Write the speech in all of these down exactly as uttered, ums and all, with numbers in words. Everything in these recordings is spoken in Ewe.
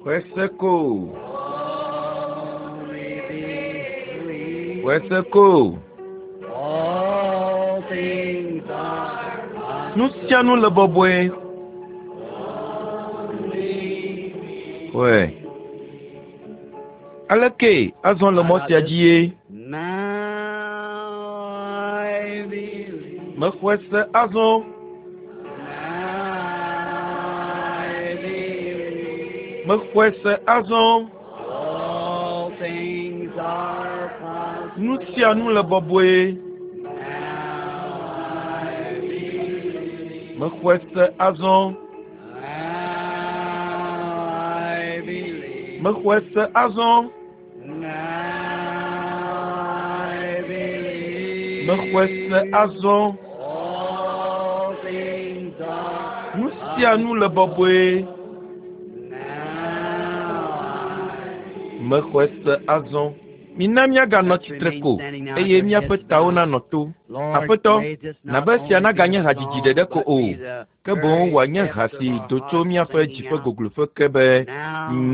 Xɔe se ko. Only believe. Xɔe se ko. All things are possible. Nu sia nu le bɔbɔe. Only believe. Xɔe. Aleke azɔ le mɔ sia dzi ye? Now I believe. Mexɔe se azɔ. Now I believe. Mexɔe se azɔ. All things are possible. Nu sia nu le bɔbɔe. Now I believe. Mexɔe se azɔ. Now I believe. Mexɔe se azɔ. Now I believe. Mexɔe se azɔ. All things are Nu sia nu le bɔbɔe. Now I Mexɔe se azɔ. Mina míaganɔ tsitre ko eye míaƒe tawo nanɔ to. Aƒetɔ, na be sia naganye hadzidzi ɖeɖe ko o, ke boŋ wòanye ha si do tso míaƒe dziƒe gogloƒe ke be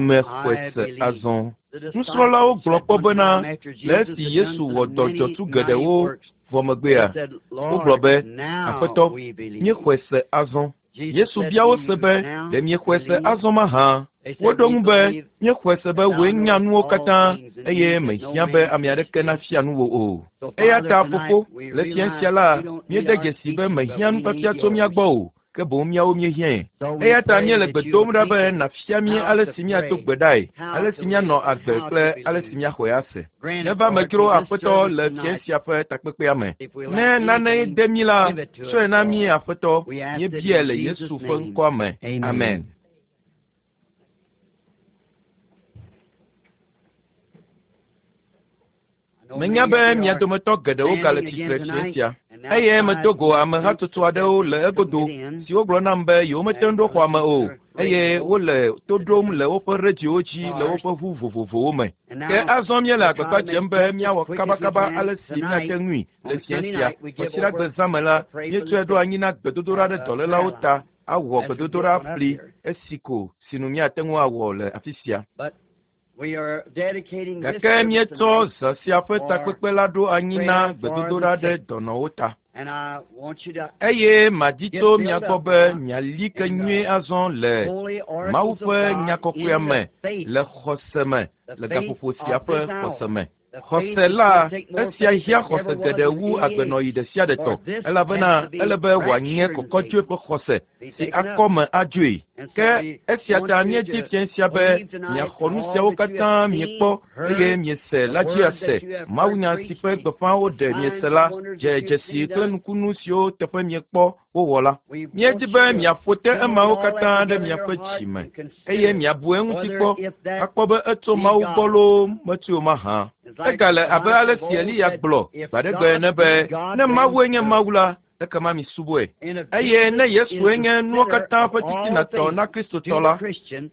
mexɔe se azɔ. Nusrɔ̃lawo gblɔ kpɔ bena le esi Yesu wɔ dɔ dzɔtsu geɖewo vɔ megbea, wogblɔ be, Aƒetɔ, míexɔe se azɔ. Yesu bia wo se be, ɖe miexɔe se azɔ mahã? Woɖo ŋu be, míexɔe se be wòe nya nuwo katã eye mehiã be ame aɖeke nafia nu wò o. Eya ta fofo, le fia sia la, míede dzesi be mehiã nufiafia tso mía gbɔ o, ke boŋ míawo míehiãe. Eya ta míele gbe dom ɖa be nàfia mí ale si míado gbe ɖae, ale si míanɔ agbe kple ale si míaxɔe ase. Neva me dzro Aƒetɔ le fia sia ƒe takpekpea me. Ne nane de mí la, tsɔe na mí Aƒetɔ, míebiae le Yesu ƒe ŋkɔa me. Amen. Menya be mia dometɔ geɖewo gale tsitre fia sia eye medo go ame hatsotso aɖewo le egodo siwo gblɔ nam be yewomete ŋu ɖo xɔa me o eye wole to ɖom le woƒe rediowo dzi le woƒe ʋu vovovowo me. Ke azɔ míele agbagba dzem be míawɔ kabakaba ale si míate ŋui le fia sia. Kwasiɖagbe zã me la, míetsɔe ɖo anyi na gbedodoɖa ɖe dɔlélawo ta awɔ gbedodoɖa ƒli esi ko sinu míate ŋu awɔ le afi sia. Gake míetsɔ zã sia ƒe takpekpe la ɖo anyi na gbedodoɖa ɖe dɔnɔwo ta. Eye madi tso mia gbɔ be miali ke nyuie azɔ le Mawu ƒe nya kɔkɔea me, le xɔse me, le gaƒoƒo sia ƒe xɔse me. Xɔse la, esia hiã xɔse geɖe wu agbenɔɣi ɖe sia ɖe tɔ, elabena ele be wòanye kɔkɔdzoe ƒe xɔse si akɔ me adzoe. Ke esia ta míedi fia sia be miaxɔ nu siawo katã miekpɔ eye miese la dzi ase. Mawunya si ƒe gbeƒã woɖe miese la dze dzesi kple nukunu siwo teƒe miekpɔ wowɔ la. Míedi be miaƒo te emawo katã ɖe miaƒe dzi me eye miabu eŋuti kpɔ akpɔ be etso Mawu gbɔ loo metsoe o mahã. Egale abe ale si Eliya gblɔ gbe aɖe gbe ene be, ne Mawue nye Mawu la, ekema misubɔe. Eye ne Yesue nye nuwo katã ƒe titinatɔ na Kristotɔ la,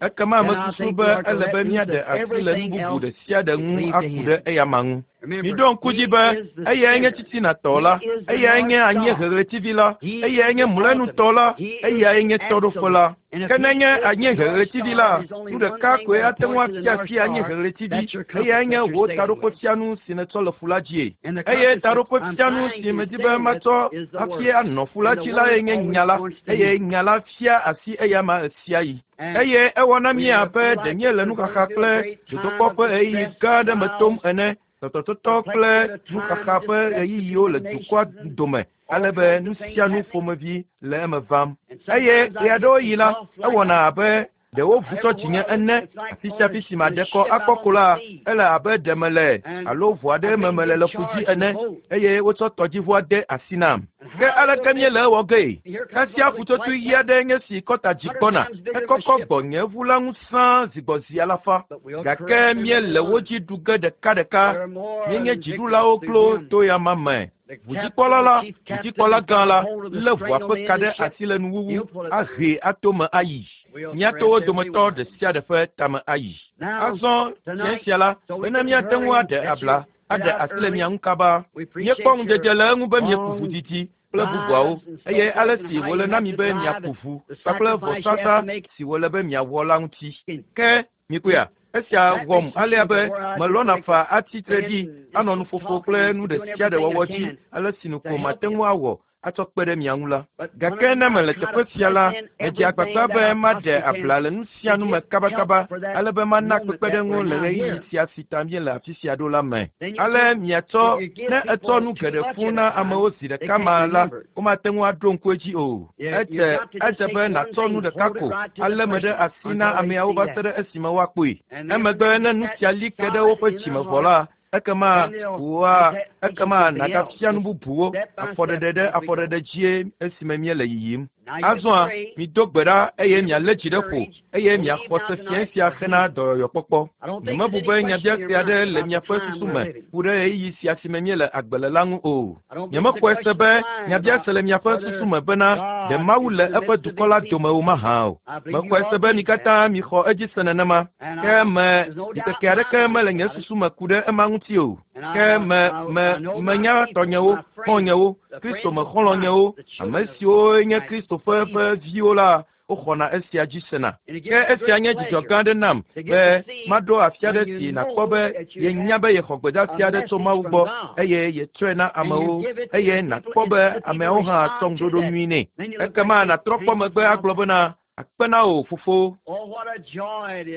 ekema mesusu be ele be míaɖe asi le nu bubu ɖe sia ɖe ŋu aku ɖe eyama ŋu. Miɖo ŋku dzi be eyae nye titinatɔ la, eyae nye anyieheɣletivi la, eyae nye mlɔenutɔ la, eyae nye tɔɖoƒe la. Ke nenye anyieheɣletivi la, nu ɖeka koe ate ŋu afia asi anyieheɣletivi, eyae nye wò taɖoƒefianu si nètsɔ le ƒu la dzie. Eye taɖoƒefianu si medi be matsɔ hafi anɔ ƒu la dzi lae nye nya la, eye nya la fia asi eyama ɣesiaɣi. Eye ewɔ na mí abe ɖe míele nuxaxa kple dodokpɔ ƒe ɣeyiɣi gã aɖe me tom ene. Tɔtɔtɔtɔ kple nuxaxa ƒe ɣeyiɣiwo le dukɔa dome ale be nu sia nu ƒomevi le eme vam. Eye ɣe aɖewo yi la, ewɔna abe ɖe wovu tsɔ dzinye ene. Afi sia afi si maɖe kɔ akpɔ ko la, ele abe ɖe mele alo ʋu aɖe me mele le ƒu dzi ene eye wotsɔ tɔdziʋua de asi nam. Ke aleke míele ewɔ gee? Kasia ƒutsotsoe ɣi aɖe nye si kɔta dzi gbɔna. Ekɔkɔ gbɔ nye ʋu la ŋu sãa zi gbɔ zi alafa. Gake míele wo dzi ɖu ge ɖekaɖeka. Míenye dziɖulawo klo to ya ma me. Ʋudzikpɔla la, ʋudzikpɔla gã la, lé ʋua ƒe ka ɖe asi le nuwuwu ahee ato me ayi. Míato wo dometɔ ɖe sia ɖe ƒe tame ayi. Azɔ fia sia la, bena míate ŋu aɖe abla, aɖe asi le mia ŋu kaba. Míekpɔ ŋudzedze le eŋu be mieku ʋu didi kple bubuawo eye ale si wòle na mi be miaku ʋu kpakple vɔsasa si wòle be miawɔ la ŋuti. Ke Mikpɔea? Esia wɔm alea be melɔ̃na faa atsi tre ɖi anɔ nuƒoƒo kple nu ɖe sia ɖe wɔwɔ dzi ale si nu ko mate ŋu awɔ atsɔ kpe ɖe mia ŋu la. Gake ne mele teƒe sia la, medze agbagba be maɖe abla le nu sia nu me kabakaba ale be mana kpekpeɖeŋu le ɣeyiɣi sia si ta míele afi sia ɖo la me. Ale miatsɔ ne etsɔ nu geɖe fũu na amewo zi ɖeka ma la, womate ŋu aɖo ŋku edzi o. Edze edze be nàtsɔ nu ɖeka ko alé me ɖe asi na ameawo va se ɖe esime woakpɔe. Emegbe ne nu sia li ke ɖe woƒe dzime vɔ la, ekema woa ekema nàgafia nu bubuwo afɔɖeɖe ɖe afɔɖeɖe dzie esime míele yiyim. Azɔa mido gbe ɖa eye mialé dzi ɖe ƒo eye miaxɔ se fiẽ sia hena dɔyɔyɔkpɔkpɔ. Nyemebu be nyabiase aɖe le miaƒe susu me ku ɖe ɣeyiɣi sia si me míele agbe le la ŋu o. Nyemexɔe se be nyabiase le miaƒe susu me bena ɖe Mawu le eƒe dukɔ la dome o mahã o. Mexɔe se be mi katã mixɔ edzi se nenema. Ke me ɖikeke aɖeke mele nye susu me ku ɖe ema ŋuti o. Ke me me menya tɔnyewo, xɔ̃nyewo, Kristo me xɔlɔ̃nyewo, ame siwo nye Kristo ƒe ƒe viwo la, woxɔna esia dzi sena. Ke esia nye dzidzɔ gã aɖe nam be maɖo afi aɖe si nàkpɔ be yenya be yexɔ gbedeasi aɖe tso Mawu gbɔ eye yetsɔe na amewo eye nàkpɔ be ameawo hã tsɔ ŋuɖoɖo nyui nɛ. Ekema nàtrɔ kpɔ megbe agblɔ bena akpe na wò fofo.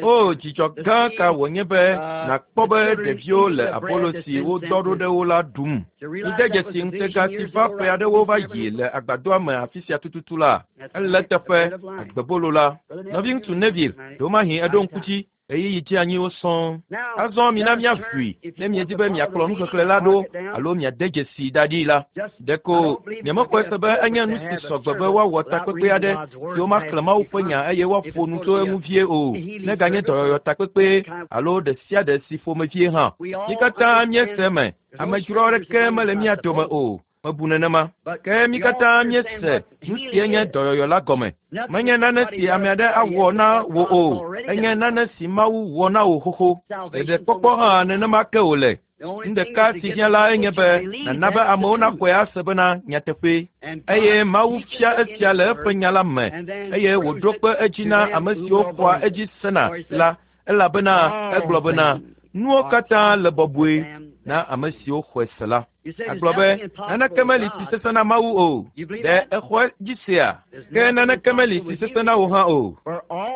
O dzidzɔ gã ka wònye be nàkpɔ be ɖeviwo le abolo si wodɔ ɖo ɖe wo la ɖum. Mide dzesi ŋutega si va ƒe aɖewo va yi le agbadɔa me afi sia tututu la. Ele teƒe agbebolo la. Nɔviŋutsu Neville, ɖewomahi eɖo ŋku dzi ɣeyiɣi dzi anyiwo sɔŋ. Azɔ mina míaʋui ne miedi be miakplɔ nuxexlẽ la ɖo alo miade dzesi da ɖi la. Ɖeko nyemexɔe se be enye nu si sɔgbe be woawɔ takpekpe aɖe si womaxlẽ Mawu ƒe nya eye woaƒo nu tso eŋu vie o, neganye dɔyɔyɔ takpekpe alo ɖe sia ɖe si ƒomevie hã. Mí katã míese eme, amedzro aɖeke mele mía dome o. Mebu nenema. Ke mí katã míese nu si nye dɔyɔyɔ la gɔme. Menye nane si ame aɖe awɔ na wò o, enye nane si Mawu wɔ na wò xoxo. Ɖeɖekpɔkpɔ hã nenema ke wòle. Nu ɖeka si hiã la enye be nàna be amewo naxɔe ase bena nyateƒee. Eye Mawu fia esia le eƒe nya la me eye wòɖo kpe edzi na ame siwo xɔa edzi sena la elabena egblɔ bena nuwo katã le bɔbɔe na ame siwo xɔe se la. Agblɔ be naneke meli si sesẽ na Mawu o. Ɖe exɔe dzi sea? Ke naneke meli si sesẽ na wò hã o.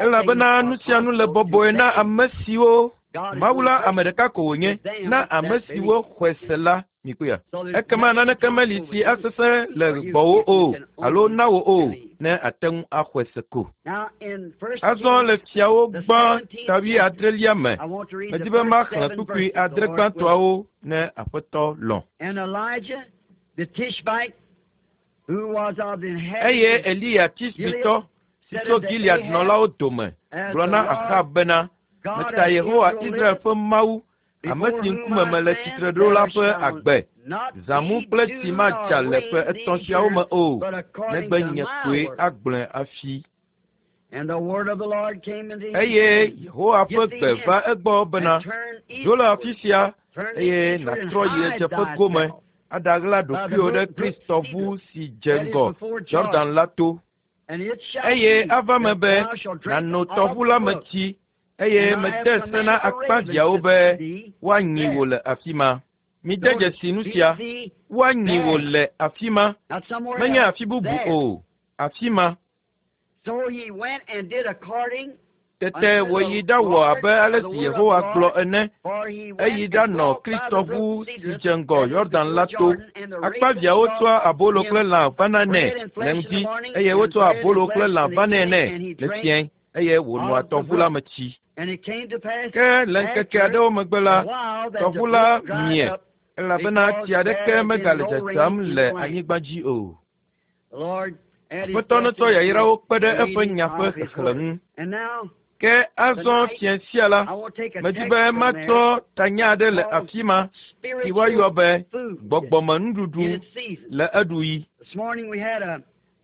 Elabena nu sia nu le bɔbɔe na ame siwo Mawu la ame ɖeka ko wònye na ame siwo xɔe se la. Mikpɔea? Ekema naneke meli si asesẽ le gbɔwò o alo na wò o ne ate ŋu axɔe se ko. Azɔ le fiawo gbã ta wuiadrelia me, medi be maxlẽ kpukpui adre gbãtɔawo ne Aƒetɔ lɔ̃. Eye Eliya Tisbitɔ si tso Gilead nɔlawo dome gblɔ na Ahab bena, meta Yehowa Israel ƒe Mawu, ame si ŋkume mele tsitre ɖo la ƒe agbe, zãmu kple tsi madza le ƒe etɔ̃ siawo me o, negbe nye koe agblɔe hafi. Eye Yehowa ƒe gbe va egbɔ bena, dzo le afi sia eye nàtrɔ yi ɣedzeƒe gome aɖaɣla ɖokuiwò ɖe Kristɔʋu si dze ŋgɔ Jordan la to. Eye ava me be nàno tɔʋu la me tsi eye mede se na akpaviãwo be woanyi wò le afi ma. Mide dzesi nu sia, woanyi wò le afi ma, menye afi bubu o, afi ma. Tete wòyi ɖawɔ abe ale si Yehowa gblɔ ene, eyi ɖanɔ Kristɔʋu si dze ŋgɔ Yordan la to. Akpaviãwo tsɔa abolo kple lã vanɛ nɛ le ŋdi eye wotsɔa abolo kple lã vanɛ nɛ le fiẽ eye wònoa tɔʋu la me tsi. Ke le ŋkeke aɖewo megbe la, tɔʋu la mie elabena tsi aɖeke megale dzadzam le anyigba dzi o. Aƒetɔ netsɔ yayrawo kpe ɖe eƒe nya ƒe xexlẽ ŋu. Ke azɔ fiẽ sia la, medi be matsɔ tanya aɖe le afi ma si woayɔ be gbɔgbɔmenuɖuɖu le eɖuɣi.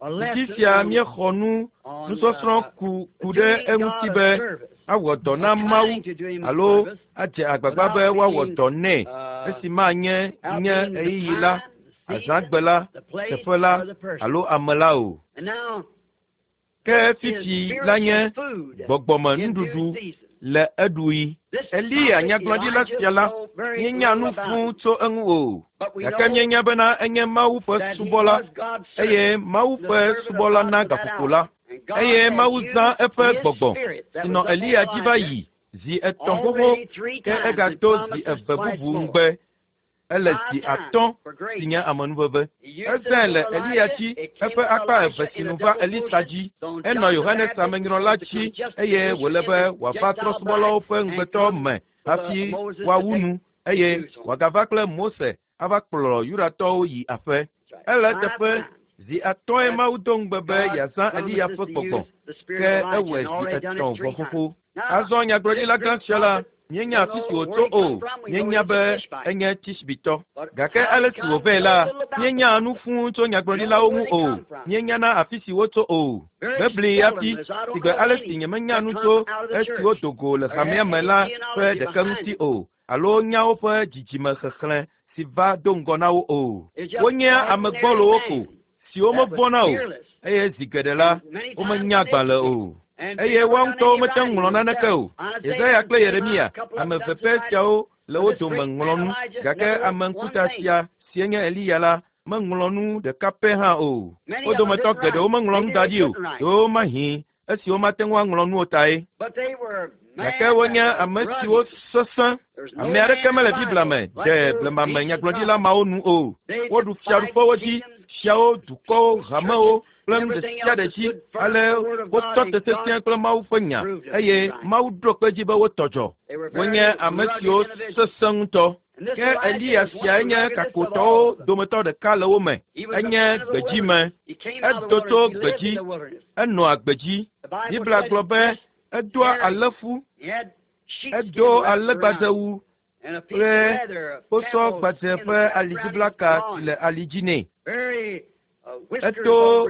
Ŋdi sia míexɔ nu nusɔsrɔ̃ ku ku ɖe eŋuti be awɔ dɔ na Mawu alo adze agbagba be woawɔ dɔ nɛ esi manye nye ɣeyiɣi la, azãgbe la, teƒe la alo ame la o. Ke fifi la nye gbɔgbɔmenuɖuɖu le eɖuɣi. Eliya nyagblɔɖila sia la, míenya nu fũu tso eŋu o, gake míenya bena enye Mawu ƒe subɔla eye Mawu ƒe subɔla na gaƒoƒo la. Eye Mawu zã eƒe gbɔgbɔ si nɔ Eliya dzi va yi zi etɔ̃ xoxo, ke egado zi eve bubu ŋugbe. Ele zi atɔ̃ si nye amenuveve. Ezãe le Eliya dzi eƒe akpa eve si nu va Elisa dzi. Enɔ Yohanes Amenyrɔla dzi eye wòle be wòava trɔ̃subɔlawo ƒe ŋugbetɔ me hafi woawu nu eye wòagava kple Mose ava kplɔ Yudatɔwo yi aƒe. Ele eteƒe zi atɔ̃e Mawu do ŋugbe be yeazã Eliya ƒe gbɔgbɔ, ke ewɔe zi etɔ̃ vɔ xoxo. Azɔ nyagblɔɖila gã sia la, míenya afi si wòtso o, míenya be enye Tisbitɔ. Gake ale si wòvɛ la, míenya nu fũu tso nyagblɔɖilawo ŋu o, míenyana afi si wotso o. Bebli hafi sigbe ale si nyemenya nu tso esiwo do go le hamea me la ƒe ɖeke ŋuti o, alo nya woƒe dzidzime xexlẽ si va do ŋgɔ na wo o. Wonyea ame gbɔlowo ko, siwo mevɔ̃na o, eye zi geɖe la, womenya agbalẽ o. Eye woa ŋutɔwo mete ŋu ŋlɔ naneke o. Yesaya kple Yeremia, ame eve pɛ siawo le wo dome ŋlɔ nu, gake ame ŋkuta sia si nye Eliya la meŋlɔ nu ɖeka pɛ hã o. Wo dometɔ geɖewo meŋlɔ nu da ɖi o, ɖewo mahi esi womate ŋu aŋlɔ nu o tae. Gake wonye ame siwo sesẽ. Ame aɖeke mele Biblia me de blemame nyagblɔɖila mawo nu o. Woɖu fiaɖuƒewo dzi, fiawo, dukɔwo, hamewo kple nu ɖe sia ɖe dzi. Ale wotɔ te sesĩe kple Mawu ƒe nya eye Mawu ɖo kpe edzi be wotɔ dzɔ. Wonye ame siwo sesẽ ŋutɔ. Ke Eliya siae nye kakotɔwo dometɔ ɖeka le wo me. Enye gbedzime. Edo tso gbedzi. Enɔa gbedzi. Biblia gblɔ be edoa alefu, edo alegbadzewu kple kposɔgbadze ƒe alidziblaka si le ali dzi nɛ. Eto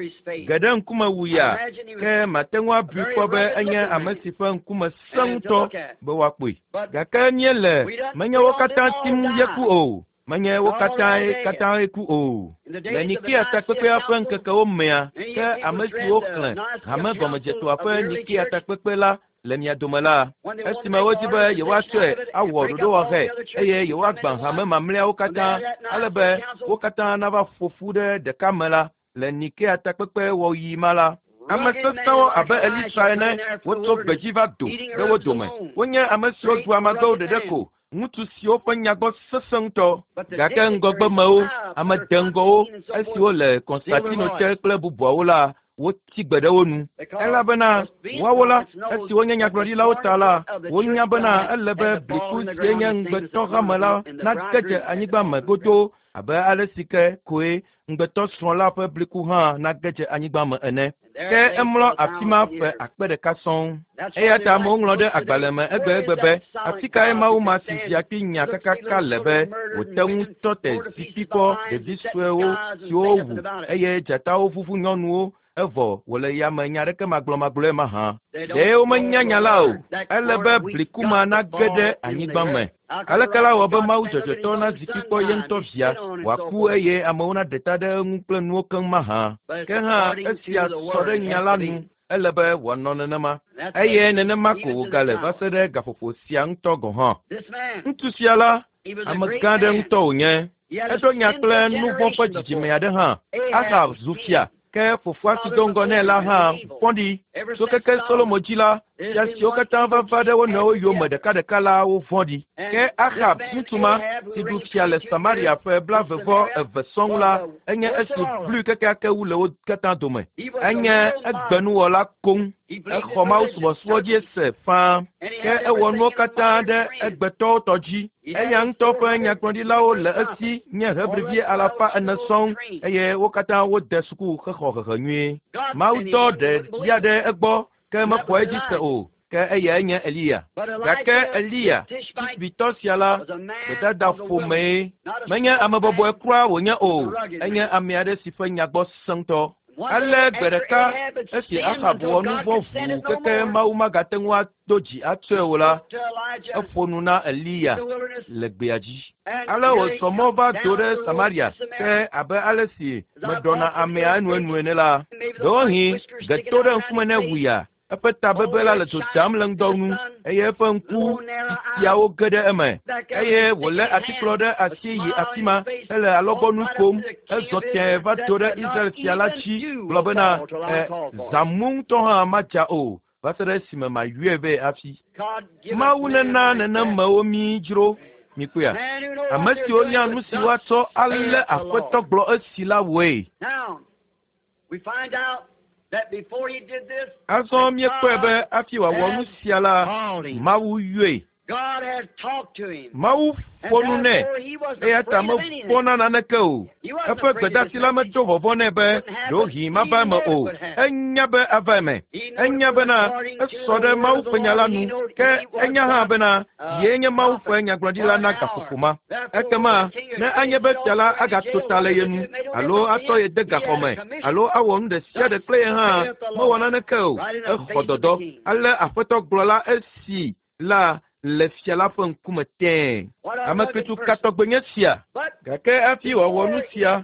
ge ɖe ŋkume wu ya, ke mate ŋu abui kpɔ be enye ame si ƒe ŋkume sẽ ŋutɔ be woakpɔe. Gake míele menye wo katã tim yeku o, menye wo katãe katãe ku o. Le Nikea takpekpea ƒe ŋkekewo mea, ke ame siwo xlẽ hame gɔmedzetoa ƒe Nikea takpekpe la le mia dome la, esime wodi be yewoatsɔe awɔ ɖoɖowɔhɛ eye yewoagbã hame mamlɛawo katã ale be wo katã nava ƒo ƒu ɖe ɖeka me la, le Nikea takpekpe wɔɣi ma la, ame sesẽwo abe Elisa ene wotso gbedzi va do ɖe wo dome. Wonye ame siwo ɖua amagbewo ɖeɖe ko, ŋutsu siwo ƒe nyagbɔ sesẽ ŋutɔ. Gake ŋgɔgbemewo, ame deŋgɔwo, esiwo le Konstantino te kple bubuawo la, wotsi gbe ɖe wo nu. Elabena woawo la, esi wonye nyagblɔɖilawo ta la, wonya bena ele be bliku sie nye ŋugbetɔ hame la nage dze anyigba me godoo abe ale si ke koe ŋugbetɔ srɔ̃ la ƒe bliku hã nage dze anyigba me ene. Ke emlɔ afi ma ƒe akpe ɖeka sɔŋ. Eya ta amewo ŋlɔ ɖe agbalẽ me egbegbe be afi kae Mawu ma si zia kpli nya kakaka le be wòte ŋu tɔ te zikpui kpɔ ɖevi suewo siwo wu eye dzatawo vuvu nyɔnuwo evɔ wòle yame nya aɖeke magblɔmagblɔe mahã. Ɖe womenya nya la o. Ele be bliku ma nage ɖe anyigba me. Aleke la wɔ be Mawu dzɔdzɔetɔ nazi kpli kpɔ ye ŋutɔ via wòaku eye amewo naɖe ta ɖe eŋu kple nuwo keŋ mahã. Ke hã esia sɔ ɖe nya la nu. Ele be wòanɔ nenema. Eye nenema ko wògale va se ɖe gaƒoƒo sia ŋutɔ gɔ̃ hã. Ŋutsu sia la, ame gã aɖe ŋutɔ wònye. Eɖo nya kple nu vɔ̃ ƒe dzidzime aɖe hã. Ahab zu fia. Ke fofoa si do ŋgɔ nɛ la hã vɔ̃ɖi. Tso keke Solomo dzi la, fia siwo katã va va ɖe wo nɔewo yome ɖekaɖeka la wo vɔ̃ɖi. Ke Ahab ŋutsu ma si ɖu fia le Samaria ƒe blaeve vɔ eve sɔŋ la, enye esi blui kekeake wu le wo katã dome. Enye egbenuwɔla koŋ. Exɔ Mawu subɔsubɔ dzi se faa. Ke ewɔ nuwo katã ɖe egbetɔwo tɔ dzi. Eya ŋutɔ ƒe nyagblɔɖilawo le esi nye Hebrivi alafa ene sɔŋ eye wo katã wode suku hexɔ hehe nyuie. Mawu dɔ ɖevia ɖe egbɔ ke mexɔ edzi se o. Ke eyae nye Eliya. Gake Eliya, Tisbitɔ sia la, gbedada ƒomee. Menye ame bɔbɔe kura wònye o. Enye ame aɖe si ƒe nyagbɔ sẽ ŋutɔ. Ale gbe ɖeka esi Ahab wɔ nu vɔ̃ ʋuu keke Mawu magate ŋu ado dzi atsɔe o la, eƒo nu na Eliya le gbea dzi. Ale wòzɔ mɔ va do ɖe Samaria ke abe ale si meɖɔna amea enuenu ene la, ɖewohĩ ge to ɖe ŋkume nɛ wuya Eƒe tabebe la le dodam le ŋdɔ nu eye eƒe ŋku titiawo ge ɖe eme eye wòlé atikplɔ ɖe asi yi afi ma hele alɔgbɔnu kom ezɔ tẽ va do ɖe Israel fia la dzi gblɔ bena zãmu ŋutɔ hã madza o va se ɖe esime mayɔe vɛ hafi. Mawu nena nenemewo mí dzro mikpɔea. Ame siwo nya nu si woatsɔ alé Aƒetɔ gblɔ esi la wɔe. Azɔ míekpɔe be hafi wòawɔ nu sia la, Mawu yɔe. Mawu ƒo nu nɛ eya ta mevɔ̃na naneke o. Eƒe gbedasi la medo vɔvɔ̃ nɛ be ɖewohĩ mava eme o. Enya be ava eme. Enya bena esɔ ɖe Mawu ƒe nya la nu. Ke enya hã bena yee nye Mawu ƒe nyagblɔɖila na gaƒoƒo ma. Ekema ne anye be fia la agato ta le ye nu alo atɔ ye de gaxɔ me alo awɔ nu ɖe sia ɖe kple ye hã mewɔ naneke o. Exɔ dɔdɔ. Ale Aƒetɔ gblɔ la esi la le fia la ƒe ŋkume tẽe. Ame klitsu ka tɔgbe nye sia? Gake hafi wòawɔ nu sia,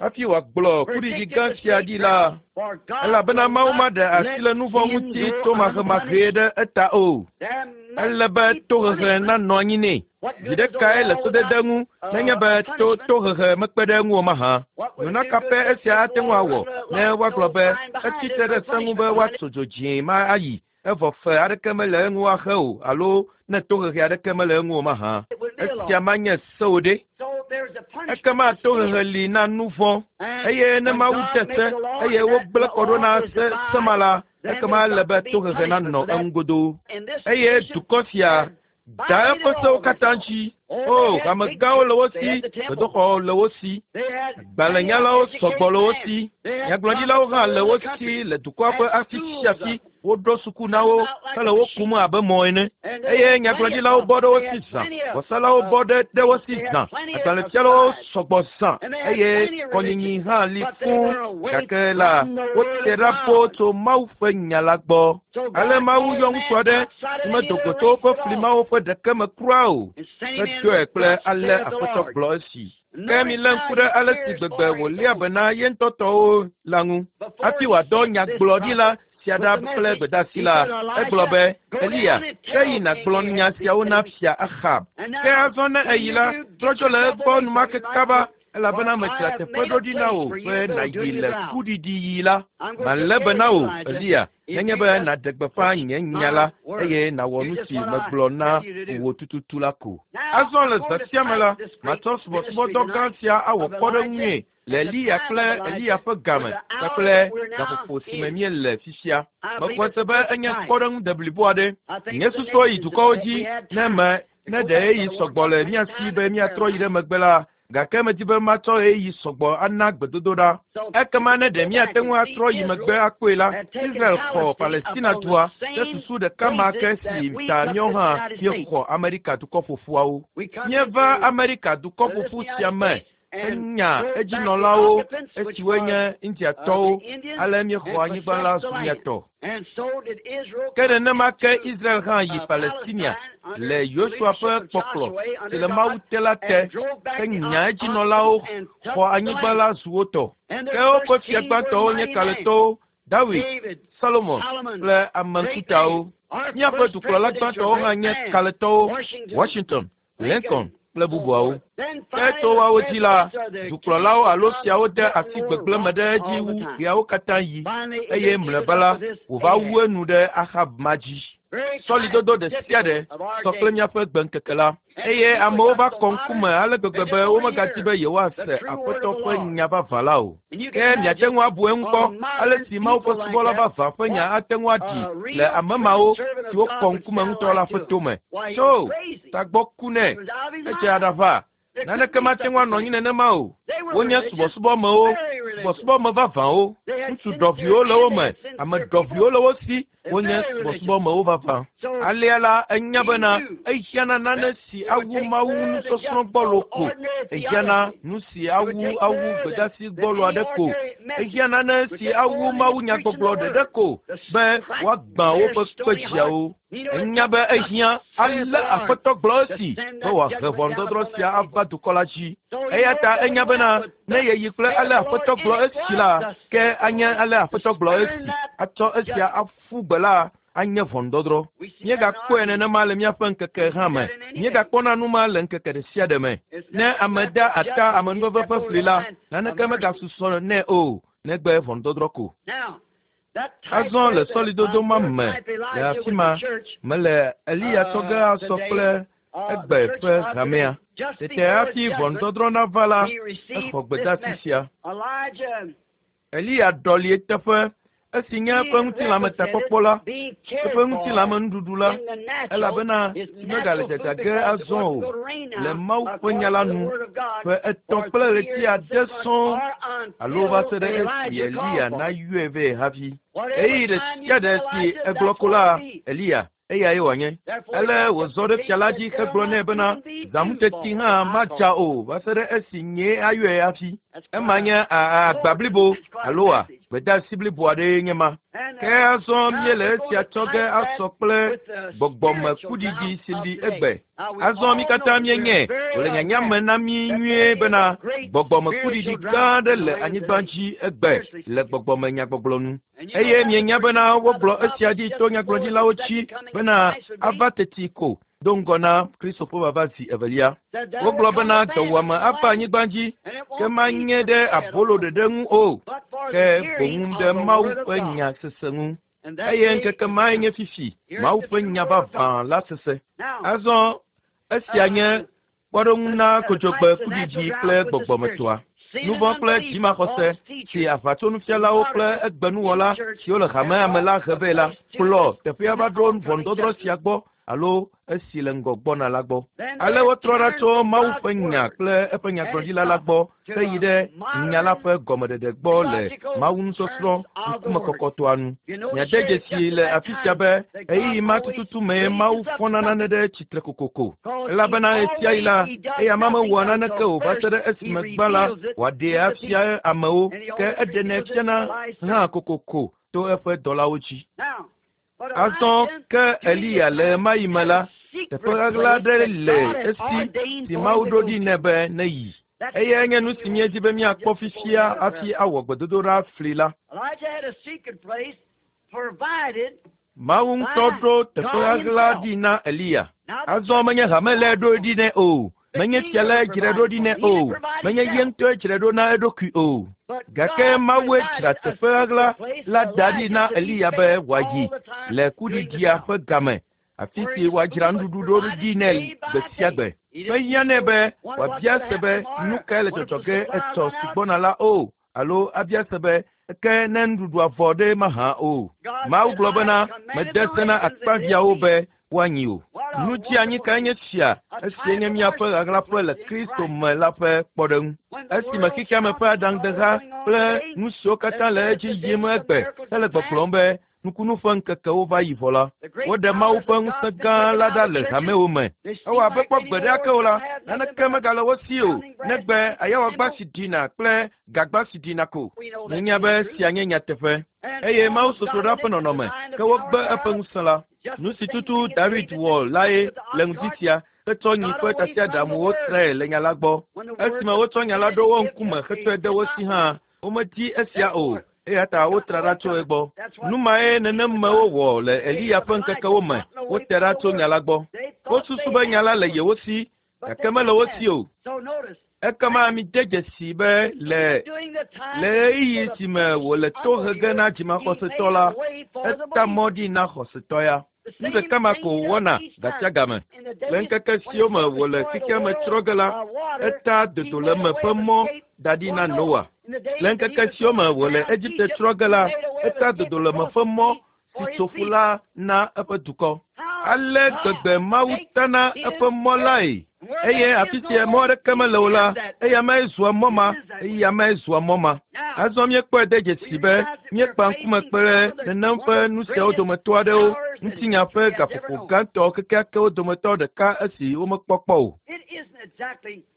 hafi wòagblɔ kuɖiɖi gã sia ɖi la, elabena Mawu maɖe asi le nu vɔ̃ ŋuti tomahemahee ɖe eta o. Ele be tohehe nanɔ anyi nɛ. Zi ɖekae le sodede ŋu nenye be to tohehe mekpe ɖe eŋu o mahã. Nunaka pɛ esia ate ŋu awɔ ne woagblɔ be etsi tre ɖe se ŋu be woatso dzo dzĩ ma ayi evɔ fe aɖeke mele eŋu ahe o alo ne tohehe aɖeke mele eŋu o mahã. Esia manye se o ɖe. Ekema tohehe li na nu vɔ̃ eye ne Mawu de se eye wogblẽ kɔ ɖo na se sema la, ekema ele be tohehe nanɔ eŋu godoo. Eye dukɔ sia da eƒe sewo katã dzi. O, amegãwo le wo si, gbedoxɔ le wo si, agbalẽnyalawo sɔgbɔ le wo si, nyagblɔɖilawo hã le wo si le dukɔa ƒe afi sia afi. Woɖo suku na wo hele wo kum abe mɔ ene. Eye nyagblɔɖilawo bɔ ɖe wo si zã, vɔsalawo bɔ ɖe ɖe wo si zã, agbalẽfialawo sɔgbɔ zã eye kɔnyinyi hã li fũu. Gake la, wote ɖa boo tso Mawu ƒe nya la gbɔ. Ale Mawu yɔ ŋutsu aɖe si medo go tso woƒe flimawo ƒe ɖeke me kura o hedɔe kple ale Aƒetɔ gblɔ esi. Ke milé ŋku ɖe ale si gbegbe wòléa be na ye ŋutɔ tɔwo la ŋu. Hafi wòadɔ nyagblɔɖila sia ɖa kple gbedasi la, egblɔ be, Eliya, ke yi nàgblɔ nya siawo na fia Ahab. Ke azɔ ne eyi la, trɔ tso le egbɔ enumake kaba elabena medzra teƒe ɖo ɖi na wò be nàyi le kuɖiɖi yi la. Malé be na wò, Eliya, nenye be nàɖe gbeƒã nye nya la eye nàwɔ nu si megblɔ na wò tututu la ko. Azɔ le zã sia me la, matsɔ subɔsubɔdɔ gã sia awɔ kpɔɖeŋue le Eliya kple Eliya ƒe game kpakple gaƒoƒo si me míele fifia. Mexɔe se be enye kpɔɖeŋu deblibo aɖe. Nye susɔ yi dukɔwo dzi ne me ne ɖe ɣeyiɣi sɔgbɔ le mía si be míatrɔ yi ɖe megbe la, gake medi be matsɔ ɣeyiɣi sɔgbɔ ana gbedodoɖa. Ekema ne ɖe míate ŋu atrɔ yi megbe akpɔe la, Israel xɔ Palestina dua ɖe susu ɖeka ma ke si ta míawo hã míexɔ Amerika dukɔ ƒoƒuawo. Míeva Amerika dukɔ ƒoƒu sia me enya edzinɔlawo esiwoe nye Indiatɔwo ale míexɔ anyigba la zu mía tɔ. Ke nenema ke Israel hã yi Palestinia le Yosua ƒe kpɔkplɔ si le Mawu te la te ke nya edzinɔlawo xɔ anyigba la zu wo tɔ. Ke woƒe fia gbãtɔwo nye kalẽtɔwo, Dawid, Solomon kple ame ŋkutawo. Míaƒe dukplɔla gbãtɔwo hã nye kalẽtɔwo, Washington, Lincoln kple bubuawo. Ke to woawo dzi la, dukplɔlawo alo fiawo de asi gbegblẽ me ɖe edzi wu ɣeawo katã yi eye mlɔeba la, wòva wu enu ɖe Ahab ma dzi. Sɔlidodo ɖe sia ɖe sɔ kple míaƒe gbeŋkeke la. Eye amewo va kɔ ŋkume ale gbegbe be womegadi be yewoase Aƒetɔ ƒe nya vavã la o. Ke miate ŋu abu eŋu kpɔ ale si Mawu ƒe subɔla vavã ƒe nya ate ŋu aɖi le ame mawo siwo kɔ ŋkume ŋutɔ la ƒe tome. Tso, tagbɔ ku nɛ, edze aɖaʋa. Naneke mate ŋu anɔ anyi nenema o. Wonye subɔsubɔmewo, subɔsubɔme vavãwo. Ŋutsu ɖɔviwo le wo me, ame ɖɔviwo le wo si. Wonye subɔsubɔmewo vavã. Alea la, enya bena ehiãna nane si awu Mawu nusɔsrɔ̃ gbɔlo ko. Ehiãna nu si awu awu gbedasi gbɔlo aɖe ko. Ehiã nane si awu Mawu nyagbɔgblɔ ɖeɖe ko be woagbã woƒe kpedziawo. Enya be ehiã ale Aƒetɔ gblɔ esi be wòahe ʋɔnudɔdrɔ̃ sia ava dukɔ la dzi. Eya ta enya bena ne yeyi kple ale Aƒetɔ gblɔ esi la, ke anye ale Aƒetɔ gblɔ esi. atsɔ esia aƒu gbe la anye ʋɔnudɔdrɔ̃. Míegakpɔe nenema le míaƒe ŋkeke hã me. Míegakpɔna nu ma le ŋkeke ɖe sia ɖe me. Ne ame da ata amenuveve ƒe fli la, naneke megasusɔ nɛ o, negbe ʋɔnudɔdrɔ̃ ko. Azɔ le sɔlidodo ma me le afi ma, mele Eliya tsɔ ge asɔ kple egbe ƒe hamea. Tete hafi ʋɔnudɔdrɔ̃ nava la, exɔ gbedeasi sia. Eliya ɖɔli eteƒe esi nye eƒe ŋutilãmetakpɔkpɔ la, eƒe ŋutilãmenuɖuɖu la, elabena megale dzadza ge azɔ o le Mawu ƒe nya la nu ƒe etɔ̃ kple ɣleti ade sɔŋ alo va se ɖe esi Eliya nayɔe vɛ hafi. Ɣeyiɣi ɖe sia ɖe si egblɔ ko la, Eliya, eyae wòanye. Ele wòzɔ ɖe fia la dzi hegblɔ nɛ bena zãmuteti hã madza o va se ɖe esi nyee ayɔe hafi. Ema nye agba blibo aloa gbedeasi blibo aɖee nye ma. Ke azɔ míele esia tsɔ ge asɔ kple gbɔgbɔmekuɖiɖi si li egbe. Azɔ mí katã míenye wòle nyanya me na mí nyuie bena gbɔgbɔmekuɖiɖi gã aɖe le anyigba dzi egbe le gbɔgbɔmenyagbɔgblɔ nu. Eye mienya bena wogblɔ esia dzi to nyagblɔɖilawo dzi bena ava teti ko do ŋgɔ na Kristo ƒe vava zi evelia. Wogblɔ bena dɔwuame ava anyigba dzi ke manye ɖe abolo ɖeɖe ŋu o, ke boŋ ɖe Mawu ƒe nya sese ŋu. Eye ŋkeke mae nye fifi Mawu ƒe nya vavã la sese. Azɔ esia nye kpɔɖeŋu na kodzogbe kuɖiɖi kple gbɔgbɔmetɔa. Nuvɔ̃ kple dzimaxɔse si aʋatsonufialawo kple egbenuwɔla siwo le hamea me la he vɛ la kplɔ teƒea va ɖo ʋɔnudɔdrɔ̃ sia gbɔ alo esi le ŋgɔ gbɔna la gbɔ. Ale wotrɔ ɖa tso Mawu ƒe nya kple eƒe nyagblɔɖila la gbɔ heyi ɖe nya la ƒe gɔmeɖeɖe gbɔ le Mawu nusɔsrɔ̃ ŋkumekɔkɔtɔa nu. Miade dzesi le afi sia be ɣeyiɣi ma tututu mee Mawu fɔna nane ɖe tsitre kokoko. Elabena ɣesiaɣi la, eya ma mewɔa naneke o va se ɖe esime gbã la wòaɖee afia amewo, ke eɖenɛ fiana hã kokoko to eƒe dɔlawo dzi. Azɔ ke Eliya le ɣemaɣi me la, teƒe ɣaɣla aɖe le esi si Mawu ɖo ɖi nɛ be neyi. Eyae nye nu si míedi be míakpɔ fifia hafi awɔ gbedodoɖa fli la. Mawu ŋutɔ ɖo teƒe ɣaɣla ɖi na Eliya. Azɔ menye hame lae ɖoe ɖi nɛ o, menye fia lae dzrae ɖo ɖi nɛ o, menye ye ŋutɔe dzrae ɖo na eɖokui o. Gake Mawue dzra teƒe ɣaɣla la da ɖi na Eliya be wòayi le kuɖiɖia ƒe game, afi si wòadzra nuɖuɖu ɖo ɖi nɛ gbe sia gbe. Mehiã nɛ be wòabia se be nu kae le dzɔdzɔ ge etsɔ si gbɔna la o, alo abia se be ke ne nuɖuɖua vɔ ɖe mahã o. Mawu gblɔ bena mede se na akpaviãwo be woanyi o. Nu dzeanyi kae nye sia esie nye míaƒe ɣaɣlaƒe le Kristo me la ƒe kpɔɖeŋu. Esime xexeame ƒe aɖaŋudeha kple nu siwo katã le edzi yim egbe hele gbɔgblɔm be nukunu ƒe ŋkekewo va yi vɔ la, woɖe Mawu ƒe ŋusẽ gã la ɖa le hamewo me. Ewɔ abe kpɔ gbe ɖe ake o la, naneke megale wo si o, negbe ayawɔgba si ɖina kple gagba si ɖina ko. Míenya be esia nye nyateƒe. Eye Mawu sosroɖa ƒe nɔnɔme, ke wogbe eƒe ŋusẽ la. Nu si tutu David wɔ lae le ŋdi sia hetsɔ nyi ƒe tasiaɖamuwo trae le nya la gbɔ. Esime wotsɔ nya la ɖo wo ŋkume hetsɔe de wo si hã, womedi esia o, eya ta wotra ɖa tso egbɔ. Nu mae nenemewo wɔ le Eliya ƒe ŋkekewo me, wote ɖa tso nya la gbɔ. Wosusu be nya la le yewo si, gake mele wo si o. Ekema mide dzesi be le le ɣeyiɣi si me wòle to he ge na dzimaxɔsetɔ la, eta mɔ ɖi na xɔsetɔ ya. Nu ɖeka ma ko wòwɔna gasiagame. Le ŋkeke siwo me wòle xexeame tsrɔ̃ ge la, eta dodoleme ƒe mɔ da ɖi na Noa. Le ŋkeke siwo me wòle Egipte tsrɔ̃ ge la, eta dodoleme ƒe mɔ si tso ƒu la na eƒe dukɔ. Ale gbegbe Mawu tana eƒe mɔ lae. Eye afi sia mɔ aɖeke mele o la, eya mae zua mɔ ma, eya mae zua mɔ ma. Azɔ míekpɔe de dzesi be míekpa ŋkume kpe ɖe nenem ƒe nu siawo dometɔ aɖewo ŋutinya ƒe gaƒoƒo gãtɔ kekeakewo dometɔ ɖeka esi womekpɔ kpɔ o.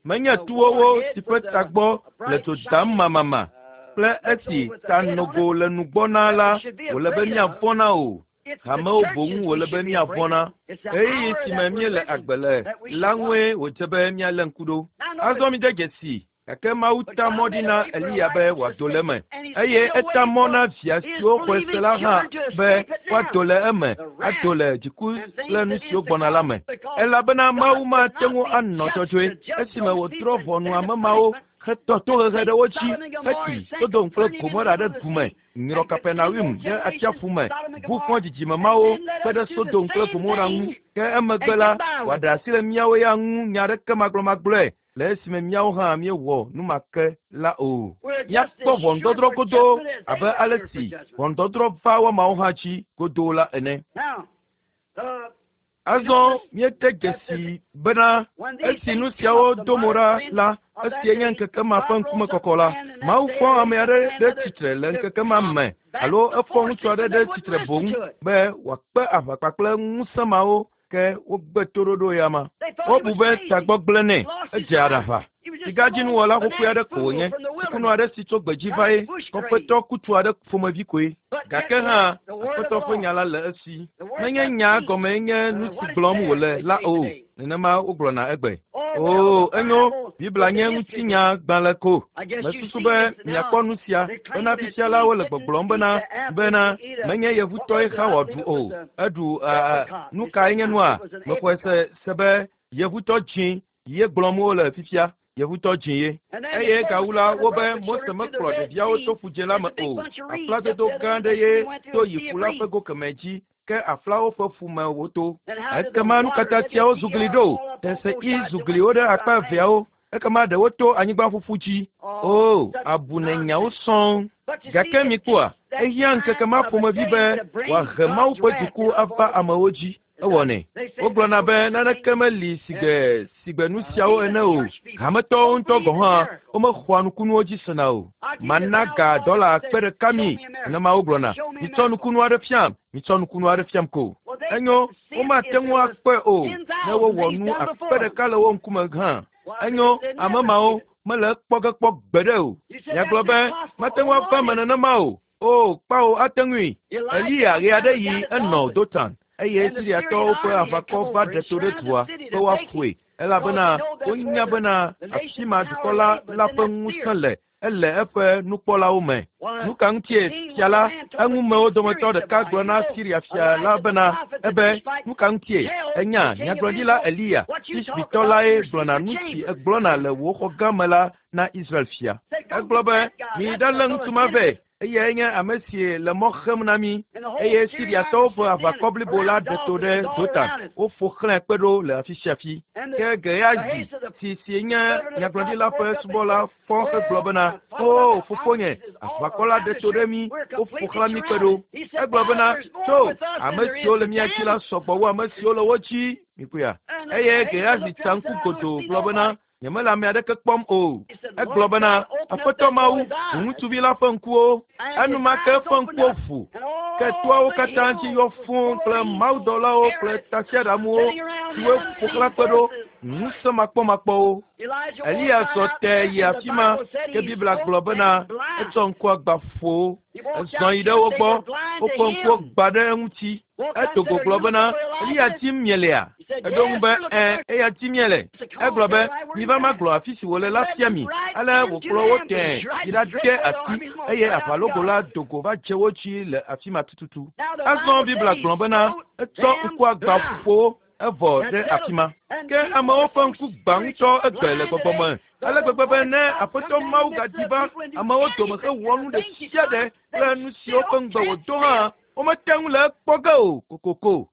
Menye tuwowo si ƒe tagbɔ le dzo dam mamama kple esi ta nogo le nugbɔ na la wòle be míavɔ̃ na o. Hamewo boŋ wòle be míavɔ̃ na. Ɣeyiɣi si me míele agbe le la ŋue wòdze be míalé ŋku ɖo. Azɔ mide dzesi Gake Mawu ta mɔ ɖi na Eliya be wòado le eme eye eta mɔ na via siwo xɔe se la hã be woado le eme ado le dziku kple nu siwo gbɔna la me. Elabena Mawu mate ŋu anɔ dzɔdzɔe esime wòdrɔ̃ ʋɔnu ame mawo hetɔ tohehe ɖe wo dzi heti Sodom kple Gomora ɖe du me nyrɔ Kapernaum ɖe atsiaƒu me ʋu fɔ dzidzime mawo kpe ɖe Sodom kple Gomora ŋu. Ke emegbe la wòaɖe asi le míawo ya ŋu nya aɖeke magblɔmagblɔe le esime míawo hã míewɔ nu ma ke la o. Míakpɔ ʋɔnudɔdrɔ̃ godoo abe ale si ʋɔnudɔdrɔ̃ va woamawo hã dzi godoo la ene. Azɔ míede dzesi bena esi nu siawo do mo ɖa la, esie nye ŋkeke ma ƒe ŋkumekɔkɔ la. Mawu fɔ ame aɖe ɖe tsitre le ŋkeke ma me alo efɔ ŋutsu aɖe ɖe tsitre boŋ be wòakpe aʋa kpakple ŋusẽ mawo ke wogbe toɖoɖo ya ma. Wobu be tagbɔ gblẽ nɛ, edze aɖaʋa. Sigadzinuwɔla xoxoe aɖe ko wònye, sukunu aɖe si tso gbedzi va ye, kɔƒetɔ kutu aɖe ƒomevi koe. Gake hã, Aƒetɔ ƒe nya la le esi. Menye nya gɔmee nye nu si gblɔm wòle la o, nenema wogblɔna egbe. Oo, enyo, Biblia nye ŋutinya gbalẽ ko. Mesusu be miakpɔ nu sia bena fifia la wole gbɔgblɔm bena bena menye yevutɔe Xawa ɖu o. Eɖu nu kae nye nua? Mexɔe se se be yevutɔ dzĩ ye gblɔm wole fifia. Yevutɔ dzĩ ye. Eye gawu la wobe Mose mekplɔ ɖeviawo to ƒudze la me o. Afladodo gã aɖe ye to yi ƒu la ƒe go kemɛ dzi ke aflawo ƒe ƒu me woto. Ekema nu katã tsiawo zu gli ɖo. Tese i zu gliwo ɖe akpa eveawo. Ekema ɖewo to anyigba ƒuƒu dzi. O, abu ne nyawo sɔŋ. Gake mikpɔa, ehiã ŋkeke ma ƒomevi be wòahe Mawu ƒe dziku ava amewo dzi. Ewɔnɛ. Wogblɔna be naneke meli sigbe sigbe nu siawo ene o. Hametɔwo ŋutɔ gɔ̃ hã womexɔa nukunuwo dzi sena o. Mana ga dɔla akpe ɖeka mi, nenema wogblɔna. Mitsɔ nukunu aɖe fiam, mitsɔ nukunu aɖe fiam ko. Enyo, womate ŋu akpɔe o ne wowɔ nu akpe ɖeka le wo ŋkume hã. Enyo, ame mawo mele ekpɔ ge kpɔ gbeɖe o. Miagblɔ be mate ŋu ava eme nenema o. O, kpawo ate ŋui. Eliya ɣe aɖe yi enɔ Dotan eye Siriatɔwo ƒe aʋakɔ va ɖe to ɖe dua be woaƒoe elabena wonya bena afi ma dukɔ la la ƒe ŋusẽ le ele eƒe nukpɔlawo me. Nu ka ŋutie fia la eŋumewo dometɔ ɖeka gblɔ na Siria fia la bena ebe nu ka ŋutie enya nyagblɔɖila Eliya Tisbitɔ lae gblɔna nu si egblɔna le wò xɔ gã me la na Israel fia. Egblɔ be miyi ɖalé ŋutsu ma vɛ eyae nye ame si le mɔ xem na mí. Eye Siriatɔwo ƒe aʋakɔ blibo la ɖe to ɖe Dotan. Woƒo xlãe kpe ɖo le afi sia afi. Ke Gehazi si si nye nyagblɔɖila ƒe subɔla fɔ hegblɔ bena o fofonye, aʋakɔ la ɖe to ɖe mí, woƒo xlã mí kpe ɖo. Egblɔ bena tso ame siwo le mía dzi la sɔgbɔ wu ame siwo le wo dzi. Mikpɔea? Eye Gehazi tsa ŋku godoo gblɔ bena nyemele ame aɖeke kpɔm o. Egblɔ bena Aƒetɔ Mawu, ʋu ŋutsuvi la ƒe ŋkuwo. Enumake eƒe ŋkuwo ʋu. Ke toawo katã dzi yɔ fũu kple mawudɔlawo kple tasiaɖamuwo siwo ƒo xlã kpe ɖo ŋusẽ makpɔmakpɔwo. Eliya zɔ te yi afi ma ke Biblia gblɔ bena etsɔ ŋkua gba ƒo wo. Ezɔ yi ɖe wo gbɔ, woƒe ŋkuwo gbã ɖe eŋuti. Edo go gblɔ bena Eliya dim mielea? Eɖo ŋu be ẽ, eya dim miele. Egblɔ be miva magblɔ afi si wòle la fia mi. Ale wòkplɔ wo tẽe yi ɖade asi eye aʋalogo la do go va dze wo dzi le afi ma tututu. Azɔ Biblia gblɔ bena etsɔ ŋkua gba ƒo wo evɔ ɖe afi ma. Ke amewo ƒe ŋku gbã ŋutɔ egbe le gbɔgbɔ me. Ale gbegbe be ne Aƒetɔ Mawu gadi va amewo dome hewɔ nu ɖe sia ɖe kple nu siwo ƒe ŋugbe wòdo hã, womete ŋu le ekpɔ ge o kokoko.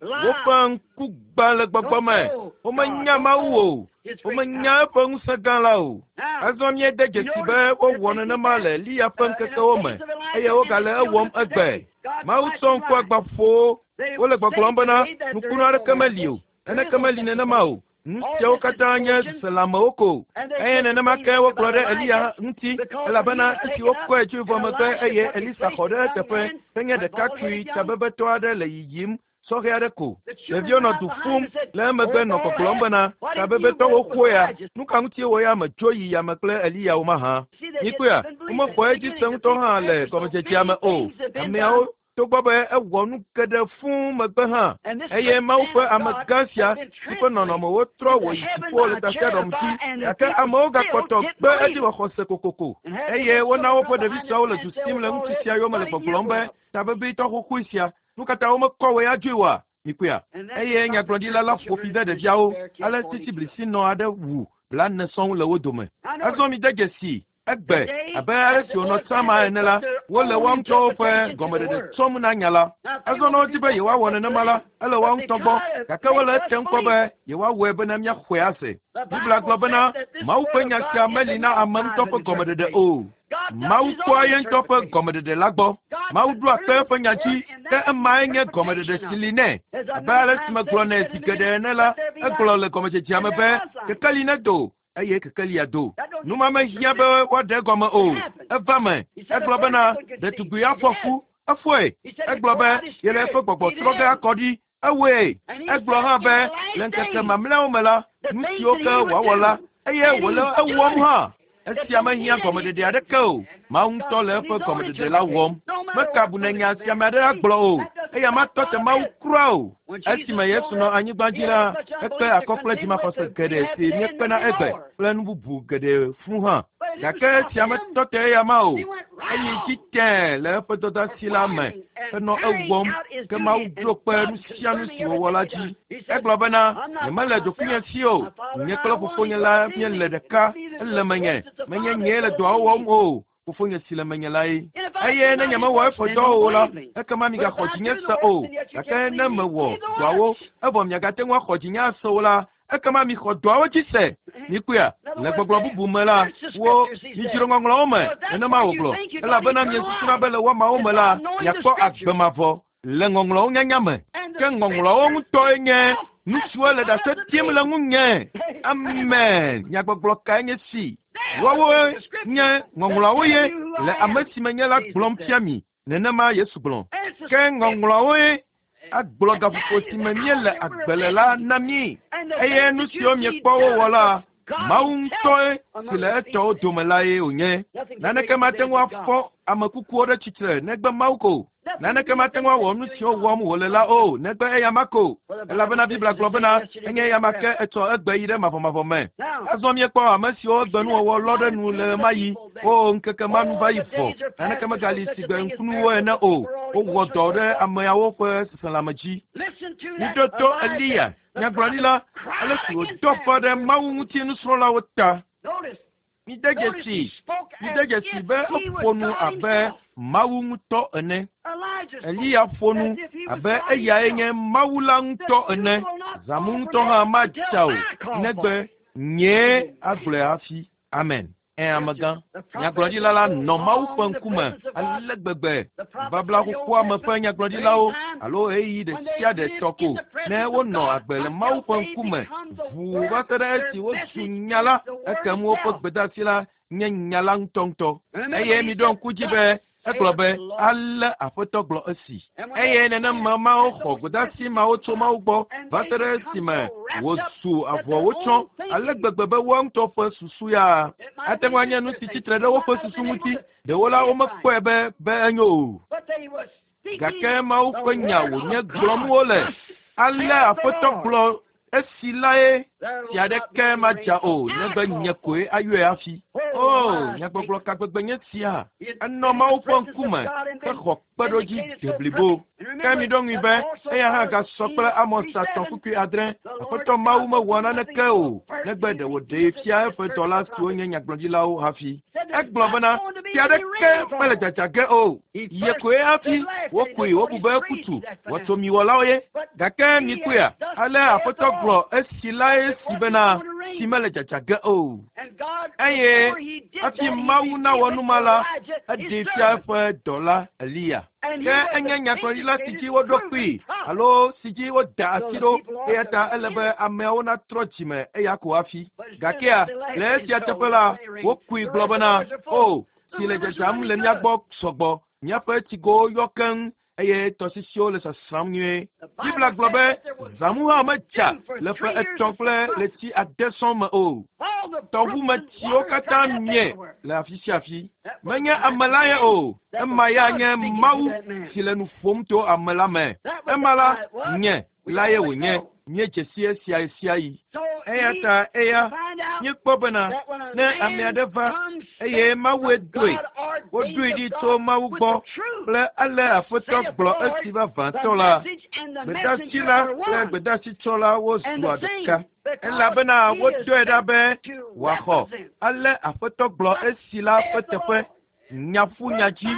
Woƒe ŋku gbã le gbɔgbɔ me. Womenya Mawu o. Womenya eƒe ŋusẽ gã la o. Azɔ míede dzesi be wowɔ nenema le Eliya ƒe ŋkekewo me eye wogale ewɔm egbe. Mawu tsɔ ŋku agba ƒo wo. Wole gbɔgblɔm bena nukunu aɖeke meli o. Naneke meli nenema o. Nu siawo katã nye selãmewo ko. Eye nenema ke wogblɔ ɖe Eliya ŋuti elabena esi wokɔe tsoe vɔ megbe eye Elisa xɔ ɖe eteƒe henye ɖekakpui tabebetɔ aɖe le yiyim sɔhɛ aɖe ko. Ɖeviwo nɔ du ƒum le emegbe nɔ gbɔgblɔm bena tabebetɔwo ƒoe nu ka ŋutie wɔ ya medzo yi yame kple Eliya o mahã. Mikpɔea, womexɔ edzi se ŋutɔ hã le gɔmedzedzea me o. Ameawo Togbɔ be ewɔ nu geɖe fũu megbe hã eye Mawu ƒe amegã sia si ƒe nɔnɔmewo trɔ wòyi dziƒo le tasiaɖam dzi gake amewo gakpɔtɔ gbe edzixɔxɔ se kokoko eye wona woƒe ɖevi suewo le du sim le ŋutsu sia yome le gbɔgblɔm be tabebitɔ xoxoe sia nu katã womekɔ wò ya dzoe oa mikpɔea eye nyagblɔɖila la ƒo fi de ɖeviawo ale sisiblisinɔ aɖe wu blaene sɔŋ le wo dome azɔ mi de dzesi egbe abe ale si wònɔ tsama ene la wole woa ŋutɔwo ƒe gɔmeɖeɖe tsɔm na nya la azɔ ne wodi be yewoawɔ nenema la ele woa ŋutɔ gbɔ gake wole etem kpɔ be yewoawɔe bena míaxɔe ase Biblia gblɔ bena Mawu ƒe nya sia meli na ame ŋutɔ ƒe gɔmeɖeɖe o Mawu kpɔa ye ŋutɔ ƒe gɔmeɖeɖe la gbɔ Mawu ɖoa kpe eƒe nya dzi ke emae nye gɔmeɖeɖe si li nɛ abe ale si megblɔ nɛ zi geɖe ene la egblɔ le gɔmedzedzea me be kekeli nedo eye kekelia do numa mehiã be woaɖe egɔme o eva me egblɔ bena ɖetugbui afɔ fu efoe egblɔ be yele eƒe gbɔgbɔ trɔ ge akɔ ɖi ewɔe egblɔ hã be le ŋkeke mamlɛawo me la nu siwo ke wòawɔ la eye wòle ewɔm hã esia mehiã gɔmeɖeɖe aɖeke o Mawu ŋutɔ le eƒe gɔmeɖeɖe la wɔm meka bu ne nya sia ame aɖe agblɔ o eya matɔ te Mawu kura o esime Yesu nɔ anyigba dzi la ekpe akɔ kple dzimaxɔse geɖe si míekpena egbe kple nu bubu geɖe fũ hã gake esia metɔ te eya ma o eyi dzi tẽe le eƒe dɔdeasi la me henɔ ewɔm ke Mawu ɖo kpe nu sia nu si wòwɔ la dzi egblɔ bena nyemele ɖokuinye si o nye kple fofonye la míele ɖeka ele menye menye nyee le dɔawo wɔm o fofonye si le menye la ye eye ne nyemewɔ eƒe dɔwo o la ekema migaxɔ dzinye se o gake ne mewɔ dɔawo evɔ miagate ŋu axɔ dzinye ase o la ekema mixɔ dɔawo dzi se mikpɔea le gbɔgblɔ bubu me la wo midzro ŋɔŋlɔwo me nenema wògblɔ elabena miesusuna be le woamawo me la miakpɔ agbe mavɔ le ŋɔŋlɔwo nyanya me ke ŋɔŋlɔawo ŋutɔe nye nu siwo le ɖase ɖim le ŋunye amen nyagbɔgblɔ kae nye si woawoe nye ŋɔŋlɔawo ye le ame si menye la gblɔm fia mi nenema Yesu gblɔ ke ŋɔŋlɔawoe agblɔ gaƒoƒo si me míele agbe le la na mí eye nu siwo miekpɔ wowɔ la Mawu ŋutɔe si le etɔwo dome la ye wònye naneke mate ŋu afɔ ame kukuwo ɖe tsitre negbe Mawu ko naneke mate ŋu awɔ nu siwo wɔm wòle la o negbe eya ma ko elabena Biblia gblɔ bena enye eya ma ke etsɔ egbe yi ɖe mavɔmavɔ me azɔ miekpɔ ame siwo egbe nuwɔwɔ lɔ ɖe nu le ɣemaɣi o ŋkeke ma nu va yi vɔ naneke megali si gbe ŋkunuwo ene o wowɔ dɔ ɖe ameawo ƒe seselãme dzi miɖo to Eliya nyagblɔɖila ale si wòdɔ fa ɖe Mawu ŋuti nusrɔ̃lawo ta mide dzesi mide dzesi be eƒo nu abe Mawu ŋutɔ ene Eliya ƒo nu abe eyae nye Mawu la ŋutɔ ene zãmu ŋutɔ hã madza o negbe nyee agblɔe hafi amen ɛ amegã nyagblɔɖila la nɔ Mawu ƒe ŋkume ale gbegbe babla xoxoa me ƒe nyagblɔɖilawo alo ɣeyiɣi ɖe sia ɖe tɔ ko ne wonɔ agbe le Mawu ƒe ŋkume ʋuu va se ɖe esi wozu nya la ekem woƒe gbedeasi la nye nya la ŋutɔŋutɔ eye miɖo ŋku dzi be egblɔ be ale Aƒetɔ gblɔ esi eye nenema mawo xɔ gbedeasi mawo tso Mawu gbɔ va se ɖe esime wòzu avɔwo tsɔ ale gbegbe be woa ŋutɔ ƒe susu ya ate ŋu anye nu si tsitre ɖe woƒe susu ŋuti ɖewo la womekpɔe be be enyo o gake Mawu ƒe nya wònye gblɔm wole ale Aƒetɔ gblɔ esi lae si aɖeke madza o negbe nye koe ayɔe hafi o nyagbɔgblɔ ka gbegbe nye sia enɔ Mawu ƒe ŋkume hexɔ kpeɖodzi deblibo ke miɖo ŋui be eya hã gasɔ kple Amos atɔ̃ kpukpui adre Aƒetɔ Mawu mewɔ naneke o negbe ɖe wòɖee fia eƒe dɔla siwo nye nyagblɔɖilawo hafi egblɔ bena fia aɖeke mele dzadza ge o ye koe hafi wokoe wobu be ekutu wɔtsomiwɔlawo ye gake mikpɔea ale Aƒetɔ gblɔ esi lae si bena si mele dzadza ge o eye hafi Mawu nawɔ nu ma la eɖee fia eƒe dɔla Eliya ke enye nyagblɔɖila si dzi woɖo kpee alo si dzi woda asi ɖo eya ta ele be ameawo natrɔ dzime eya ko hafi gakea le esia teƒe la wokoe gblɔ bena o si le dzadzam le mía gbɔ sɔgbɔ míaƒe tsigowo yɔ keŋ eye tɔsisiwo le sasram nyuie Biblia gblɔ be zãmu hã medza le ƒe etɔ̃ kple ɣleti ade sɔŋ me o tɔʋumetsiwo katã mie le afi sia afi menye ame la ye o Ema ya nye Mawu si le nu ƒom to ame la me. Ema la nye la ye wònye. Míedze si esia ɣe sia ɣi. Eya ta eya míekpɔ bena ne ame aɖe va eye Mawue doe, woɖoe ɖi tso Mawu gbɔ kple ale Aƒetɔ gblɔ esi vavãtɔ la, gbedasi la kple gbedasitsɔla wozua ɖeka. Elabena wodɔe ɖa be wòaxɔ ale Aƒetɔ gblɔ esi la ƒe teƒe nya ƒu nya dzi.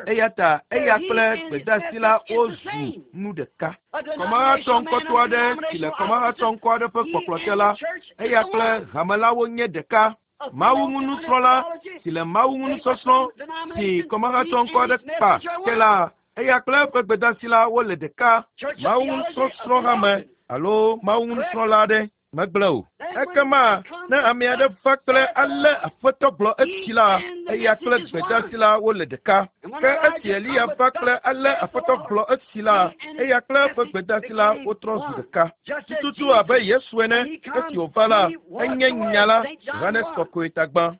Eya ta eya kple gbedasi la wozu nu ɖeka. Kɔmahatɔ ŋkɔtɔ aɖe si le kɔmahatɔ ŋkɔ aɖe ƒe kpɔkplɔ te la, eya kple hame la wonye ɖeka. Mawu ŋu nusrɔ̃la si le Mawu ŋu nusɔsrɔ̃ si kɔmahatɔ ŋkɔ aɖe kpa te la, eya kple eƒe gbedasi la wole ɖeka. Mawu ŋu nusɔsrɔ̃ hame alo Mawu ŋu nusrɔ̃la aɖe megblẽ o. Ekema ne ame aɖe va kple ale Aƒetɔ gblɔ esi la, eya kple gbedasi la wole ɖeka. Ke esi Eliya va kple ale Aƒetɔ gblɔ esi la, eya kple eƒe gbedasi la wotrɔ zu ɖeka. Tututu abe Yesu ene, esi wòva la, enye nya la, Yohanes Kɔkɔe tagbã.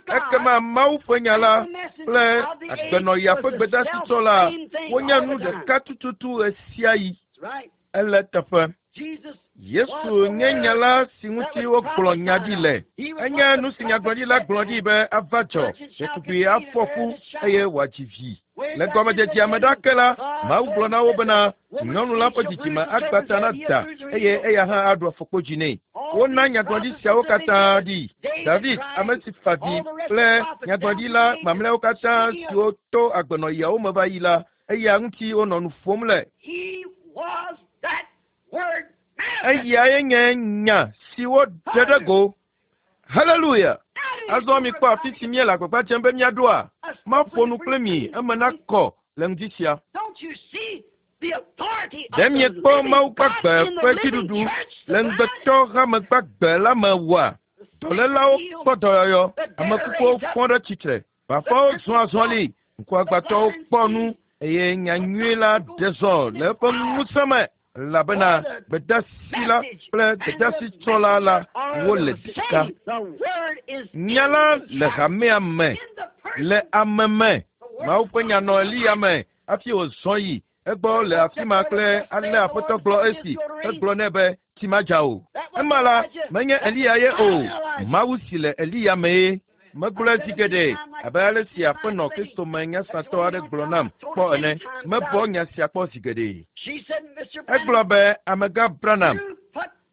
Ekema Mawu ƒe nya la kple agbenɔɣia ƒe gbedasitsɔ la, wonye nu ɖeka tututu ɣe sia ɣi. Ele teƒe. Yesu nye nya la si ŋuti wogblɔ nya ɖi le. Enye nu si nyagblɔɖila gblɔ ɖi be ava dzɔ, ɖetugbui afɔ fu eye wòadzi vi. Le gɔmedzedzea me ɖa ke la, Mawu gblɔ na wo bena nyɔnu la ƒe dzidzime agba ta na da eye eya hã aɖu afɔkpodzi nɛ. Wona nyagblɔɖi siawo katã ɖi. David, ame si fa vi kple nyagblɔɖila mamlɛawo katã siwo to agbenɔɣiawo me va yi la, eya ŋuti wonɔ nu ƒom le. Eyae nye nya si woɖe ɖe go. Haleluya! Azɔ mikpɔ afi si míele agbagba dzem be míaɖoa. Maƒo nu kple mi eme nakɔ le ŋdi sia. Ɖe miekpɔ Mawu gbagbe ƒe dziɖuɖu le ŋugbetɔ hame gbagbe la me wɔa? Dɔlélawo kpɔ dɔyɔyɔ, ame kukuwo fɔ ɖe tsitre, bafawo zɔ azɔli, ŋkuagbãtɔwo kpɔ nu eye nya nyui la ɖe zɔ le eƒe ŋusẽ me. Elabena gbedasi la kple gbedasitsɔla la wole ɖeka. Nya la le hamea me, le ame me. Mawu ƒe nya nɔ Eliya me hafi wòzɔ yi egbɔ le afi ma kple ale Aƒetɔ gblɔ esi egblɔ nɛ be tsi madza o. Ema la menye Eliya ye o, Mawu si le Eliya mee. Megblɔe zi geɖe abe ale si aƒenɔ Kristo me nyasatɔ aɖe gblɔ nam kpɔ ene. Mebɔ nya sia kpɔ zi geɖe. Egblɔ be amegã Branham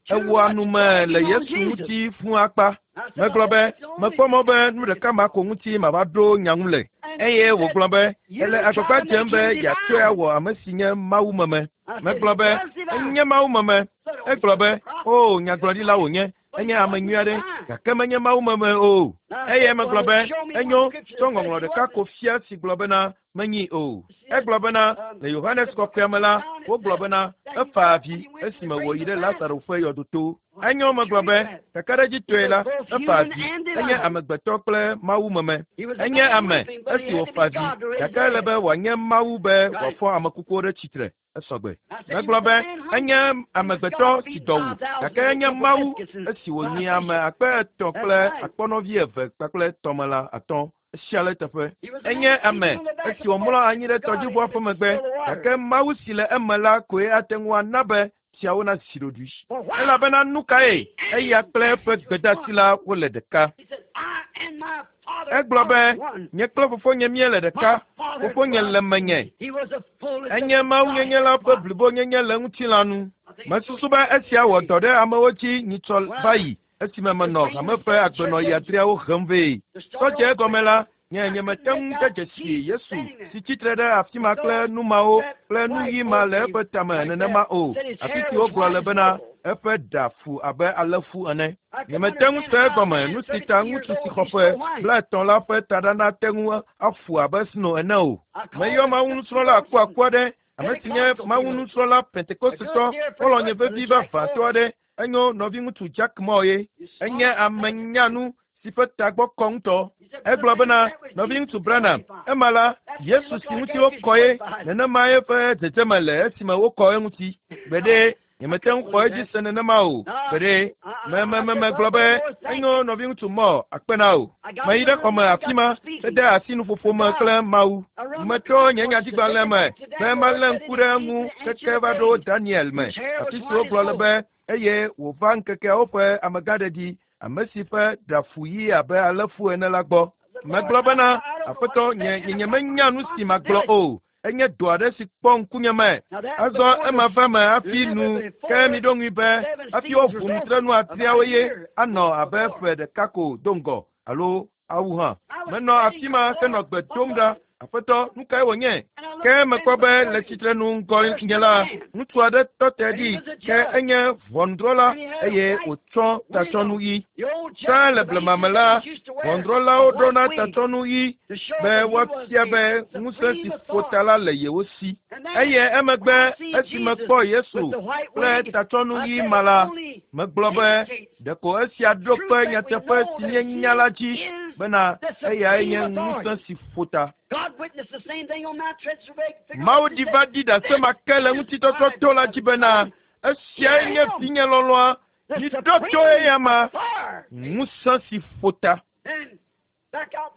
ewɔa nu me le Yesu ŋuti fũ akpa. Megblɔ be mekpɔ mɔ be nu ɖeka ma ko ŋuti mava ɖo nya ŋu le. Eye wògblɔ be ele agbagba dzem be yeatsɔe awɔ ame si nye Mawu meme. Megblɔ be enye Mawu meme. Egblɔ be o nyagblɔɖila wònye. Enye ame nyui aɖe gake menye Mawu meme o. Eye megblɔ be enyo tsɔ ŋɔŋlɔ ɖeka ko fia si gblɔ bena menyi o. Egblɔ bena le Yohanes Kɔkɔea me la wogblɔ bena efa avi esime wòyi ɖe Lazaro ƒe yɔdoto. Enyo megblɔ be kakaɖedzitɔe la efa avi. Enye amegbetɔ kple Mawu meme. Enye ame esi wòfa avi gake ele be wòanye Mawu be wòafɔ ame kukuwo ɖe tsitre. Esɔgbe. Megblɔ be enye amegbetɔ si dɔ wu gake enye Mawu esi wònyi ame akpe etɔ̃ kple akpɔnɔvi eve kpakple tɔmela atɔ̃. Esia le teƒe. Enye ame esi wòmlɔ anyi ɖe tɔdziʋua ƒe megbe gake Mawu si le eme la koe ate ŋu ana be tsiawo nasi ɖoɖoe. Elabena nu kae eya kple eƒe gbedasi la wole ɖeka. Egblɔ be nye kple fofonye míele ɖeka. Fofonye le menye. Enye Mawu nyenye la ƒe blibonyenye le ŋutilã nu. Mesusu be esia wɔ dɔ ɖe amewo dzi nyitsɔ va yi esime menɔ hame ƒe agbenɔɣi adreawo hem vɛ. Sɔdze egɔme la, nye nyemete ŋu de dzesi Yesu si tsitre ɖe afi ma kple nu mawo kple nu ɣi ma le eƒe tame nenema o. Afi si wogblɔ le bena eƒe ɖa fu abe alẽfu ene. Nyemete ŋu se egɔme nu si ta ŋutsu si xɔ ƒe blaetɔ̃ la ƒe taɖa nate ŋu afu abe sno ene o. Meyɔ Mawu nusrɔ̃la akuaku aɖe, ame si nye Mawu nusrɔ̃la Pentekostetɔ, xɔlɔ̃nye vevi vavãtɔ aɖe. Enyo nɔviŋutsu Jack Moore ye. Enye ame nyanu si ƒe tagbɔ kɔ ŋutɔ. Egblɔ bena nɔviŋutsu Branham, ema la Yesu si ŋuti wokɔ ye nenema eƒe dzedzeme le esime wokɔ eŋuti. Gbeɖe Nyemete ŋu xɔ edzi se nenema o. Gbeɖe, me me me megblɔ be enyo nɔviŋutsu mɔ akpe na o. Meyi ɖe xɔme afi ma hede asi nuƒoƒo me kple Mawu. Metrɔ nye nyadzigbalẽ me be malé ŋku ɖe eŋu keke va ɖo Daniel me, afi si wogblɔ le be eye wòva ŋkekeawo ƒe amegãɖeɖi, ame si ƒe ɖafu ɣi abe alẽfu ene la gbɔ. Megblɔ bena, Aƒetɔ, nye nye nyemenya nu si magblɔ o. Enye dɔ aɖe si kpɔ ŋkunye me. Azɔ ema va me hafi nu ke miɖo ŋui be hafi woʋu nutrenu adreawo ye anɔ abe ƒe ɖeka ko do ŋgɔ alo awu hã. Menɔ afi ma henɔ gbe dom ɖa. Aƒetɔ, nu kae wònye? Ke mekpɔ be le tsitrenu ŋgɔ nye la, ŋutsu aɖe tɔ te ɖi ke enye ʋɔnudrɔ̃la eye wòtsɔ tatsɔnu ɣi. Tsã le blema me la, ʋɔnudrɔ̃lawo ɖɔna tatsɔnu ɣi be woafia be ŋusẽ si ƒo ta la le yewo si. Eye emegbe esi mekpɔ Yesu kple tatsɔnu ɣi ma la, megblɔ be ɖeko esia ɖo kpe nyateƒe si míenya la dzi bena eyae nye ŋusẽ si ƒo ta. Mawu ɖi va ɖi ɖase ma ke le ŋutitɔtrɔ to la dzi bena esiae nye vinye lɔlɔ̃a, miɖo to eya ma, ŋusẽ si ƒo ta.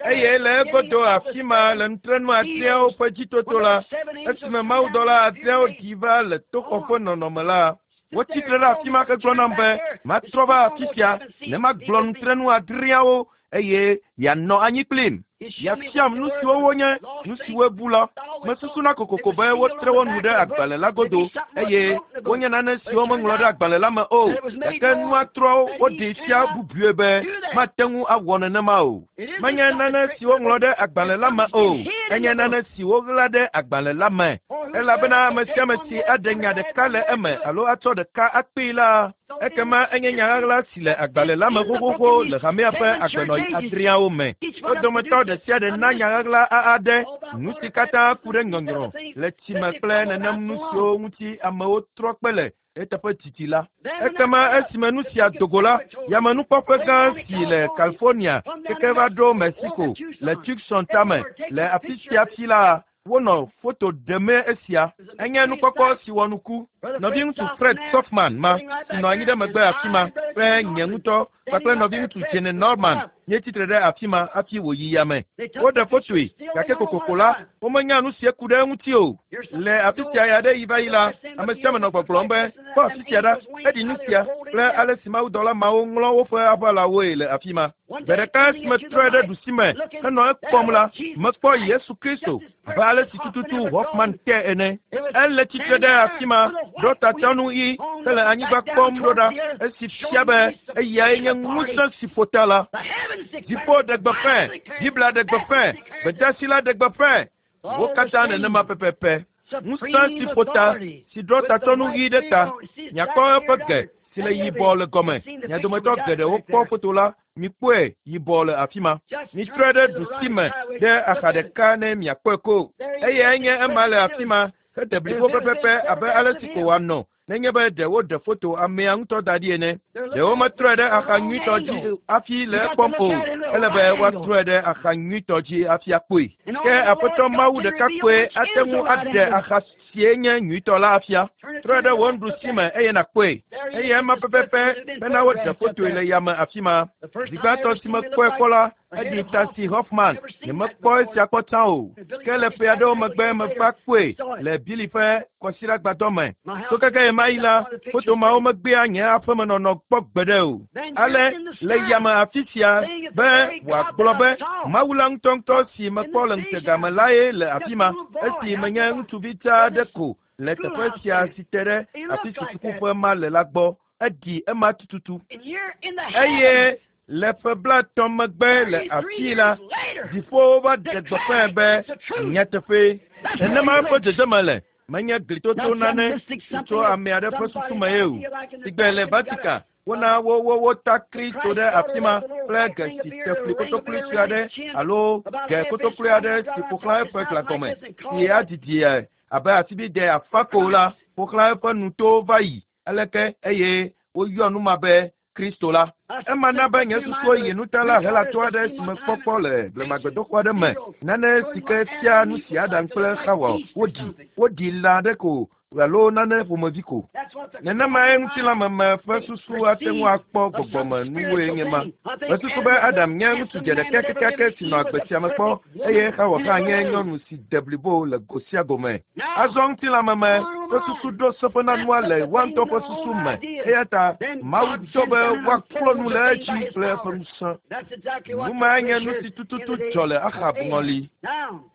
Eye le egodo afi ma le nutrenu adreawo ƒe dzitoto la, esime mawudɔla adreawo ɖi va le toxɔ ƒe nɔnɔme la, wotsi tre ɖe afi ma hegblɔ nam be matrɔ va afi sia ne magblɔ nutrenu adreawo eye yeanɔ anyi kplim. Yeafiam nu siwo wonye, nu siwo bu la. Mesusuna kokoko be wotre wo nu ɖe agbalẽ la godo eye wonye nane siwo meŋlɔ ɖe agbalẽ la me o. Gake nua trɔ woɖee fia bubue be mate ŋu awɔ nenema o. Menye nane si woŋlɔ ɖe agbalẽ la me o, enye nane si woɣla ɖe agbalẽ la me. Elabena ame sia ame si aɖe nya ɖeka le eme alo atsɔ ɖeka akpee la, ekema enye nya ɣaɣla si le agbalẽ la me xoxoxo le hamea ƒe agbenɔɣi adreawo me. Wo dometɔ ɖe sia ɖe na nya ɣaɣla aɖe, nu si katã ku ɖe nyɔnyrɔ le tsime kple nenem nu siwo ŋuti amewo trɔ kpe le eteƒe didi la. Ekema esime nu sia dogo la, yamenukpɔƒe gã si le California keke va ɖo Mexico le Tucson tame le afi sia fi la, wonɔ foto ɖemee esia. Enye nukpɔkpɔ si wɔ nuku. Nɔviŋutsu Fred Sothmann ma si nɔ anyi ɖe megbe afi ma kple nye ŋutɔ kpakple nɔviŋutsu Gene Norman míetsitre ɖe afi ma hafi wòyi yame. Woɖe fotoe gake kokoko la, womenya nu si ku ɖe eŋuti o. Le afi sia ya ɖe yi va yi la, ame sia ame nɔ gbɔgblɔm be kpɔ afi sia ɖa, eɖi nu sia kple ale si mawudɔla mawo ŋlɔ woƒe aʋalawoe le afi ma. Gbe ɖeka esi metrɔe ɖe ɖusime henɔ ekpɔm la, mekpɔ Yesu Kristo abe ale si tututu Hoffman te ene. Ele tsitre ɖe afi ma, ɖɔ tatsɔnu ɣi hele anyigba kpɔm ɖo ɖa esi fia be eyae nye ŋusẽ si ƒo ta la. Dziƒo ɖe gbeƒãe, Biblia ɖe gbeƒãe, gbedeasi la ɖe gbeƒãe. Wo katã nenema pɛpɛpɛ. Ŋusẽ si ƒo ta, si ɖɔ tatsɔnu ɣi ɖe ta, miakpɔ eƒe ge si le yibɔ le gɔme. Mia dometɔ geɖewo kpɔ foto la, mikpɔe yibɔ le afi ma. Mitrɔe ɖe ɖusime ɖe axa ɖeka ne miakpɔe ko. Eyae nye ema le afi ma hede blibo pɛpɛpɛ abe ale si ko wòanɔ nenye be ɖe woɖe foto amea ŋutɔ da ɖi ene. Ɖe wometrɔe ɖe axa nyuitɔ dzi hafi le ekpɔm o. Ele be woatrɔe ɖe axa nyuitɔ dzi hafi akpɔe. Ke Aƒetɔ Mawu ɖeka koe ate ŋu aɖe axa sie nye nyuitɔ la afia. Trɔe ɖe wò nuɖusime eye nàkpɔe. Eye ema pɛpɛpɛ bena woɖe fotoe le yame afi ma. Zi gbãtɔ si mekpɔe kpɔ la, eɖi ta si Hoffman. Nyemekpɔ esia kpɔ tsã o. Ke le ƒe aɖewo megbe meva kpɔe le Billy ƒe kɔsiɖagbadɔ me. Tso keke ɣemaɣi la, foto mawo megbea nye aƒemenɔnɔ kpɔ gbeɖe o. Ale le yame afi sia be wòagblɔ be Mawu la ŋutɔŋutɔ si mekpɔ le ŋutega me lae le afi ma esi menye ŋutsuvi dzaa aɖe ko le teƒe sia si te ɖe afi si sukuƒe ma le la gbɔ. Eɖi ema tututu. Eye le ƒe blaetɔ̃ megbe le afii la, dziƒowo va ɖe gbeƒãe be nyateƒee. Nenema eƒe dzedzeme le. Menye glitoto nane si tso ame aɖe ƒe susu me ye o. Sigbe le Vatican, wona wo wo wota Kristo ɖe afi ma kple ge si te fli kotokloe sue aɖe alo ge kotokloe aɖe si ƒo xlã eƒe glagɔme si adidi abe asibide afã ko la ƒo xlã eƒe nuto va yi aleke eye woyɔ nu ma be Kristo la. Ema na be nye susuwo yi nutala Helatɔ aɖe si mekpɔkpɔ le blemagbedoxɔ aɖe me, nane si ke fia nu si Adam kple Xawa woɖi. Woɖi lã aɖe ko alo nane ƒomevi ko. Nenemae ŋutilãmeme ƒe susu ate ŋu akpɔ gbɔgbɔmenuwoe nye ma. Mesusu be Adam nye ŋutsu dzeɖekɛ kekeake si nɔ agbe sia me kpɔ eye Xawa hã nye nyɔnu si de blibo le go sia go me. Azɔ ŋutilãmeme ƒe susu ɖo seƒe na nua le woa ŋutɔ ƒe susu me eya ta Mawu dzɔ be woaklɔ nu le edzi kple eƒe ŋusẽ. Nu mae nye nu si tututu dzɔ le Ahab ŋɔli.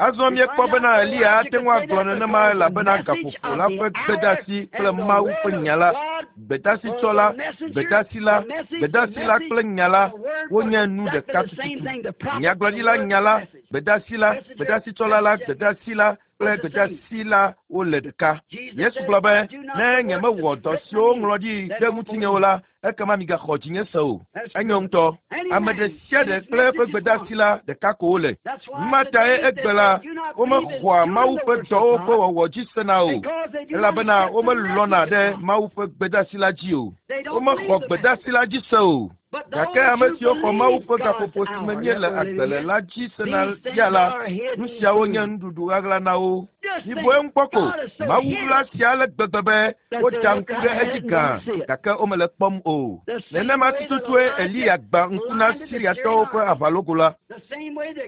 Azɔ míekpɔ bena Eliya ate ŋu agblɔ nenema elabena gaƒoƒo la ƒe gbedasi kple Mawu ƒe nya la, gbedasitsɔla, gbedasi la, gbedasi la kple nya la wonye nu ɖeka tututu. Nyagblɔɖila nya la, gbedasi la, gbedasitsɔla la, gbedasi la kple gbedasi la wole ɖeka. Yesu gblɔ be ne nyemewɔ dɔ siwo ŋlɔ ɖi ɖe ŋutinye o la, ekema migaxɔ dzinye se o. Enyo ŋutɔ. Ame ɖe sia ɖe kple eƒe gbedasi la ɖeka ko wole. Nu ma tae egbe la womexɔa Mawu ƒe dɔwo ƒe wɔwɔ dzi sena o, elabena womelɔ̃na ɖe Mawu ƒe gbedasi la dzi o. Womexɔ gbedasi la dzi se o. Gake ame siwo xɔ Mawu ƒe gaƒoƒo si me míele agbe le la dzi sena ya la, nu siawo nye nuɖuɖu ɣaɣla na wo. Mibu eŋu kpɔ ko, Mawuwula sia le gbegbe be wodza ŋku ɖe edzi gã gake womele kpɔm o. Nenema tututue Eliya gbã ŋku na Siriatɔwo ƒe aʋalogo la.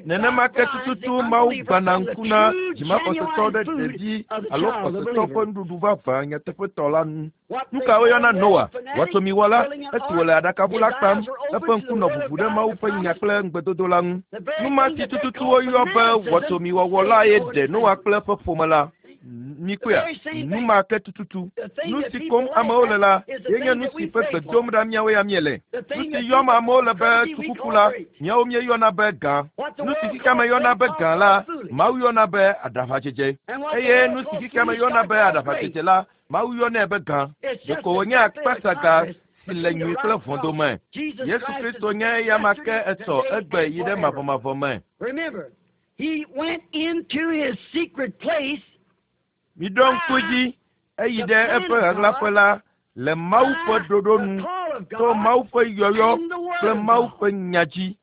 Nenema ke tututu Mawu gbãna ŋku na dzimaxɔsetɔ ɖe ɖevi alo xɔsetɔ ƒe nuɖuɖu vavã nyateƒetɔ la nu. Nu ka woyɔna Noa, wɔtsomiwɔla, esi wòle aɖakaʋu la kpam, eƒe ŋku nɔ ʋuʋu ɖe Mawu ƒe nya kple ŋugbedodo la ŋu. Nu ma si tututu woyɔ be wɔtsomiwɔwɔ lae ɖe Noa kple eƒe ƒome la. Mikpɔea, nu ma ke tututu. Nu si kom amewo le la, ye nye nu si ƒe gbe dom ɖa míawo ya míele. Nu si yɔm amewo le be tsukuku la, míawo míeyɔna be gã. Nu si xexeame yɔna be gã la, Mawu yɔna be aɖaʋadzedze. Eye nu si xexeame yɔna be aɖaʋadzedze la, Mawu yɔnɛ be gã. Ɖeko wònye akpasaga si le nyui kple vɔ̃ dome. Yesu Kristo nye eya ma ke etsɔ egbe yi ɖe mavɔmavɔ me. Remember, he went into his secret place. Miɖo ŋku dzi eyi ɖe eƒe ɣaɣlaƒe la le Mawu ƒe ɖoɖo nu to Mawu ƒe yɔyɔ kple Mawu ƒe nya dzi.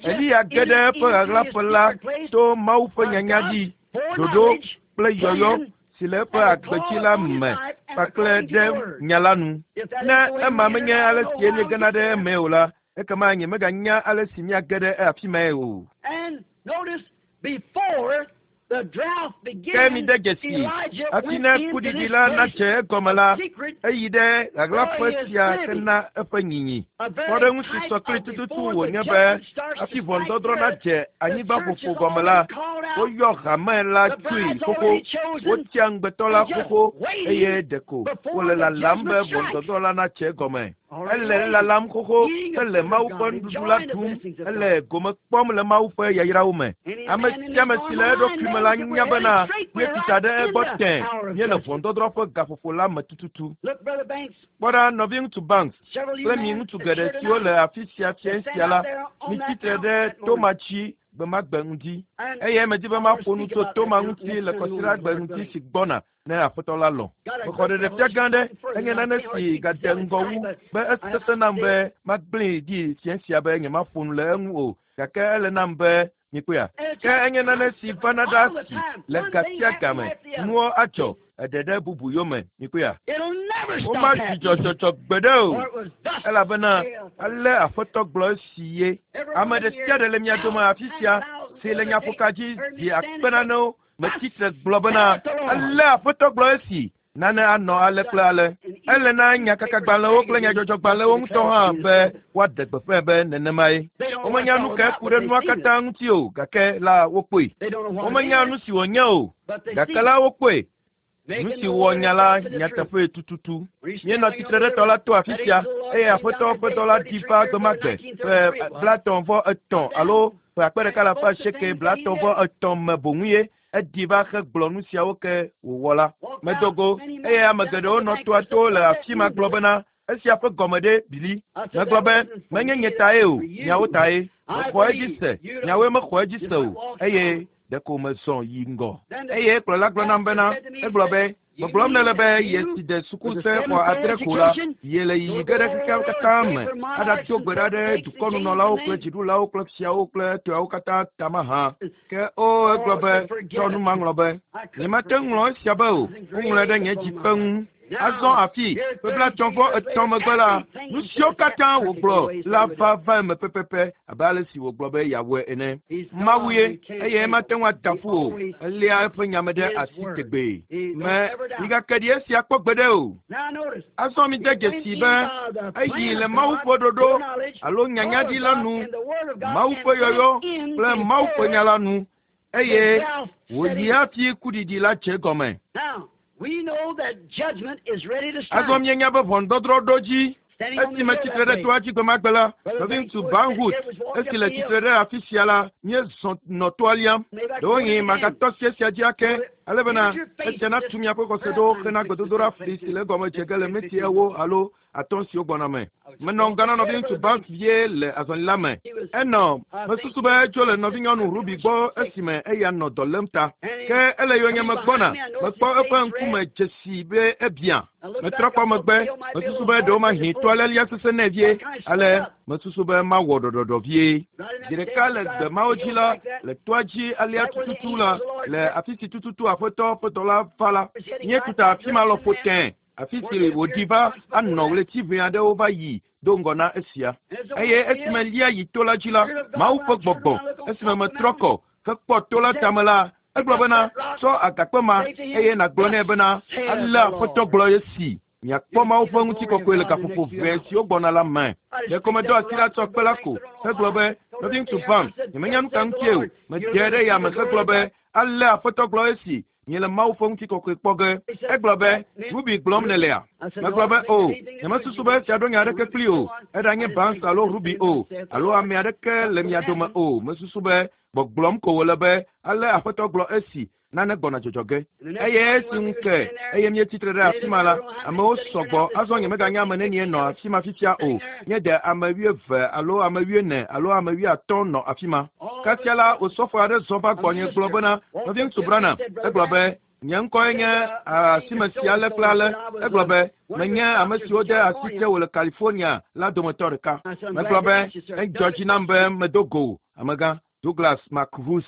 Eliya ge ɖe eƒe ɣaɣlaƒe la to Mawu ƒe nyanya dzi, ɖoɖo kple yɔyɔ si le eƒe agbetsi la me kpakple ɖe nya la nu. Ne ema menye ale si míegena ɖe eme o la, ekema nyemeganya ale si míage ɖe afi mae o. And notice, before the drought Ke began, mide dzesi, Elijah hafi went ne into kuɖiɖi this la place nadze egɔme la, of secret, eyi ɖe ɣaɣlaƒe sia hena eƒe nyinyi. a very Kpɔɖeŋu si type sɔ kple of tututu before the wònye be judgment starts to hafi strike ʋɔnudɔdrɔ̃ the earth, nadze the anyigba church ƒoƒo is gɔme la, already called out. woyɔ hame la The tsoe bride's xoxo, already chosen wotia ŋugbetɔ la and just xoxo waiting eye ɖeko before wole the lalam be judgment strikes. ʋɔnudɔdrɔ̃ la natse egɔme. Already Ele waiting, lalam xoxo, eating the ele food of Mawu ƒe God, nuɖuɖu la enjoying the ɖum, blessings of ele God. gome kpɔm le Mawu ƒe yayrawo me. Any Ame man in sia his ame si le normal eɖokui mind me la knows that nya we're bena headed straight, we're míetsi tsa right ɖe in egbɔ the tẽ, hour of míele judgment. ʋɔnudɔdrɔ̃ ƒe gaƒoƒo la me tututu. Look, Brother Banks, Kpɔ ɖa, nɔviŋutsu Banks several of you kple mi men ŋutsu that's geɖe here siwo le tonight afi sia that fiẽ stand sia la, out there on mitsi that tre mountain ɖe that morning. toma dzi gbe ma gbe ŋdi. And Eye medi be I want to maƒo nu speak tso about that toma now ŋuti next le Sunday morning, kɔsiɖagbe Lord ŋuti willing. si gbɔna ne Aƒetɔ la lɔ̃. Got a Mexɔ great ɖeɖefia revelation gã ɖe something further, enye and I nane can't hardly si speak to gade tell it ŋgɔ tonight, wu but be I, esesẽ I nam see be it. magblẽe ɖi fiẽ sia be nyemaƒo nu le eŋu o gake ele nam be mikpɔea. And it's Ke just enye nane si constant, vana all ɖa the si time, le one ga thing sia happening game. after the other. Nuwo adzɔ See, eɖe ɖe bubu yome mikpɔea. it'll never stop Womadzudzɔ happening. dzɔdzɔ gbeɖe o For it was thus elabena saith the ale Aƒetɔ gblɔ esi ye. Every Ame one ɖe here, sia ɖe le mia dome afi thousands and sia thousands si le the other day nyaƒoka dzi heard me zi stand akpe and say, nanewo Thus metsi tre gblɔ bena saith the Lord. ale Aƒetɔ gblɔ esi nane anɔ ale kple ale. And Ele each na newspaper nyakakagbalẽwo kple magazine just to nyadzɔdzɔgbalẽwo ŋutɔ declare hã to be the be truth. woaɖe gbeƒãe be nenemae. They don't know what Womenya it's nu all ke about, ku but ɖe they've nua seen it. katã ŋuti o gake la wokpɔe. They don't know what it Womenya is, nu si wònye o but they gake see it. la wokpɔe. Nu Making si the wɔ word nya la itself to the truth. nyateƒee tututu. Were you Míenɔ standing tsitre on the ɖe tɔ la river? to afi That sia angel of the Lord eye came down Aƒetɔ that ƒe day dɔla ɖi thirty-three va years gbe ma ago, gbe nineteen ƒe thirty-three it was. blaetɔ̃ vɔ etɔ̃ Got alo down ƒe akpe ɖeka and le afe spoke the asieke things that he blaetɔ̃ vɔ did. etɔ̃ me boŋue eɖi va hegblɔ nu siawo ke wòwɔ la. Walked Medo out go many eye miles ame down geɖewo to the nɔ bank toa or to something le like that afi ma into gblɔ it. bena esia ƒe gɔme ɖe bili. I said, Megblɔ that be wasn't for menye me, nye that tae was o, for miawo you. tae. I Mexɔ edzi believe. se, You miawoe don't. mexɔ edzi Just se o went walking eye on. ɖeko mezɔ yi ŋgɔ. Then the Eye kplɔla gblɔ nam pastor bena said to me, he egblɔ said, be Gbɔgblɔm nele be ye si de suku se xɔ adre ko la, ye le yiyi ge ɖe xexea katã me aɖado gbe ɖa ɖe dukɔnunɔlawo kple dziɖulawo kple fiawo kple etɔawo katã ta mahã. Ke o egblɔ be tsɔ nu ma ŋlɔ be nyemate ŋu ŋlɔ esia be o, woŋlɔe ɖe nye dzi ƒe ŋu. Azɔ afi ƒe blaetɔ̃ vɔ etɔ̃ megbe la, nu siwo katã wògblɔ la va va eme pɛpɛpɛ abe ale si wògblɔ be yeawɔe ene. Mawu ye eye mate ŋu ada ƒu o. Eléa eƒe nyame ɖe asi tegbee. Me migake ɖi esia kpɔ gbeɖe o. Azɔ mide dzesi be eyi le Mawu ƒe ɖoɖo alo nyanyaɖi la nu, Mawu ƒe yɔyɔ kple Mawu ƒe nya la nu eye wòyi hafi kuɖiɖi la dze gɔme. Azɔ míenya be ʋɔnudɔdrɔ̃ ɖo dzi. Esime tsitre ɖe toa dzi gbemagbe la, nɔviŋutsu Banhut, esi le tsitre ɖe afi sia la, míezɔ nɔ toa liam. Ɖewohĩ magatɔ si esia dzi ake, alebena esia natu miaƒe xɔse ɖo hena gbedodoɖa fli si le egɔme dze ge le miniti ewo alo atɔ̃ siwo gbɔna me. Menɔ ŋgɔ na nɔviŋutsu Banks vie le azɔli la me. Enɔ mesusu be edzo le nɔvinyɔnu Ruby gbɔ esime eya nɔ dɔ lém ta. Ke ele yonyeme gbɔna, mekpɔ eƒe ŋkume dzesi be ebia. Metrɔ kpɔ megbe, mesusu be ɖewomahi toa lelia sesẽ nɛ vie, ale mesusu be mawɔ ɖɔɖɔɖɔ vie. Zi ɖeka le gbe mawo dzi la, le toa dzi alea tututu la, le afi si tututu aƒetɔ ƒe dɔla va la, míetuta afi ma lɔƒo tẽe. Afi si wòɖi va anɔ ɣleti ʋɛ aɖewo va yi do ŋgɔ na esia. Eye esime lia yi to la dzi la, Mawu ƒe gbɔgbɔ, esime metrɔ kɔ hekpɔ to la tame la, egblɔ bena, tsɔ agakpe ma eye nàgblɔ nɛ bena, ale aƒetɔ gblɔ esi. Miakpɔ Mawu ƒe ŋutikɔkɔe le gaƒoƒo ʋɛ siwo gbɔna la me. Ɖeko medo asi ɖa tsɔ kpe la ko hegblɔ be, nɔviŋutsu Bam, nyemenya nu ka ŋutie o. Mede ɖe ya me hegblɔ be, ale aƒetɔ gblɔ esi. Miele Mawu ƒe ŋutikɔkɔe kpɔ ge. Egblɔ be, Ruby gblɔm nèlea? Megblɔ be, o, nyemesusu be esia ɖo nya aɖeke kpli o. Eɖanye Banks alo Ruby o, alo ame aɖeke le mia dome o. Mesusu be gbɔgblɔm ko wòle be ale aƒetɔ gblɔ esi nane gbɔna dzɔdzɔ ge. Eye esi ŋu ke eye míetsitre ɖe afi ma la, amewo sɔgbɔ. Azɔ nyemeganya ame nenie nɔ afi ma fifia o. Míede ame wuieve alo ame wuiene alo ame wuiatɔ̃ nɔ afi ma. Kasia la, osɔfo aɖe zɔ va gbɔnye gblɔ bena, nɔviŋutsu Branham, egblɔ be, nye ŋkɔe nye asime si ale kple ale. Egblɔ be, menye ame siwo de asi te wò le California la dometɔ ɖeka. Megblɔ be, edzɔ dzi nam be medo go amegã Douglas McHughes.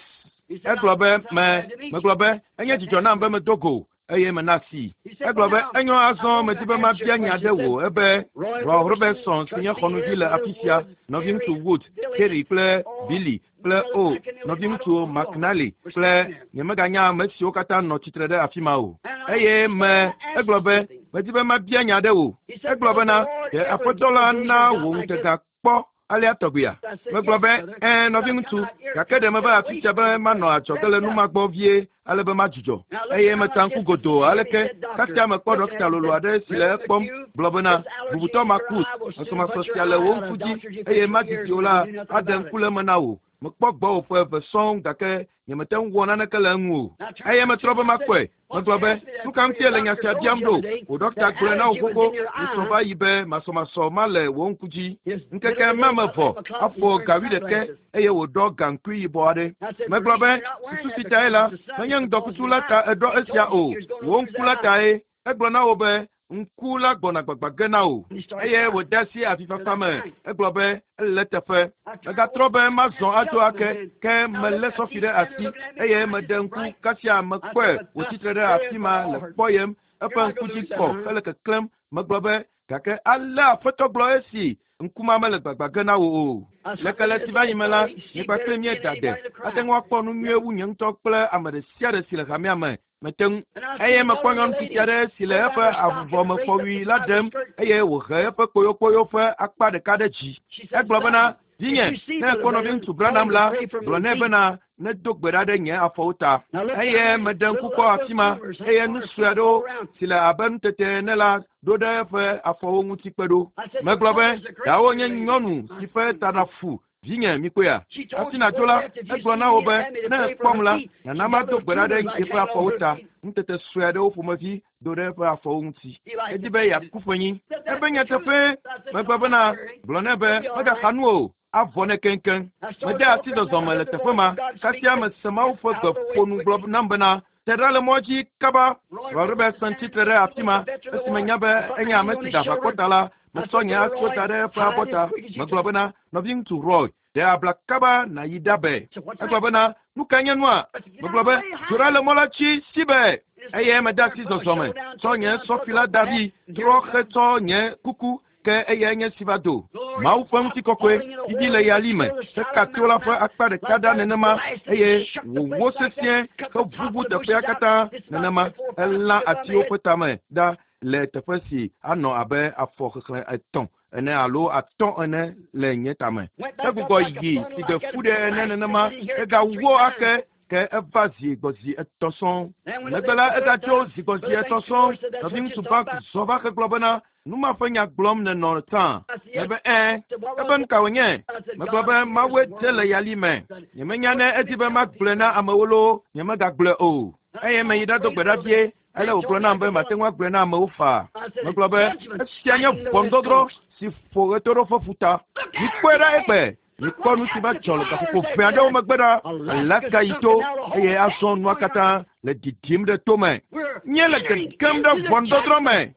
Egblɔ be, me, megblɔ be, enye dzidzɔ nam be medo go eye mena asi. Egblɔ be, enyo azɔ medi be mabia nya ɖe wò ebe Roy Robertson si nye xɔnuvi le afi sia, nɔviŋutsu Wood, Terry kple Billy kple o nɔviŋutsu McNally kple nyemeganya ame siwo katã nɔ tsitre ɖe afi ma o. Eye me egblɔ be, medi be mabia nya ɖe wò. Egblɔ bena, ɖe aƒetɔ la na wò ŋutega kpɔ alea tɔgbea? Megblɔ be, ɛ̃ nɔviŋutsu, gake ɖe meva afi sia be manɔ adzɔge le nu ma gbɔ vie ale be madzudzɔ. Eye meta ŋku godoo aleke kasia mekpɔ ɖɔkita lolo aɖe si le ekpɔm gblɔ bena, bubutɔ Makus, masɔmasɔ sia le wò ŋku dzi eye madidi o la aɖe ŋku le eme na wò. Mekpɔ gbɔwò ƒe eve sɔŋ gake nyemete ŋu wɔ naneke le eŋu o. Eye metrɔ be makpɔe. Megblɔ be, nu ka ŋutie le nya sia biam ɖo? Wò ɖɔkita gblɔe na wò xoxo wòsɔ va yi be masɔmasɔ ma le wò ŋku dzi. Ŋkeke ma me vɔ, aƒo ga wuiɖekɛ eye wòɖɔ gaŋkui yibɔ aɖe. Megblɔ be, susu si tae la, menye ŋdɔkutsu la ta eɖɔ esia o. Wò ŋku la tae. Egblɔ na wò be, ŋku la gbɔna gbagba ge na wò. Eye wòde asi avifafa me. Egblɔ be, ele teƒe. Megatrɔ be mazɔ adzo ake, ke melé sɔfi ɖe asi eye meɖe ŋku kasia mekpɔe wòtsitre ɖe afi ma le kpɔyem. Eƒe ŋku dzi kɔ hele keklẽm. Megblɔ be, gake ale aƒetɔ gblɔ esi ŋku ma mele gbagba ge na wò o. Le keleti va yi me la, nye kpakple míeda de. Ate ŋu akpɔ nu nyuie wu nye ŋutɔ kple ame ɖe sia ɖe si le hamea me. Mete ŋu. Eye mekpɔ nyɔnu tsitsi aɖe si le eƒe avuvɔmefɔwui la ɖem eye wòhe eƒe kpoyokpoyo ƒe akpa ɖeka ɖe dzi. Egblɔ bena, vinye, ne ekpɔ nɔviŋutsu Branham la, gblɔ nɛ bena nedo gbe ɖa ɖe nye afɔwo ta. Eye meɖe ŋku kpɔ afi ma eye nu sue aɖewo si le abe nutete ene la ɖo ɖe eƒe afɔwo ŋuti kpe ɖo. Megblɔ be, dawo nye nyɔnu si ƒe taɖa fu. Vinye, mikpɔea? Hafi nàdzo la, egblɔ na wò be, ne ekpɔm la, nana mado gbe ɖa ɖe yeƒe afɔwo ta. Nutete sue aɖewo ƒomevi do ɖe eƒe afɔwo ŋuti. Edi be yeaku ƒenyi. Ebe nyateƒe, megblɔ bena, gblɔ nɛ be megaxa nu o. Avɔ nɛ keŋkeŋ. Mede asi zɔzɔme le teƒe ma. Kasia mese Mawu ƒe gbe ƒo nu gblɔ nam bena, Te ɖa le mɔ dzi kaba. Robertson tsitre ɖe afi ma esime nya be enye ame si da aʋakɔta la mesɔ nye asiwo da ɖe eƒe abɔta. Megblɔ bena nɔviŋutsu Roy ɖe abla kaba nàyi ɖabe. Egblɔ bena nu ka nye nua? Megblɔ be dzo ɖa le mɔ la dzi si be eye mede asi zɔzɔme tsɔ nye sɔfi la da ɖi trɔ hetsɔ nye kuku ke eyae nye si va do. Mawu ƒe ŋutikɔkɔe didi le yali me heka to la ƒe akpa ɖeka ɖa nenema eye wòwó sesĩe heʋuʋu teƒea katã nenema. Elã atiwo ƒe tame ɖa le teƒe si anɔ abe afɔ xexlẽ etɔ̃ ene alo atɔ̃ ene le nye tame. Egbugbɔ yi si ge fu ɖe ene nenema egawó ake ke eva zi gbɔ zi etɔ̃ sɔŋ. Megbe la egatso zi gbɔ zi etɔ̃ sɔŋ. Nɔviŋutsu Bank zɔ va hegblɔ bena nu ma ƒe nya gblɔm nenɔ tsã. Mebe ẽ, ebe nu ka wònye? Megblɔ be Mawue dze le yali me. Nyemenya ne edi be magblɔe na amewo loo, nyemegagblɔe o. Eye meyi ɖado gbe ɖa vie. Ele wògblɔ nam be mate ŋu agblɔe na amewo faa. Megblɔ be esia nye ʋɔnudɔdrɔ̃ si ƒo ɣetoɖoƒe ƒuta. Mikpɔe ɖa egbe. Mikpɔ nu si va dzɔ le gaƒoƒo ʋɛ aɖewo megbe ɖa. Alaska yi to eye azɔ nua katã le didim ɖe tome. Míele gegem ɖe ʋɔnudɔdrɔ̃ me.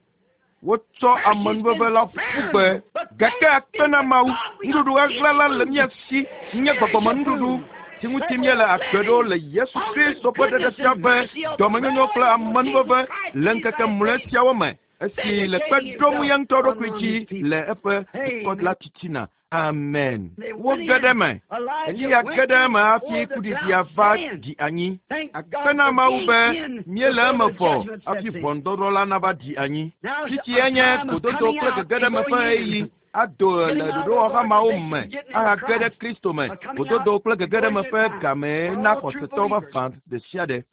Wotsɔ amenuveve la ƒu gbe gake akpe na Mawu. Nuɖuɖu ɣaɣla la le mía si nye gbɔgbɔmenuɖuɖu si ŋuti míele agbe ɖo le Yesu Kristo ƒe ɖeɖefia be dɔmenyonyo kple amenuveve le ŋkeke mlɔe siawo me esi le kpe ɖom ya ŋutɔ ɖokui dzi le eƒe dukɔ la titina. Amen. Woge ɖe eme. Eliya ge ɖe eme hafi kuɖiɖia va ɖi anyi. Akpe na Mawu be míele eme vɔ hafi ʋɔnudɔdrɔ̃ la nava ɖi anyi. Fifia nye gododo kple gegeɖeme ƒe ɣeyiɣi ado le ɖoɖowɔha mawo me ahage ɖe Kristo me. Gododo kple gegeɖeme ƒe gamee na xɔsetɔwo vavã ɖe sia ɖe.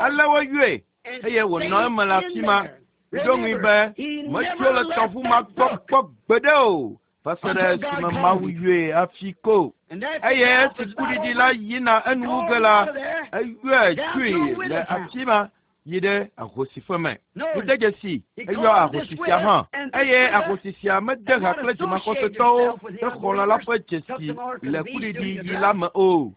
Ale woyɔe eye wònɔ eme le afi ma. Ɖo ŋui be metso le tɔʋu ma gbɔ kpɔ gbeɖe o va se ɖe esime Mawu yɔe hafi ko. Eye esi kuɖiɖi la yina enuwu ge la, eyɔe tsoe le afi ma yi ɖe ahosiƒe me. Mide dzesi eyɔ ahosi sia hã eye ahosi sia mede ha kple dzimaxɔsetɔwo hexɔ la ƒe dzesi le kuɖiɖi yi la me o.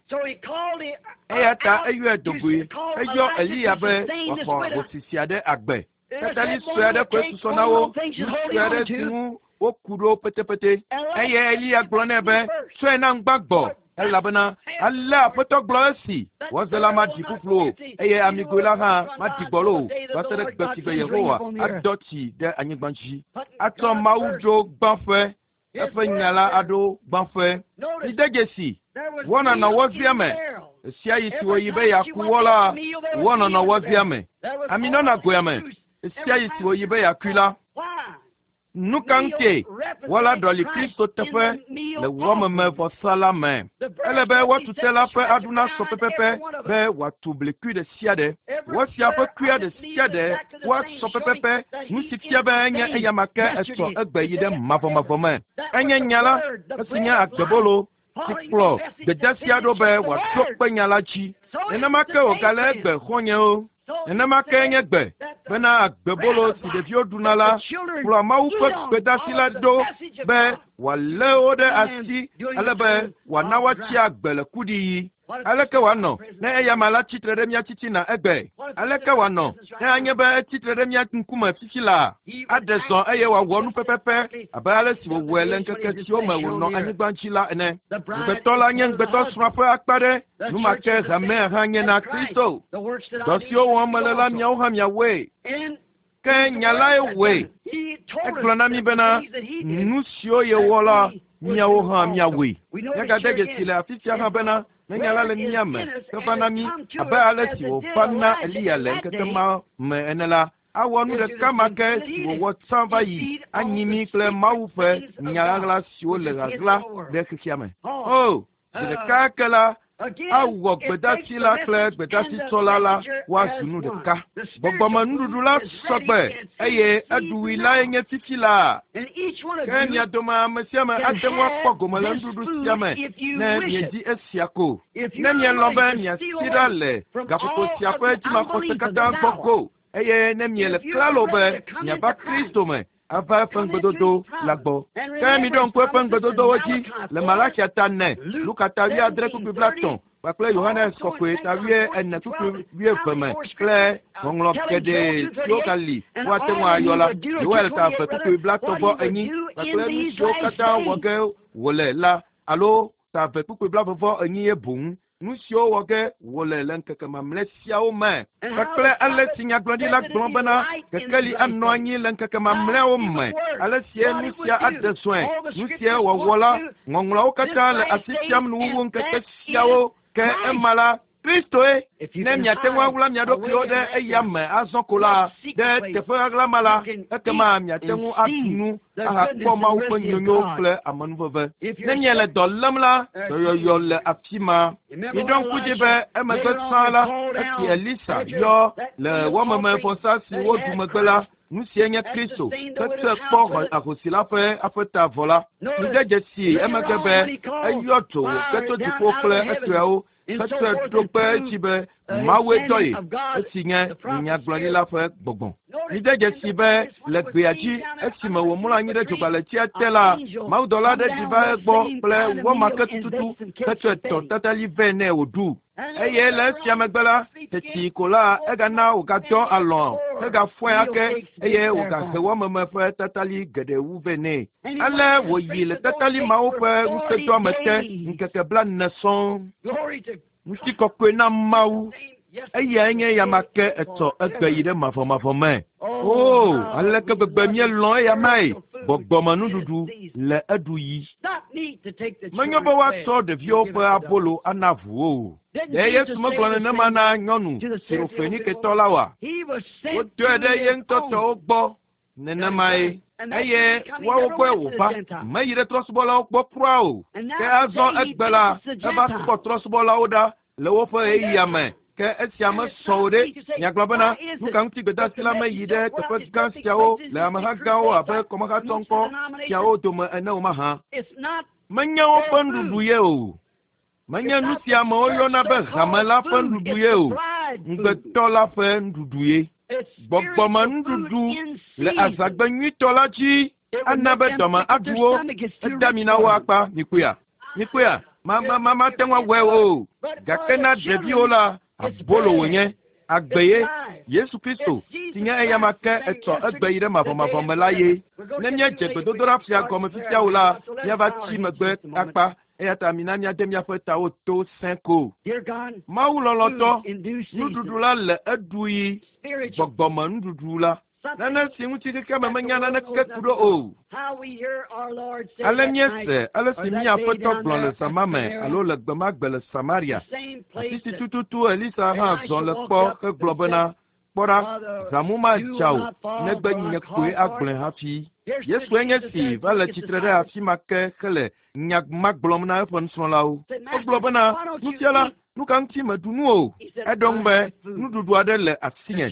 Eya ta eyɔe dogoe eyɔ Eliya be wòaxɔ ahosi sia ɖe agbe. Tatali sue aɖe koe susɔ na wo, nu sue aɖe si ŋu woku ɖo petepete. Eye Eliya gblɔ nɛ be tsɔe na ŋgbã gbɔ elabena ale Aƒetɔ gblɔ esi wɔze la maɖi ƒuƒlu o eye amigoe la hã maɖi gbɔlo o va se ɖe gbe si gbe Yehowa adɔ tsi ɖe anyigba dzi. Atsɔ Mawu ɖo gbãƒe, eƒe nya la aɖo gbãƒe. Mide dzesi wɔnɔnɔ wɔzia me. Esia yi si wòyi be yeaku wɔ la, wɔnɔnɔ wɔzia me. Ami nɔna goea me. Esia yi si wòyi be yeakui la. Nu ka ŋutie wɔla ɖɔli Kristo teƒe le wɔmemevɔsa la me. Ele be woatu te la ƒe aɖu nasɔ pɛpɛpɛ be wòatu blikui ɖe sia ɖe. Wɔ sia ƒe kuia ɖe sia ɖe woasɔ pɛpɛpɛ nu si fia be enye eyama ke esɔ egbe yi ɖe mavɔmavɔ me. Enye nya la esi nye agbebolo si kplɔ gbedeasi ɖo be wòaɖo kpe nya la dzi. Nenema ke wògale egbe xɔ̃nyewo. Nenema ke nye gbe bena agbebolo si ɖeviwo ɖuna la kplɔa Mawu ƒe gbedeasi la ɖo be wòalé wo ɖe asi ale be wòana woatsi agbe le kuɖiɣi. Aleke wòanɔ ne eyama la tsitre ɖe mía titina egbe? Aleke wòanɔ ne anye be etsitre ɖe mía ŋkume fifi laa? Aɖe zɔ eye wòawɔ nu pɛpɛpɛ abe ale si wòwɔe le ŋkeke siwo me wònɔ anyigba dzi la ene. Ŋugbetɔ la nye ŋugbetɔsrɔ̃a ƒe akpa ɖe. Nu ma ke hamea hã nye na Kristo. Dɔ siwo wɔm mele la miawo hã miawɔe. Ke nya lae wɔe. Egblɔ na mí bena nu siwo yewɔ la miawo hã miawɔe. Míagade dzesi le afi sia hã bena ne nya la le mía me heva na mí abe ale si wòva na Eliya le ŋkeke ma me ene la, awɔ nu ɖeka ma ke si wòwɔ tsã va yi anyi mí kple Mawu ƒe nya ɣaɣla siwo le ɣaɣla ɖe xexea me. O, zi ɖeka ke la, awɔ gbedeasi la kple gbedasitsɔla la woazu nu ɖeka. Gbɔgbɔmenuɖuɖu la sɔgbe eye eɖuɣi lae nye fifi laa. Ke mia dome ame sia ame ate ŋu akpɔ gome le nuɖuɖu sia me ne miedi esia ko. Ne mielɔ̃ be miasi ɖa le gaƒoƒo sia ƒe dzimaxɔse katã gbɔ ko eye ne miele klalo be miava Kristo me ava eƒe ŋugbedodo la gbɔ. Ke miɖo ŋku eƒe ŋugbedodowo dzi le Malakia ta ene, Luka ta wuiadre kpukpui blaetɔ̃, kpakple Yohanes kɔkɔe ta wuiene kpukpui wuieve me kple ŋɔŋlɔ geɖe siwo gali woate ŋu ayɔ la Yoel ta eve kpukpui blaetɔ̃ vɔ enyi kpakple nu siwo katã wɔ ge wòle la alo ta eve kpukpui blaeve vɔ enyi ye boŋ nu siwo wɔ ge wòle le ŋkeke mamlɛ siawo me kpakple ale si nyagblɔɖila gblɔ bena kekeli anɔ anyi le ŋkeke mamlɛawo me ale sie nu sia aɖe zɔe nu sia wɔwɔ la ŋɔŋlɔawo katã le asi fiam nuwuwu ŋkeke siawo ke ema la Kristoe ne miate ŋu aɣla mia ɖokuiwo ɖe eya me azɔ ko la ɖe teƒe ɣaɣla ma la ekema miate ŋu aɖu nu ahakpɔ Mawu ƒe nyonyo kple amenuveve. Ne miele dɔ lém la dɔyɔyɔ le afi ma. Miɖo ŋku dzi be emegbe sã la esi Elisa yɔ le wɔmemevɔsa si woɖu megbe la nu sie nye Kristo hetsɔe kpɔ ahosi la ƒe aƒeta vɔ la. Mide dzesi emegbe be eyɔ dzo wòke tso dziƒo kple etɔeawo hetsɔe ɖo kpe edzi be Mawue dɔ ye esi nye nyagblɔɖila ƒe gbɔgbɔ. Mide dzesi be le gbea dzi esime wòmlɔ anyi ɖe dzogbaletsia te la mawudɔla aɖe ɖi va egbɔ kple wɔmake tututu hetsɔe tɔ tatali vɛ nɛ wòɖu. Eye le esia megbe la teti ko la egana wògadɔ alɔ̃ hegafɔe ake eye wògahe wɔmeme ƒe tatali geɖe wu vɛ nɛ. Ale wòyi le tatali mawo ƒe ŋusẽdoame te ŋkeke blaene sɔŋ. Ŋutikɔkɔe na Mawu eyae nye yama ke etsɔ egbe yi ɖe mavɔmavɔ me. O, aleke gbegbe míelɔ̃ eya mae gbɔgbɔmenuɖuɖu le eɖuɣi. Menyo be woatsɔ ɖeviwo ƒe abolo ana ʋuwo o. Ɖe Yesu megblɔ nenema na nyɔnu Sirofeniketɔ la oa? Wodɔe ɖe ye ŋutɔ tɔwo gbɔ nenemae eye woawo gbɔe wòva meyi ɖe trɔ̃subɔlawo gbɔ kura o. Ke azɔ egbe la eva kpɔ trɔ̃subɔlawo ɖa le woƒe ɣeyiɣia me. Ke esia mesɔ o ɖe miagblɔ bena nu ka ŋuti gbedeasi la meyi ɖe teƒe gã siawo le ameha gãwo abe kɔmehatsɔŋkɔ siawo dome ene o mahã. Menye woƒe nuɖuɖu ye o. Menye nu si amewo yɔna be hame la ƒe nuɖuɖu ye o. Ŋugbetɔ la ƒe nuɖuɖu ye. Gbɔgbɔmenuɖuɖu le azãgbe nyuitɔ la dzi ana be dɔme aɖu wo eda mi na wo akpa mikpɔea mikpɔea ma ma ma mate ŋu awɔe o gake na ɖeviwo la abolo wònye agbe ye Yesu Kristo si nye eyama ke etsɔ egbe yi ɖe mavɔmavɔ me la ye. Ne míedze gbedodoɖa fia gɔme fifia o la míava tsi megbe akpa eya ta mina míade míaƒe tawo to sẽ ko. Mawu lɔlɔ̃tɔ nuɖuɖu la le eɖuɣi gbɔgbɔmenuɖuɖu la nane si ŋuti xexeame menya naneke ku ɖo o. Ale míese ale si mía Aƒetɔ gblɔ le zã ma me alo le gbe ma gbe le Samaria afi si tututu Elisa hã zɔ le kpɔ hegblɔ bena kpɔ ɖa zãmu madza o negbe nye koe agblɔe hafi. Yesue nye si va le tsitre ɖe afi ma ke hele nya ma gblɔm na eƒe nusrɔ̃lawo. Wogblɔ bena nufiala nu ka ŋuti meɖu nu o. Eɖo ŋu be nuɖuɖu aɖe le asinye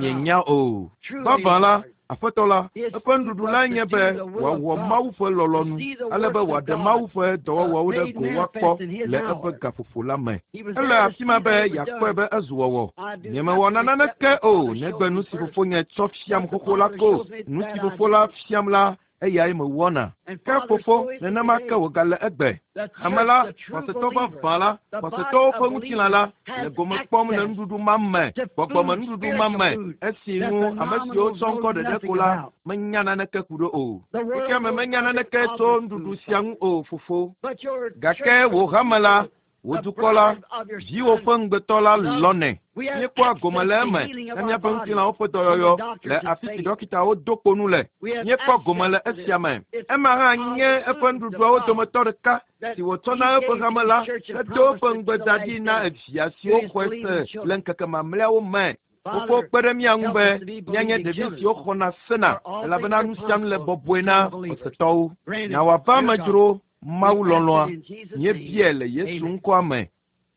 mienya o. Vavã la Aƒetɔ la eƒe nuɖuɖu lae nye be wòawɔ Mawu ƒe lɔlɔ̃nu ale be wòaɖe Mawu ƒe dɔwɔwɔwo ɖe go woakpɔ le eƒe gaƒoƒo la me. Ele afi ma be yeakpɔe be ezu wɔwɔ. Nyemewɔna naneke o negbe nu si fofonye tsɔ fiam xoxo la ko. Nu si fofo la fiam la eyae mewɔna. Ke fofo nenema ke wògale egbe. Ame la xɔsetɔ vavã la xɔsetɔwo ƒe ŋutilã la le gome kpɔm le nuɖuɖu ma me gbɔgbɔmenuɖuɖu ma me esi ŋu ame siwo tsɔ ŋkɔ ɖeɖe ko la menya naneke ku ɖo o. Xexeame menya naneke tso nuɖuɖu sia ŋu o fofo. Gake wò hame la wò dukɔ la viwò ƒe ŋugbetɔ la lɔnɛ. Míekpɔa gome le eme na míaƒe ŋutilãwo ƒe dɔyɔyɔ le afi si ɖɔkitawo do kpo nu le. Míekpɔ gome le esia me. Ema hã nye eƒe nuɖuɖuawo dometɔ ɖeka si wòtsɔ na eƒe hame la hedo eƒe ŋugbe da ɖi na evia siwo xɔe se le ŋkeke mamlɛawo me. Fofo kpe ɖe mía ŋu be míanye ɖevi siwo xɔna sena elabena nu sia nu le bɔbɔe na xɔsetɔwo. Na wòava eme dzro Mawu lɔlɔ̃a míebiae le Yesu ŋkɔa me.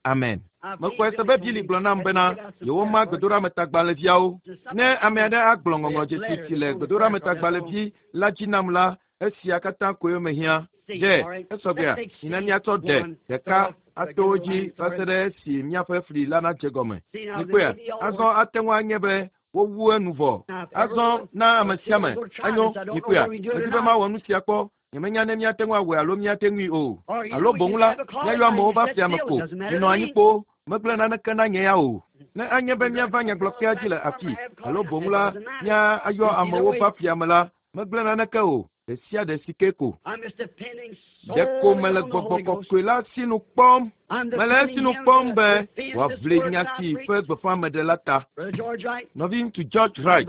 Amen. Mexɔe se be Bili gblɔ nam bena yewoma gbedoɖametagbalẽviawo. Ne ame aɖe agblɔ ŋɔŋlɔdzesi si le gbedoɖametagbalẽvi la dzi nam la esia katã koe mehiã. Ɖe esɔgbea mina míatsɔ ɖe ɖeka ato wo dzi va se ɖe esi míaƒe fli la nadze gɔme. Mikpɔea azɔ ate ŋu anye be wowu enu vɔ. Azɔ na ame sia ame enyo mikpɔea medi be mawɔ nu sia kpɔ Nyemenya ne míate ŋu awɔe alo míate ŋui o. Alo boŋ la, míayɔ amewo va fia me ko. Minɔ anyi kpoo, megblẽ naneke na nye ya o. Ne anye be míava nyagblɔkpea dzi le afi, alo boŋ la, míayɔ amewo va fia me la, megblẽ naneke o. Ɖe sia ɖe si ke ko. Ɖeko mele gbɔgbɔ kɔkɔe la sinu kpɔm. Mele esinu kpɔm be wòaʋli nya si ƒe gbeƒãmeɖela ta. Nɔviŋutsu George Wright,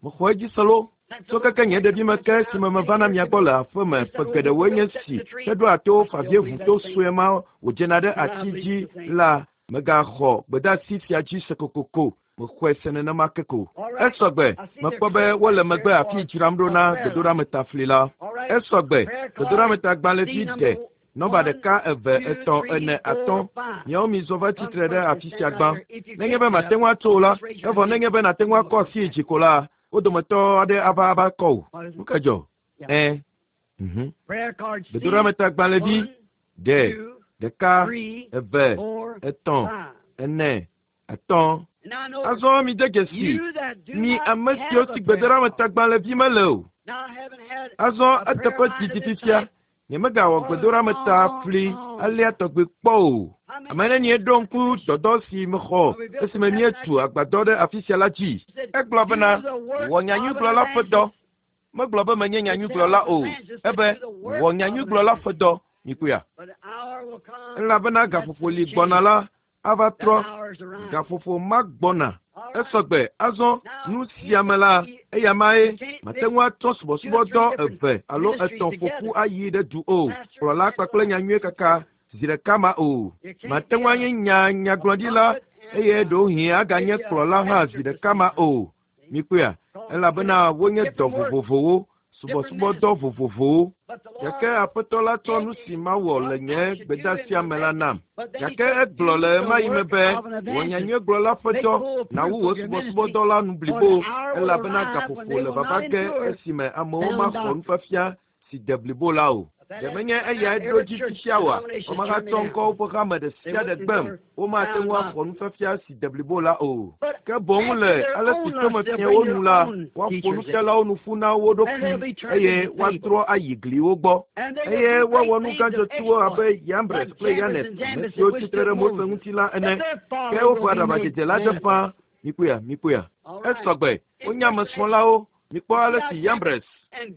mexɔ edzi se loo. Tso keke nye ɖevime ke esime meva na mia gbɔ le aƒeme ƒe geɖewoe nye si heɖoa to favieʋuto sue ma wòdzena ɖe ati dzi la, megaxɔ gbedeasi sia dzi se kokoko. Mexɔe se nenema ke ko. Esɔgbe, mekpɔ be wole megbe afi dzram ɖo na gbedoɖametafli la. Esɔgbe, gbedoɖametagbalẽvi ɖe nɔmba ɖeka eve etɔ̃ ene atɔ̃. Miawo mizɔ va tsitre ɖe afi sia gbã. Nenye be mate ŋu atso o la, evɔ nenye be nàte ŋu akɔ asi yi dzi ko la, wo dometɔ aɖe ava ava kɔ o. Nu ka dzɔ? Ɛ. Mhm. Gbedoɖametagbalẽvi ɖe ɖeka eve etɔ̃ ene atɔ̃. Azɔ mi de dzesi mi ame siwo si gbedoɖametagbalẽvi mele o. Azɔ eteƒe didi fifia, nyemegawɔ gbedoɖametafli alea tɔgbi kpɔ o. Ame nenie ɖo ŋku dɔdɔ si mexɔ esime míetu agbadɔ ɖe afi sia la dzi. Egblɔ bena, wɔ nyanyuigblɔla ƒe dɔ. Megblɔ be menye nyanyuigblɔla o. Ebe, wɔ nyanyuigblɔla ƒe dɔ. Mikpɔea? Elabena gaƒoƒo li gbɔna la ava trɔ. Gaƒoƒo ma gbɔna. Esɔgbe azɔ nu sia me la, eya mae mate ŋu atsɔ subɔsubɔdɔ eve alo etɔ̃ ƒoƒu ayi ɖe du o. Kplɔla kpakple nyanyuie kaka zi ɖeka ma o. Mate ŋu anye nya nyagblɔɖila eye ɖewohĩ aganye kplɔla hã zi ɖeka ma o. Mikpɔea? Elabena wonye dɔ vovovowo, subɔsubɔdɔ vovovowo. Gake Aƒetɔ la tsɔ nu si mawɔ le nye gbedeasia me la nam. Gake egblɔ le ɣemaɣi me be, wɔ nyanyuiegblɔla ƒe dɔ, nàwu wò subɔsubɔdɔ la nu blibo, elabena gaƒoƒo le vava ge esime amewo maxɔ nufiafia si de blibo la o. Ɖe menye eyae ɖo dzi fifia oa? Womagatsɔ ŋkɔ woƒe hame ɖe sia ɖe gbem. Womate ŋu axɔ nufiafia si de blibo la o. Ke boŋ le ale si tome fia wo nu la, woaƒo nufialawo nu ƒu na wo ɖokui eye woatrɔ ayi gliwo gbɔ. Eye woawɔ nu gãdzɔtsuwo abe Yambres kple Yanes, ame siwo tsitre ɖe Mose ŋuti la ene. Ke woƒe aɖaʋadzedze la dze ƒãa. Mikpɔea, mikpɔea. Esɔgbe, wonye ame srɔ̃lawo. Mikpɔ ale si Yambres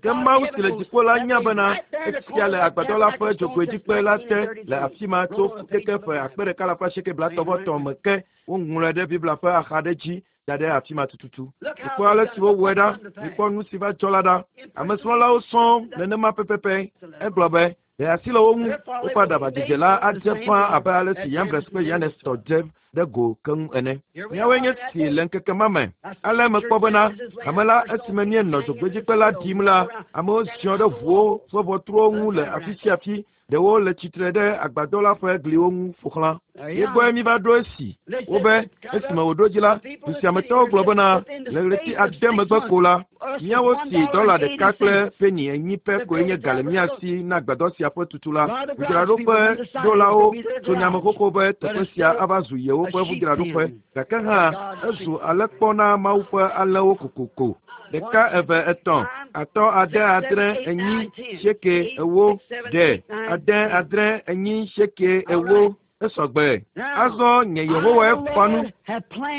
ke Mawu si le dziƒo la nya bena esia le agbadɔ la ƒe dzogoedzikpe la te le afi ma tso keke ƒe akpe ɖeka alafa asieke blaetɔ̃ vɔ etɔ̃ me ke woŋlɔe ɖe Biblia ƒe axa ɖe dzi da ɖe afi ma tututu. Mikpɔ ale si wowɔe ɖa, mikpɔ nu si va dzɔ la ɖa. Ame srɔ̃lawo sɔŋ nenema pɛpɛpɛ. Egblɔ be, ɖe asi le wo ŋu, woƒe aɖaʋadzedze la adze ƒãa abe ale si Yambres kple Yanes tɔ dze ɖe go keŋ ene. Míawoe nye si le ŋkeke ma me. Ale mekpɔ bena, hame la esime míenɔ dzogoedzikpe la ɖim la, amewo ziɔ ɖe ʋuwo ƒe ʋɔtruwo ŋu le afi sia afi. Ɖewo le tsitre ɖe agbadɔ la ƒe gliwo ŋu ƒo xlã. Ye gbɔe míva ɖo esi. Wobe esime wòɖo dzi la, du sia me tɔwo gblɔ bena le ɣleti ade megbe ko la, míawo si dɔla ɖeka kple peni enyi pɛ koe nye ga le mía si na agbadɔ sia ƒe tutu la. Ʋudzraɖoƒe ɖolawo tso nyame xoxo be teƒe sia ava zu yewoƒe ʋudzraɖoƒe. Gake hã ezu alẽkpɔ na Mawu ƒe alẽwo kokoko. Ɖeka eve etɔ̃ atɔ̃ ade adre enyi sieke ewo ɖe ade adre enyi sieke ewo esɔgbe. Azɔ nye Yehowae ƒoa nu.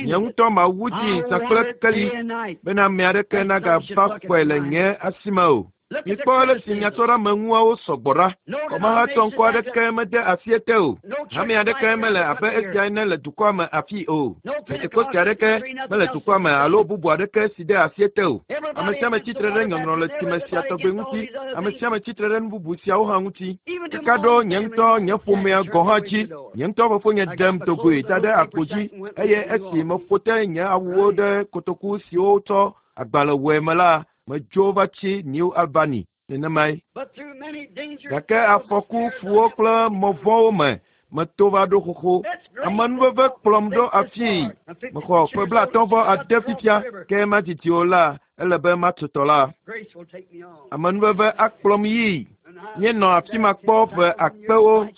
Nye ŋutɔ mawu dzi zã kple keli bena ame aɖeke nagava xɔe le nye asi me o. Mikpɔ ale si nyatsɔɖameŋuawo sɔgbɔ ɖa. Kɔmahatsɔ ŋkɔ aɖeke mede asi ete o. Hame aɖeke mele abe esia ene le dukɔa me afii o. Pentekoste aɖeke mele dukɔa me alo bubu aɖeke si de asi ete o. Ame sia ame tsitre ɖe nyɔnyrɔ le tsime sia tɔgbe ŋuti. Ame sia ame tsitre ɖe nu bubu siawo hã ŋuti. Ɖeka ɖo nye ŋutɔ nye ƒomea gɔ̃ hã dzi. Nye ŋutɔ fofonye ɖem dogoe da ɖe akpo dzi eye esi meƒo te nye awuwo ɖe kotoku siwo wotsɔ agbalẽ wɔe me la, medzo va tsi New Albany nenemae. Gake afɔku fuwo kple mɔ vɔ̃wo me meto va ɖo xoxo. Amenuveve kplɔm ɖo afii. Mexɔ ƒe blaatɔ̃ vɔ ade fifia, ke madidi o la, ele be matso tɔ la. Amenuveve akplɔm yii. Míenɔ afi ma kpɔ ƒe akpewo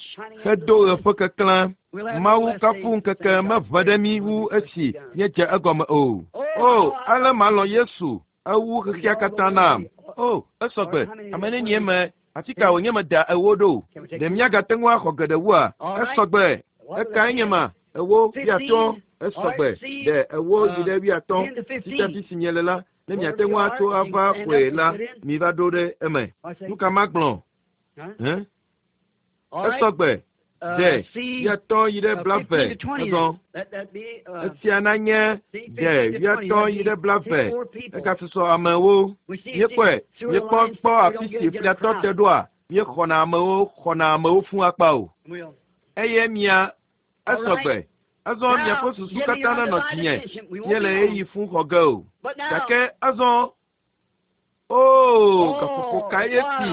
hedo ɣe ƒe keklẽ. Mawu kafu ŋkeke meʋẽ ɖe mí wu esi míedze egɔme o. O, ale malɔ̃ Yesu ewu xexea katã nam. O, esɔgbe. Ame nenie me Afi ka wònye meda ewo ɖo? Ɖe míagate ŋu axɔ geɖe wua? Esɔgbe. Ekae nye ma? Ewo wuiatɔ̃. Esɔgbe. Ɖe ewo yi ɖe wuiatɔ̃. Sia fi si miele la, ne miate ŋu atso ava xɔe la, miva ɖo ɖe eme. Nu ka magblɔ? Esɔgbe. Ɖe wuiatɔ̃ yi ɖe blaeve. Azɔ esia nanye ɖe wuiatɔ̃ yi ɖe blaeve. Egasusɔ amewo. Míekpɔe, míekpɔ kpɔ afi si fiatɔ te ɖoa, míexɔna amewo xɔna amewo fũ akpa o. Eye mia esɔgbe. Azɔ miaƒe susu katã nenɔ dzinye. Míele ɣeyiɣi fũ xɔ ge o. Gake azɔ, oo, gaƒoƒo kae nye si?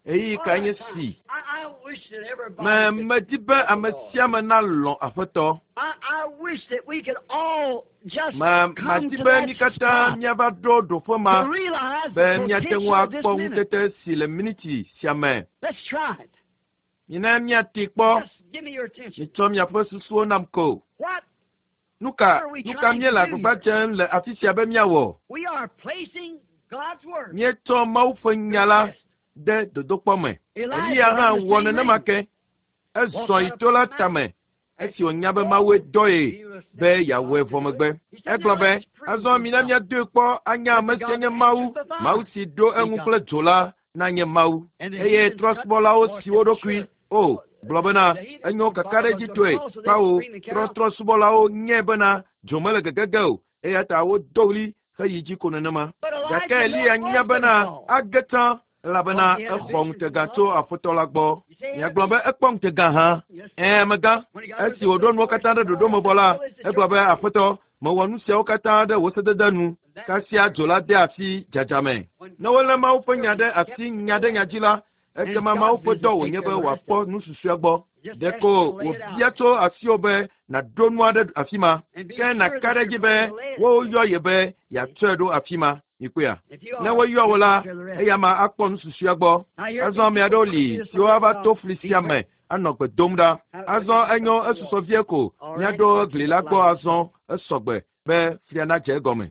Ɣeyiɣi kae nye si? Me medi be ame sia ame nalɔ̃ Aƒetɔ. Me madi be mí katã míava ɖo ɖoƒe ma be míate ŋu akpɔ ŋutete si le miniti sia me. Mina míate kpɔ. Mitsɔ miaƒe susuwo nam ko. Nu ka nu ka míele agbagba dzem le afi sia be míawɔ? Míetsɔ Mawu ƒe nya la de dodokpɔ me. Eliya hã wɔ nenema ke. Ezɔ yi to la tame esi wònya be Mawue dɔ ye be yeawɔe vɔ megbe. Egblɔ be, azɔ mina míadoe kpɔ anya ame si nye Mawu, Mawu si ɖo eŋu kple dzo la nanye Mawu. Eye trɔ̃subɔlawo si wo ɖokui o gblɔ bena enyo kakaɖedzitɔe kpawo trɔtrɔsubɔlawo nye bena dzo mele gegege o eya ta wodo ɣli heyi dzi ko nenema. Gake Eliya nya bena age tsã elabena exɔ ŋutega tso Aƒetɔ la gbɔ. Miagblɔ be ekpɔ ŋutega hã. Ɛ̃, amegã, esi wòɖo nuwo katã ɖe ɖoɖo me vɔ la, egblɔ be Aƒetɔ, mewɔ nu siawo katã ɖe wò sedede nu. Kasia dzo la de asi dzadza me. Ne wolé Mawu ƒe nya ɖe asi nya ɖe nya dzi la, ekema Mawu ƒe dɔ wònye be wòakpɔ nu susɔea gbɔ. Ɖeko wòbia tso asiwò be nàɖo nua ɖe afi ma, ke nàka ɖe edzi be woyɔ ye be yeatsɔe ɖo afi ma. Mikpɔea? Ne woyɔ wò la, eya ma akpɔ nu susɔea gbɔ. Azɔ ame aɖewo li siwo ava to fli sia me anɔ gbe dom ɖa. Azɔ enyo esusɔ vie ko míaɖo gli la gbɔ azɔ esɔgbe be flia nadze egɔme.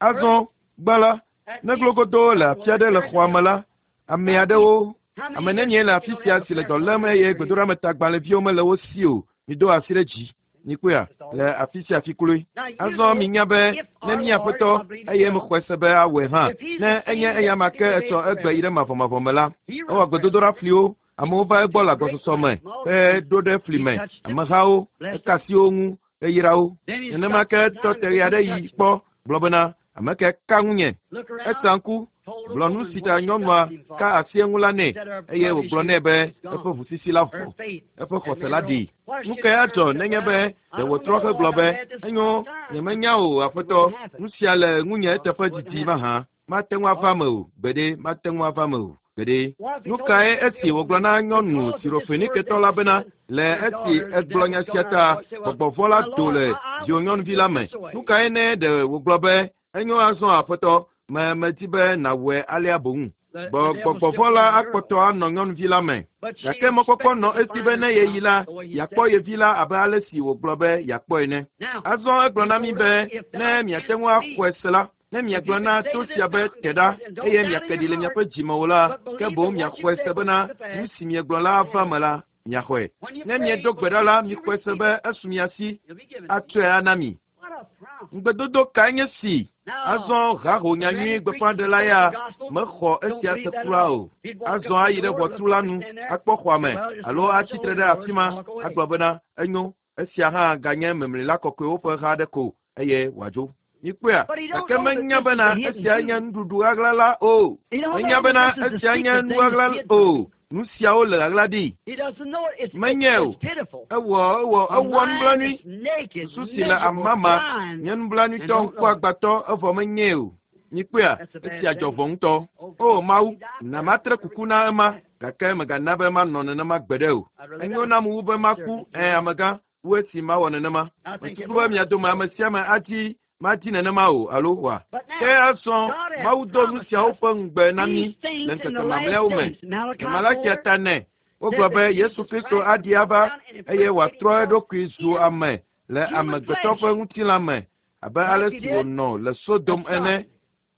Azɔ gbã la, ne glogodo le afi aɖe le xɔa me la, ame aɖewo, ame nenie le afi sia si le dɔ lém eye gbedoɖametagbalẽviwo mele wo si o, mido asi ɖe dzi. Mikpɔea? Le afi sia afi kloe. Azɔ minya be ne mía Aƒetɔ eye mexɔe se be awɔe hã, ne enye eya ma ke etsɔ egbe yi ɖe mavɔmavɔ me la, ewɔ gbedodoɖa fliwo, amewo va egbɔ le agbɔsɔsɔ me heɖo ɖe fli me, amehawo, eka asi wo ŋu eyra wo. Nenema ke tɔ te ɣe aɖe yi kpɔ gblɔ bena ame ke ka ŋunye. Etsa ŋku gblɔ nu si ta nyɔnua ka asi eŋu la nɛ eye wògblɔ nɛ be eƒe ʋusisi la vɔ, eƒe xɔse la ɖi. Nu kae adzɔ nenye be ɖe wòtrɔ hegblɔ be enyo nyemenya o Aƒetɔ, nu sia le ŋunye eteƒe didi mahã, mate ŋu ava me o gbeɖe, mate ŋu ava me o gbeɖe. Nu kae esi wògblɔ na nyɔnu Sirofeniketɔ la bena le esi egblɔ nya sia ta gbɔgbɔ vɔ̃ la do le viwò nyɔnuvi la me. Nu kae ne ɖe wògblɔ be enyo azɔ Aƒetɔ, me medi be nàwɔe alea boŋ. Gbɔgbɔ vɔ̃ la akpɔtɔ anɔ nyɔnuvi la me. Gake mɔkpɔkpɔ nɔ esi be ne yeyi la, yeakpɔ ye vi la abe ale si wògblɔ be yeakpɔe ene. Azɔ egblɔ na mí be ne miate ŋu axɔe se la, ne miagblɔ na to sia be te ɖa eye miake ɖi le miaƒe dzime o la, ke boŋ miaxɔe se bena nu si miegblɔ la ava me la, miaxɔe. Ne miedo gbe ɖa la, mixɔe se be esu mia si atsɔe ana mi. Ŋugbedodo kae nye si? Azɔ haho nyanyui gbeƒãɖela ya mexɔ esia se kura o. Azɔ ayi ɖe ʋɔtru la nu akpɔ xɔa me alo atsi tre ɖe afi ma agblɔ bena enyo esia hã ganye memlila kɔkɔewo ƒe ha aɖe ko eye wòadzo. Mikpɔea? Gake menya bena esia nye nuɖuɖu ɣaɣla la o. Menya bena esia nye nu ɣaɣla o. Nu siawo le ɣaɣla ɖi. Menye o. Ewɔ ewɔ ewɔ nublanui. Susu si le amama nye nublanuitɔ ŋkuagbãtɔ evɔ menye o. Mikpɔea? Esia dzɔ vɔ ŋutɔ. O Mawu, na matre kuku na ema gake megana be manɔ nenema gbeɖe o. Enyo nam wu be maku ẽ amegã wu esi mawɔ nenema. Mesusu be mia dome ame sia ame adi madi nenema o alo wa. Ke azɔ Mawu do nu siawo ƒe ŋugbe na mí le ŋkeke mamlɛawo me. Le Malakia ta nɛ, wogblɔ be Yesu Kristo aɖi ava eye wòatrɔ eɖokui zu ame le amegbetɔ ƒe ŋutilã me abe ale si wònɔ le Sodom ene.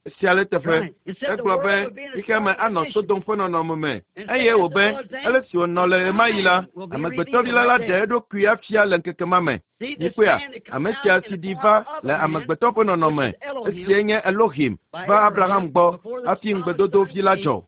Esia le teƒe. Egblɔ be xexea me anɔ Sodom ƒe nɔnɔme me eye wòbe ale si wònɔ le ɣemaɣi la, amegbetɔvi la la ɖe eɖokui afia le ŋkeke ma me. Mikpɔea, ame sia si ɖi va le amegbetɔ ƒe nɔnɔme, esie nye Elohim, va Abraham gbɔ hafi ŋugbedodovi la dzɔ.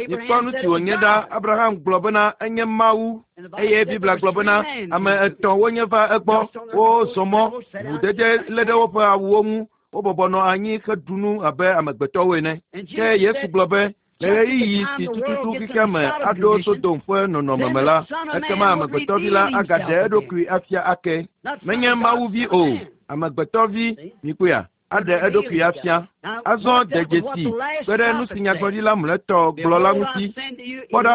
Mikpɔ nu si wònye ɖa. Abraham gblɔ bena enye Mawu eye Biblia gblɔ bena ame etɔ̃ wonye va egbɔ, wozɔ mɔ, ʋudede lé ɖe woƒe awuwo ŋu, wobɔbɔ nɔ anyi heɖu nu abe amegbetɔwo ene. Ke Yesu gblɔ be le ɣeyiɣi si tututu xexea me aɖo Sodom ƒe nɔnɔme me la, ekema amegbetɔvi la agaɖe eɖokui afia ake. Menye Mawuvi o, amegbetɔvi, mikpɔea, aɖe eɖokui afia. Azɔ de dzesi kpe ɖe nu si nyagblɔɖila mlɔetɔ gblɔ la ŋuti. Kpɔ ɖa,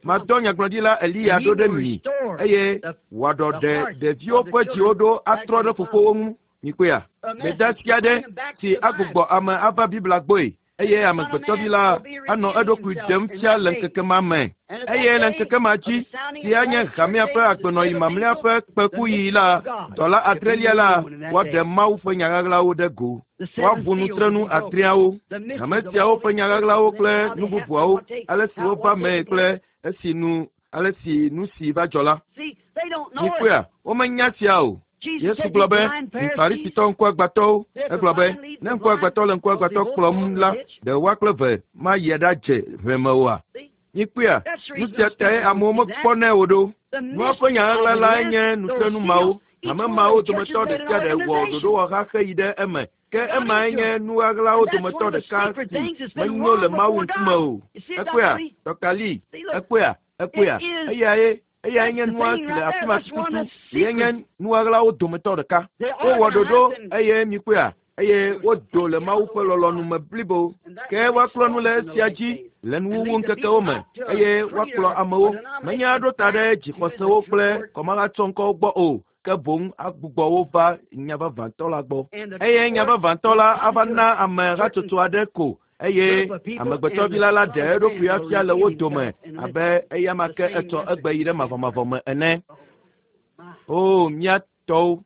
madɔ nyagblɔɖila Eliya ɖo ɖe mi eye wòaɖɔ ɖe ɖeviwo ƒe dziwo ɖo atrɔ ɖe fofowo ŋu. Mikpɔea, gbedeasi aɖe si agbugbɔ ame ava Biblia gbɔe eye amegbetɔvi la anɔ eɖokui ɖem fia le ŋkeke ma me. Eye le ŋkeke ma dzi, si anye hamea ƒe agbenɔɣi mamlɛa ƒe kpekuɣi la, dɔla adrelia la, woaɖe Mawu ƒe nya ɣaɣlawo ɖe go. Woaʋu nutrenu adreawo, hame siawo ƒe nya ɣaɣlawo kple nu bubuawo, ale si wova mee kple esi nu ale si nu si va dzɔ la. Mikpɔea, womenya sia o. Yesu gblɔ be, mi Farisitɔ ŋkuagbãtɔwo, egblɔ be, ne ŋkuagbãtɔ le ŋkuagbãtɔ kplɔm la, ɖe woa kple eve mayi aɖadze ʋe me oa? Mikpɔea, nu sia tae amewo mekpɔnɛ o ɖo. Nua ƒe nya ɣaɣla lae nye nutrenu mawo. Hame mawo dometɔ ɖe sia ɖe wɔ ɖoɖowɔha heyi ɖe eme. Ke emae nye nu ɣaɣlawo dometɔ ɖeka si menyo le Mawu ŋkume o. Ekpɔea, Dɔkta Lee, ekpɔea, ekpɔea, eyae eyae nye nua si le afi ma tututu, ye nye nu ɣaɣlawo dometɔ ɖeka. Wowɔ ɖoɖo eye mikpɔea, eye wodo le Mawu ƒe lɔlɔ̃nu me blibo. Ke woakplɔ nu le esia dzi le nuwuwu ŋkekewo me eye woakplɔ amewo. Menye aɖo ta ɖe dzixɔsewo kple kɔmahatsɔŋkɔwo gbɔ o, ke boŋ agbugbɔ wo va nya vavãtɔ la gbɔ. Eye nya vavãtɔ la ava na ame hatsotso aɖe ko eye amegbetɔvi la la ɖe eɖokui afia le wo dome abe eyama ke etsɔ egbe yi ɖe mavɔmavɔ me ene. O mía tɔwo,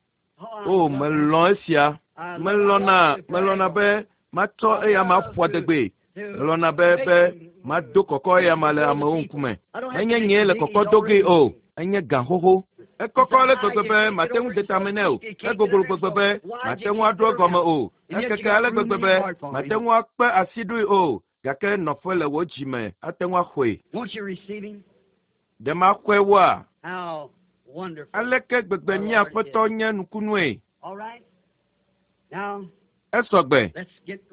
o melɔ̃ esia. Melɔ̃na melɔ̃na be matsɔ eyama ƒo adegbee. Melɔ̃na be be mado kɔkɔ eyama le amewo ŋkume. Menye nyee le kɔkɔ do gee o, enye gã xoxo. Ekɔkɔ ale gbegbe be mate ŋu de tame nɛ o. Egoglo gbegbe be mate ŋu aɖo egɔme o. Ekeke ale gbegbe be mate ŋu akpe asi ɖoe o. Gake nɔƒe le wò dzime ate ŋu axɔe. Ɖe maxɔe woa? Aleke gbegbe mía Aƒetɔ nye nukunue? Esɔgbe.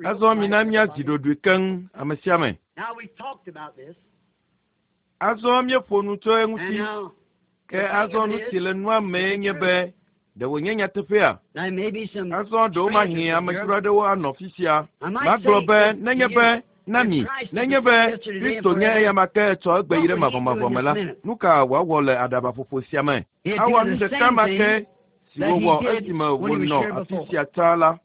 Azɔ mina míazi ɖoɖoe keŋ ame sia ame. Azɔ míeƒo nu tso eŋuti. Ke azɔ nu si le nua mee nye be ɖe wònye nyateƒea? Azɔ ɖewomahi amedzro aɖewo anɔ fi sia. Magblɔ be nenye be na mi, nenye be Kristo nye eyama ke etsɔ egbe yi ɖe mavɔmavɔ me la, nu ka wòawɔ le aɖabaƒoƒo sia me? Awɔ nu ɖeka ma ke si wòwɔ esime wònɔ afi sia tsã la.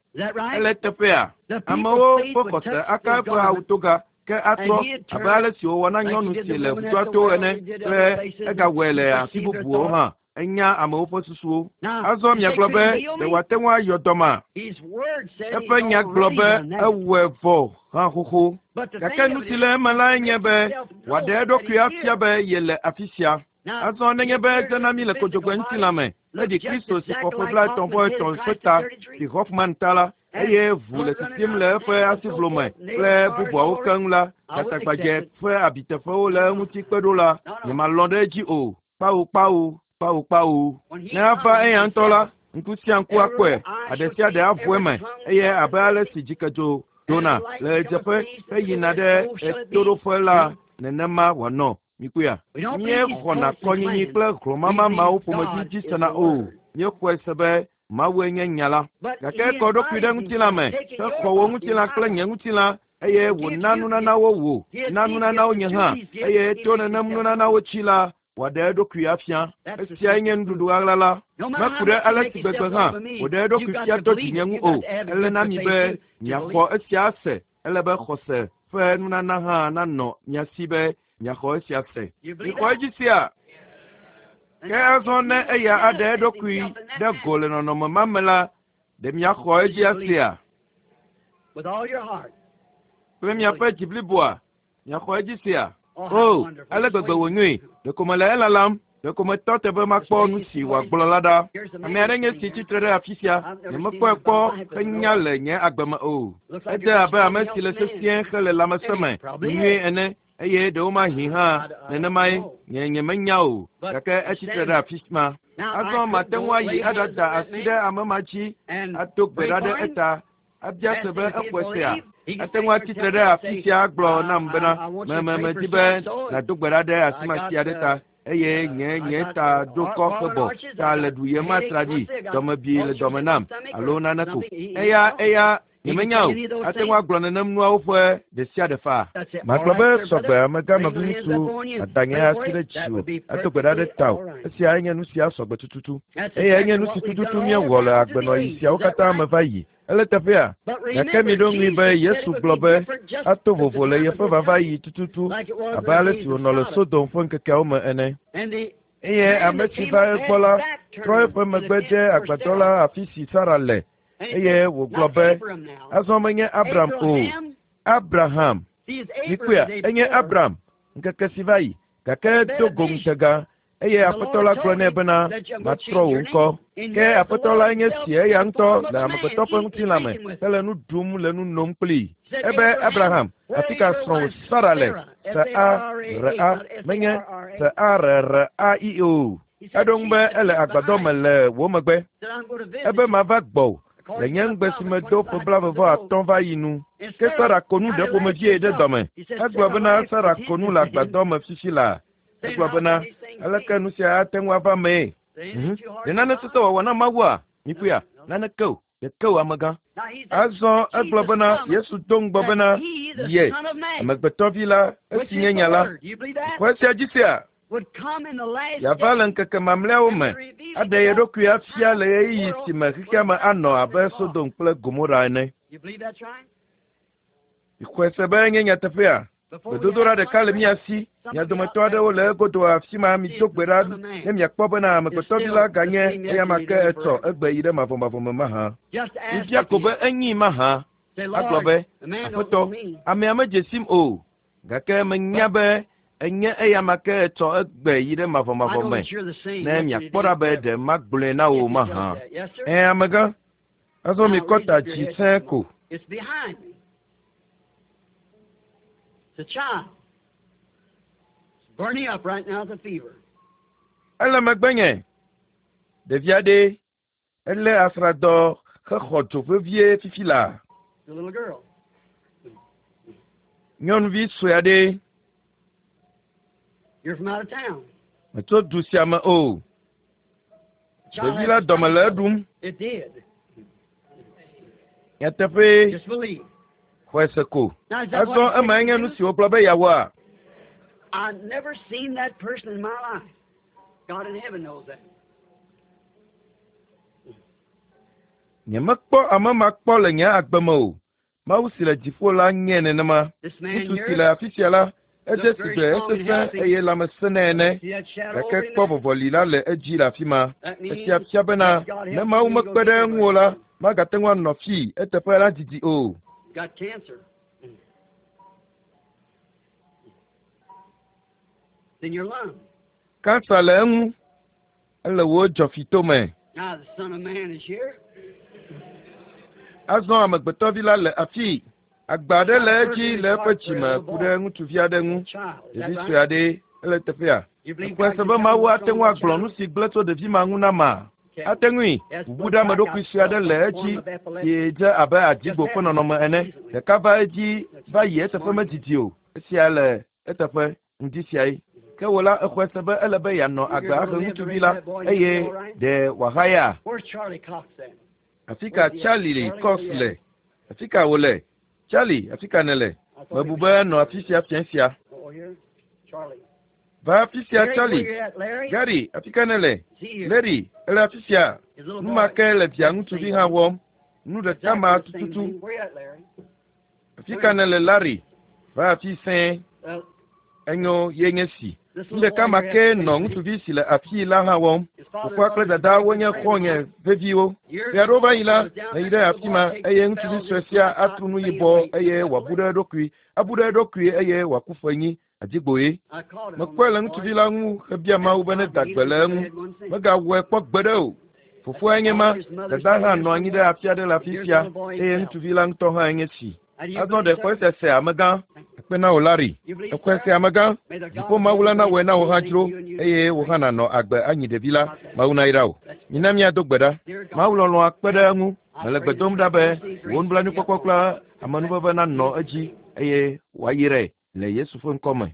Ele teƒea, amewo ƒe xɔse aka eƒe awutoga ke atrɔ abe ale si wòwɔ na nyɔnu si le ʋutoa to ene kple egawɔe le afi bubuwo hã. Enya amewo ƒe susuwo. Azɔ miagblɔ be ɖe wòate ŋu ayɔ dɔma? Eƒe nya gblɔ be ewɔe vɔ hã xoxo. Gake nu si le eme lae nye be wòaɖe eɖokui afia be yele afi sia. Azɔ nenye be edze na mí le kodzogbe ŋutilã me, eɖi Kristo si xɔ ƒe blaetɔ̃ vɔ etɔ̃ ƒe ta si Hoffman ta la, eye ʋu le sisim le eƒe asivlo me kple bubuawo keŋ la, gatagbadze ƒe abiteƒewo le eŋuti kpe ɖo la, nyemalɔ̃ ɖe edzi o. Kpawo kpawo, kpawo kpawo. Ne ava eya ŋutɔ la, ŋku sia ŋku akpɔe, aɖe sia ɖe aʋu eme eye abe ale si dzikedzo dona le ɣedzeƒe heyina ɖe ɣetoɖoƒe la, nenema wòanɔ. Mikpɔea, míexɔna kɔnyinyi kple hlɔ̃mama mawo ƒomevi dzi sena o. Míexɔe se be Mawue nye nya la. Gake ekɔ eɖokui ɖe ŋutilã me, hexɔ wò ŋutilã kple nye ŋutilã eye wòna nunanawo wò, na nunanawo nye hã eye to nenem nunanawo tsi la, wòaɖe eɖokui afia. Esiae nye nuɖuɖu ɣaɣla la. Meku ɖe ale si gbegbe hã wòɖe eɖokui fia to dzinye ŋu o. Ele na mi be miaxɔ esia ase. Ele be xɔse ƒe nunana hã nanɔ mia si be miaxɔ esia se. Mixɔ edzi sia. Ke azɔ ne eya aɖe eɖokui ɖe go le nɔnɔme ma me la, ɖe miaxɔ edzi asea? Kple miaƒe dzi bliboa, miaxɔ edzi sia. O, ale gbegbe wònyoe. Ɖeko mele elalam. Ɖeko metɔ te be makpɔ nu si wòagblɔ la ɖa. Ame aɖe nye si tsitre ɖe afi sia. Nyemekpɔe kpɔ henya le nye agbe me o. Edze abe ame si le sesĩe hele lãmesẽ me nyuie ene eye ɖewomahi hã nenemae. Nye nyemenya o, gake etsitre ɖe afi ma. Azɔ mate ŋu ayi aɖada asi ɖe ame ma dzi ado gbe ɖa ɖe eta abia se be exɔe sea. Ate ŋu atsitre ɖe afi sia agblɔ nam bena me me medi be nàdo gbe ɖa ɖe asi ma sia ɖe ta eye nye nye ta do kɔ hebɔ ta le ɖuyem atraɖi dɔmebi le dɔme nam alo nane ko. Eya eya nyemenya o, ate ŋu agblɔ nenem nuawo ƒe ɖe sia ɖe faa. Magblɔ be sɔgbe amegã nɔviŋutsu ada nye asi ɖe dziwò ado gbe ɖa ɖe tawò. Esia enye nu sia sɔgbe tututu. Eye enye nu si tututu míewɔ le agbenɔɣi siawo katã me va yi. Ele teƒea. Gake miɖo ŋui be Yesu gblɔ be ato vovo le yeƒe vava yi tututu abe ale si wònɔ le Sodom ƒe ŋkekeawo me ene. Eye ame si va egbɔ la trɔ eƒe megbe de agbadɔ la afi si Sara le. Eye wògblɔ be azɔ menye Abram o, Abraham. Mikpɔea, enye Abram ŋkeke si va yi. Gake do go ŋutega eye Aƒetɔ la gblɔ nɛ bena matrɔ wò ŋkɔ. Ke Aƒetɔ la nye si eya ŋutɔ le amegbetɔ ƒe ŋutilã me hele nu ɖum le nu nom kplii. Ebe Abraham, afi ka srɔ̃wò Sara le? S A R A menye S A R R A I o. Eɖo ŋu be ele agbadɔ me le wò megbe. Ebe mava gbɔwò le nye ŋugbe si medo ƒe blaeve vɔ atɔ̃ va yi nu. Ke Sara ko nu ɖe ƒomevie ɖe dɔme. Egblɔ bena Sara ko nu le agbadɔ me fifi laa. Egblɔ bena aleke nu sia ate ŋu ava mee? Ɖe nane sesẽ wɔwɔ na Mawua? Mikpɔea, naneke o, ɖeke o amegã. Azɔ egblɔ bena Yesu do ŋugbe bena ye amegbetɔvi la esi nye nya la. Xɔ esia dzi sea? Yeava le ŋkeke mamlɛawo me aɖe ye ɖokui afia le ɣeyiɣi si me xexea me anɔ abe Sodom kple Gomora ene. Xɔe se be enye nyateƒea? Gbedodoɖa ɖeka le mía si. Mia dometɔ aɖewo le egodo afi ma mido gbe ɖa ne miakpɔ bena amegbetɔvi la ganye eya ma ke etsɔ egbe yi ɖe mavɔmavɔ me mahã. Mibia ko be enyi mahã. Agblɔ be Aƒetɔ, amea medze sim o, gake menya be enye eya ma ke etsɔ egbe yi ɖe mavɔmavɔ me. Ne miakpɔ ɖa be ɖe magblɔe na wò mahã. Ẽ amegã, azɔ mikɔ ta dzi sẽe ko. Ele megbenye. Ɖevi aɖe elé asrãdɔ hexɔ dzo vevie fifi laa. Nyɔnuvi sue aɖe. Metso du sia me o. Ɖevi la dɔme le eɖum. Nyateƒee. Xɔe se ko. Azɔ ema nye nu si wògblɔ be yeawɔa? Nyemekpɔ ame ma kpɔ le nye agbe me o. Mawu si le dziƒo la nye nenema. Ŋutsu si le afi sia la, edze si gbe esesẽ eye lãmesẽ nɛ ene. Gake kpɔ vɔvɔli la le edzi le afi ma. Esia fia bena ne Mawu mekpe ɖe eŋu o la, magate ŋu anɔ fii eteƒe la didi o. Kansa le eŋu. Ele wò dzɔfitome. Azɔ amegbetɔvi la le afii. Agba aɖe le edzi le eƒe dzime ku ɖe ŋutsuvi aɖe ŋu. Ɖevi sue aɖee ele teƒea. Exɔe se be Mawu ate ŋu agblɔ nu si gblẽ tso ɖevi ma ŋu nama. Ate ŋui. Bubuɖeameɖokui sue aɖe le edzi si dze abe adigbo ƒe nɔnɔme ene. Ɖeka va edzi va yi eteƒe medidi o. Esia le eteƒe ŋdi siae. Ke wò la exɔe se be ele be yeanɔ agbe ahe ŋutsuvi la eye ɖe wòahaya. Afi ka Charlie Cox le? Afi ka wòle? Charlie, afi ka nèle? Mebu be enɔ afi sia fiẽ sia. Va afi sia Charlie. Gary, afi ka nèle? Larry, ele afi sia. Nu ma ke le via ŋutsuvi hã wɔm. Nu ɖeka ma tututu. Afi ka nèle Larry? Va afi sẽe. Enyo ye nye si. Nu ɖeka ma ke nɔ ŋutsuvi si le afii la hã wɔm. Fofoa kple dada wonye xɔ̃nye veviwo. Ƒe aɖewo va yi la, meyi ɖe afi ma eye ŋutsuvi sue sia atu nu yibɔ eye wòabu ɖe eɖokui, abu ɖe eɖokui eye wòaku fenyi adigboe. Mekpɔe le ŋutsuvi la ŋu hebia Mawu be neda gbe le eŋu. Megawɔe kpɔ gbeɖe o. Fofoa nye ma, dada hã nɔ anyi ɖe afi aɖe le afi sia eye ŋutsuvi la ŋutɔ hã nye si. Azɔ ɖe xɔe sia se amegã. Akpe na wò Larry. Exɔe se amegã. Dziƒo Mawu la nawɔe na wò hã dzro eye wò hã nànɔ agbe anyi ɖevi la. Mawu nayra wò. Mina míado gbe ɖa. Mawu lɔlɔ̃a kpe ɖe eŋu. Mele gbe dom ɖa be wò nublanuikpɔkpɔ kple amenuveve nanɔ edzi eye wòayrae le Yesu ƒe ŋkɔ me.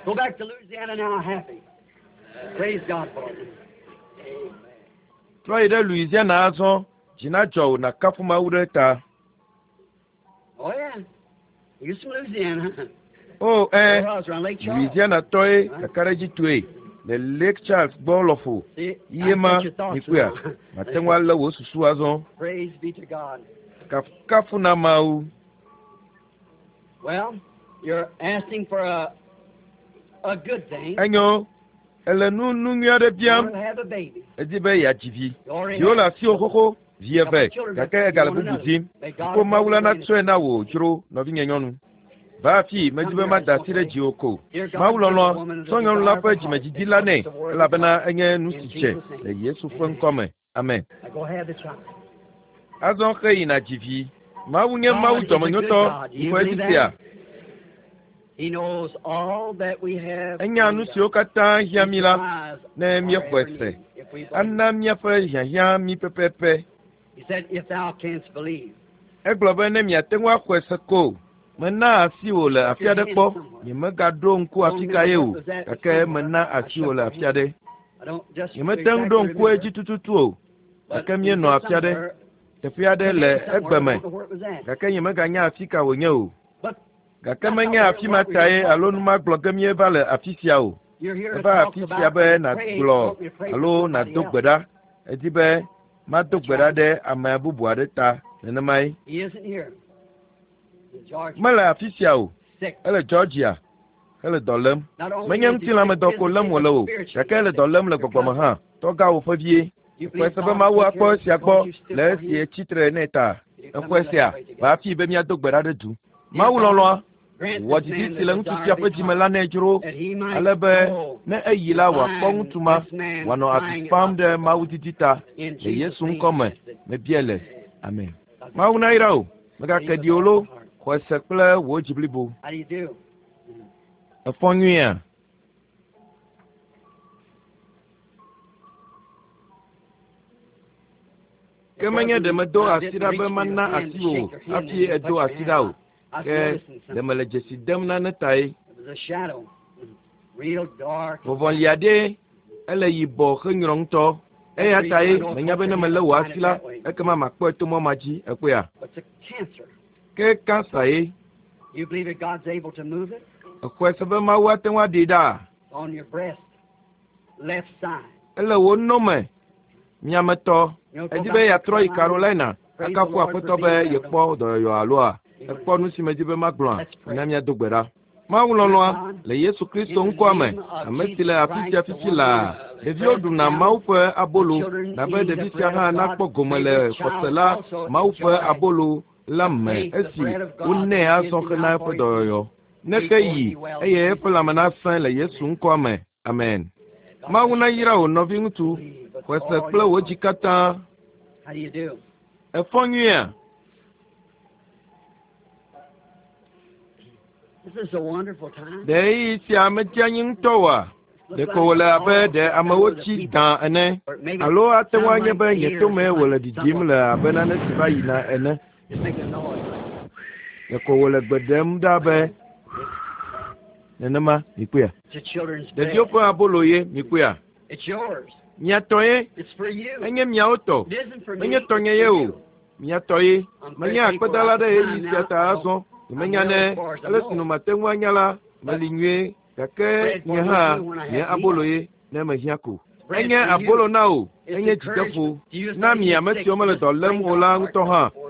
Go back to Louisiana now happy. Praise God for it. Trɔ yi ɖe Louisiana azɔ, dzi nadzɔ wò nàkafu Mawu ɖe ta. Oh, yeah. He's from Louisiana. Oh, eh, Where I was around Lake Charles. Louisiana tɔe kakaɖedzitɔe le Lake Charles gbɔ lɔƒo. See, Ye I ma got your thoughts mikpɔea, now. mate ŋu alé wò susu azɔ. Praise be to God. Kafukafu na Mawu. Well, you're asking for a a good thing. Enyo, ele nu nu nyui aɖe You biam. want to have a baby. Edi be yeadzi vi. You already Viwo le have asiwò xoxo, vi eve, gake egale bubu dim. May God Dziƒo Mawu la natsɔe na wò dzro, nɔvinye nyɔnu. Va afii, medi be mada asi ɖe dziwò ko. Mawu lɔlɔ̃, tsɔ nyɔnu la ƒe dzimedzidzi la nɛ, elabena enye nu si dze le Yesu ƒe ŋkɔ me. Amen. Now go have the child. Azɔ xe yina dzi vi. Mawu nye Mawu God is a good dɔmenyotɔ, God. You xɔe believe dzi sia. that? He knows all that we have. Enya nu need of. siwo katã hiã He mí la, supplies ne our míexɔe every se. need if we believe. Ana míaƒe hiahiã mí pɛpɛpɛ. He said, if thou canst believe. Egblɔ be ne miate ŋu axɔe se ko. Mena asi wò le afi aɖe kpɔ. Nyemegaɖo ŋku afi ka ye o, gake mena asi wò le afi aɖe. I don't just Nyemete ŋu ɖo exactly ŋku edzi remember, tututu o, but gake we míenɔ said afi aɖe, somewhere, teƒe aɖe le somewhere, egbe I me, don't know where it was at. gake nyemeganya afi ka wònye o. But Gake menye afi ma tae alo nu ma gblɔ ge míeva le afi sia o. you're here to Eva talk afi sia about be and pray, nàgblɔ want me to pray for alo somebody nàdo else. gbe ɖa. Edi be mado gbe ɖa ɖe ame bubu aɖe ta nenemae. He isn't here. In Georgia. Mele afi sia o. Sick. Ele Georgia. Hele dɔ lém. Not only Menye is he ŋutilãmedɔ sick ko lém physically, wòle o, but spiritually gake ele sick. dɔ lém le Your gbɔgbɔme cousin. hã. Tɔgãwo ƒe vie. You Exɔe believe se be God Mawu will take akpɔ care of esia it gbɔ because you stood le for esi him? etsi tre nɛ ta. You come Exɔe and let's sia, pray va together. afii be míado gbe ɖa ɖe du. Dear Mawu God, lɔlɔ̃a, grant wɔ this didi man si the le ŋutsu desire sia of ƒe his dzime heart, la nɛ dzro that he might ale be go ne eyi la wòakpɔ find ŋutsu ma this man wòanɔ avi crying fam out ɖe to Mawu God. didi ta In le Jesus' Yesu name, ŋkɔ me. I ask it. Mebia le. Amen. God Mawu nayra wò. Megake Believe ɖi with o all lo. your heart. Xɔe se kple wò dzi blibo. How do you do? Èfɔ nyuiea? Ke It menye ɖe wasn't, medo I asi didn't ɖa be reach for your mana hand to asi wò shake your hand hafi and you edo put your asi hand ɖa o. out. I was Ke noticing ɖe something. mele dzesi dem nane tae. It was a shadow, real dark. Vɔvɔli aɖe ele yibɔ henyrɔ ŋutɔ. That's Eya the reason tae I know I menya put be your ne hand melé up, wò find asi it la, that way. ekema makpɔe to mɔ ma dzi. Ekpɔea? But it's a cancer. Ke kansa ye. You believe that God's able to move it? Exɔe se be Mawu ate ŋu aɖee ɖa. On your breast, left side. Ele wò nome, miametɔ. You know, go Edi back be to yeatrɔ yi Carolina. Carolina Praise the akafu Lord for Aƒetɔ being be well. yekpɔ dɔyɔyɔ aloa? You want Ekpɔ nu si medi be magblɔa? Let's pray. Na míado gbe ɖa. Mawu Dear lɔlɔ̃a, God, le Yesu Kristo in the ŋkɔa me, name of ame si Jesus le afi sia Christ, the fifi one who laa, is ɖeviwo present ɖuna now, Mawu ƒe the abolo, children nabe eating the ɖevi sia bread hã of God, nakpɔ gome may le this xɔse child la also Mawu ƒe enjoy abolo la the me faith, the esi bread of God wonɛ that azɔ gives him hena now eƒe for his dɔyɔyɔ. May Neke he go and yi be well eye in eƒe Jesus' lãme name. nasẽ le Yesu ŋkɔa me. Amen. God Mawu bless you, nayra brother. wò nɔviŋutsu, Believe with xɔe se all kple your wò heart. dzi katã. How do you do? Èfɔ nyuiea? This is a wonderful time. Ɖe ɣeyiɣi sia medze anyi ŋutɔ oa? Looks Ɖeko like wòle the abe halls ɖe are amewo filled with tsi people. dã ene. Or maybe Alo ate ŋu sound anye like be nye ears, tomee wòle like ɖiɖim someone le abe nane si va yina ene. just making a noise like, Ɖeko wòle gbe ɖem ɖa like be that. nenema mikpɔea. It's a children's Ɖeviwo bread. ƒe abolo ye mikpɔea. It's yours. Mia tɔ ye, It's for you. enye miawo tɔ. It isn't for me. Menye It's tɔnye for ye o. you. Mia tɔ ye. I'm very Menye thankful akpedala at the ɖe time ɣeyiɣi sia now. ta I azɔ. don't, I'm Nyemenya well ne as far as I ale si know. nu mate ŋu anya la, But meli nyuie gake bread nye for me hã too when I nye have need abolo of it. ye ne mehiã ko. Bread Enye for you. abolo na wò, It's enye dzideƒo encouragement. To you na not mi even ame sick, siwo mele just dɔ lém bring o God's la heart ŋutɔ hã before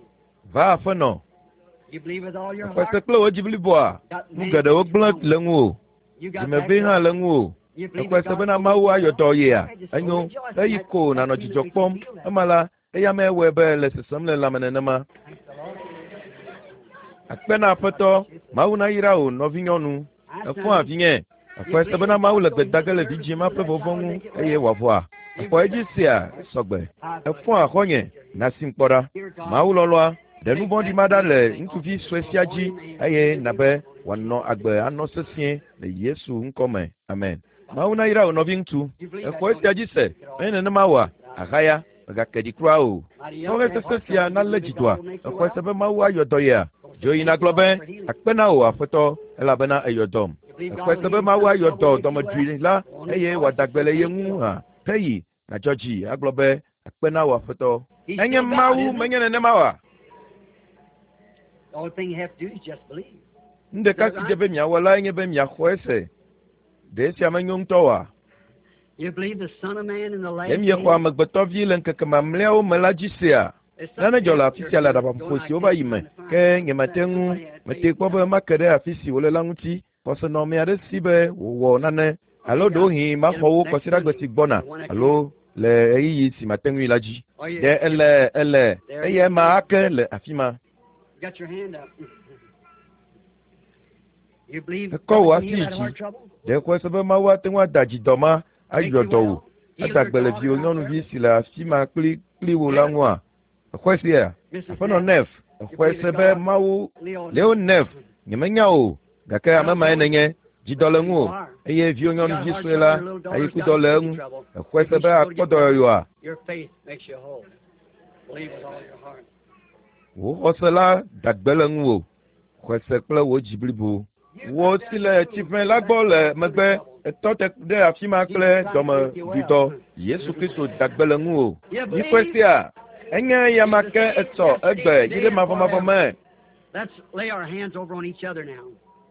Va aƒenɔ. Exɔe se kple wò dzi bliboa. Nu geɖewo gblẽ le ŋuwò. Dzimevee hã le ŋuwò. Exɔe se bena Mawu ayɔ dɔ yea? Enyo, eyi ko nànɔ dzidzɔ kpɔm. Ema la, eya mee wɔe be le sesem le lãme nenema. Akpe na Aƒetɔ, Mawu nayra wò nɔvinyɔnu. Efɔa vinye. Exɔe se bena Mawu le gbe da ge le vidzĩ ma ƒe vɔvɔ̃ ŋu eye wòavɔa. Exɔ edzi sea sɔgbe. Efɔa xɔnye nasim kpɔ ɖa. Mawu lɔlɔ̃a, ɖe nu vɔ̃ɖi ma ɖa le ŋutsuvi sue sia dzi eye nabe wòanɔ agbe anɔ sesĩe le Yesu ŋkɔme. Amen. Mawu nayra wò nɔviŋutsu. Exɔ esia dzi se. Menye nenema oa? Ahaya, mègake ɖi kura o. Sɔhɛ sesẽ sia nalé dzidɔa. Exɔe se be Mawu ayɔ dɔ yea? Dzo yina gblɔ be, akpe na wò Aƒetɔ, elabena eyɔ dɔm. Exɔe se be Mawu ayɔ dɔ dɔmedzoe la eye wòada gbe le ye ŋu hã. Heyi nàdzɔ dzi agblɔ be, akpe na wò Aƒetɔ. Enye Mawu, menye nenema oa? Nu ɖeka si dze be miawɔ lae nye be miaxɔe se. Ɖe esia menyo ŋutɔ oa? Ɖe miexɔ amegbetɔvi le ŋkeke mamlɛawo me la dzi sea? Nane dzɔ le afi sia le aɖabaƒoƒo siwo va yi me, ke nyemate ŋu mete kpɔ be make ɖe afi si wòle la ŋuti. Xɔse nɔ ame aɖe si be wòwɔ nane alo ɖewohĩ maxɔ wo kɔsiɖagbe si gbɔna alo le ɣeyiɣi si mate ŋui la dzi. Ɖe ele ele eye ema ake le afi ma. Ekɔ wò asi yi dzi. Ɖe xɔe se be Mawu ate ŋu ada dzidɔ ma ayɔ dɔ wò, ada gbe le viwò nyɔnuvi si le afi ma kpli kpli wò la ŋua? Exɔe sea? Aƒenɔ Nef, exɔe se be Mawu Leo Nef, nyemenya o, gake ame mae nenye. Dzidɔ le ŋuwò eye viwò nyɔnuvi sue la ayikudɔ le eŋu. Exɔe se be akpɔ dɔyɔyɔa? Wò xɔse la da gbe le ŋuwò. Xɔe se kple wò dzi blibo. Wò si le tsiʋẽ la gbɔ le megbe etɔ te ɖe afi ma kple dɔmeɖuidɔ. Yesu Kristo da gbe le ŋuwò. Mixɔe sea? Enye eya ke etsɔ egbe yi ɖe mavɔmavɔ me.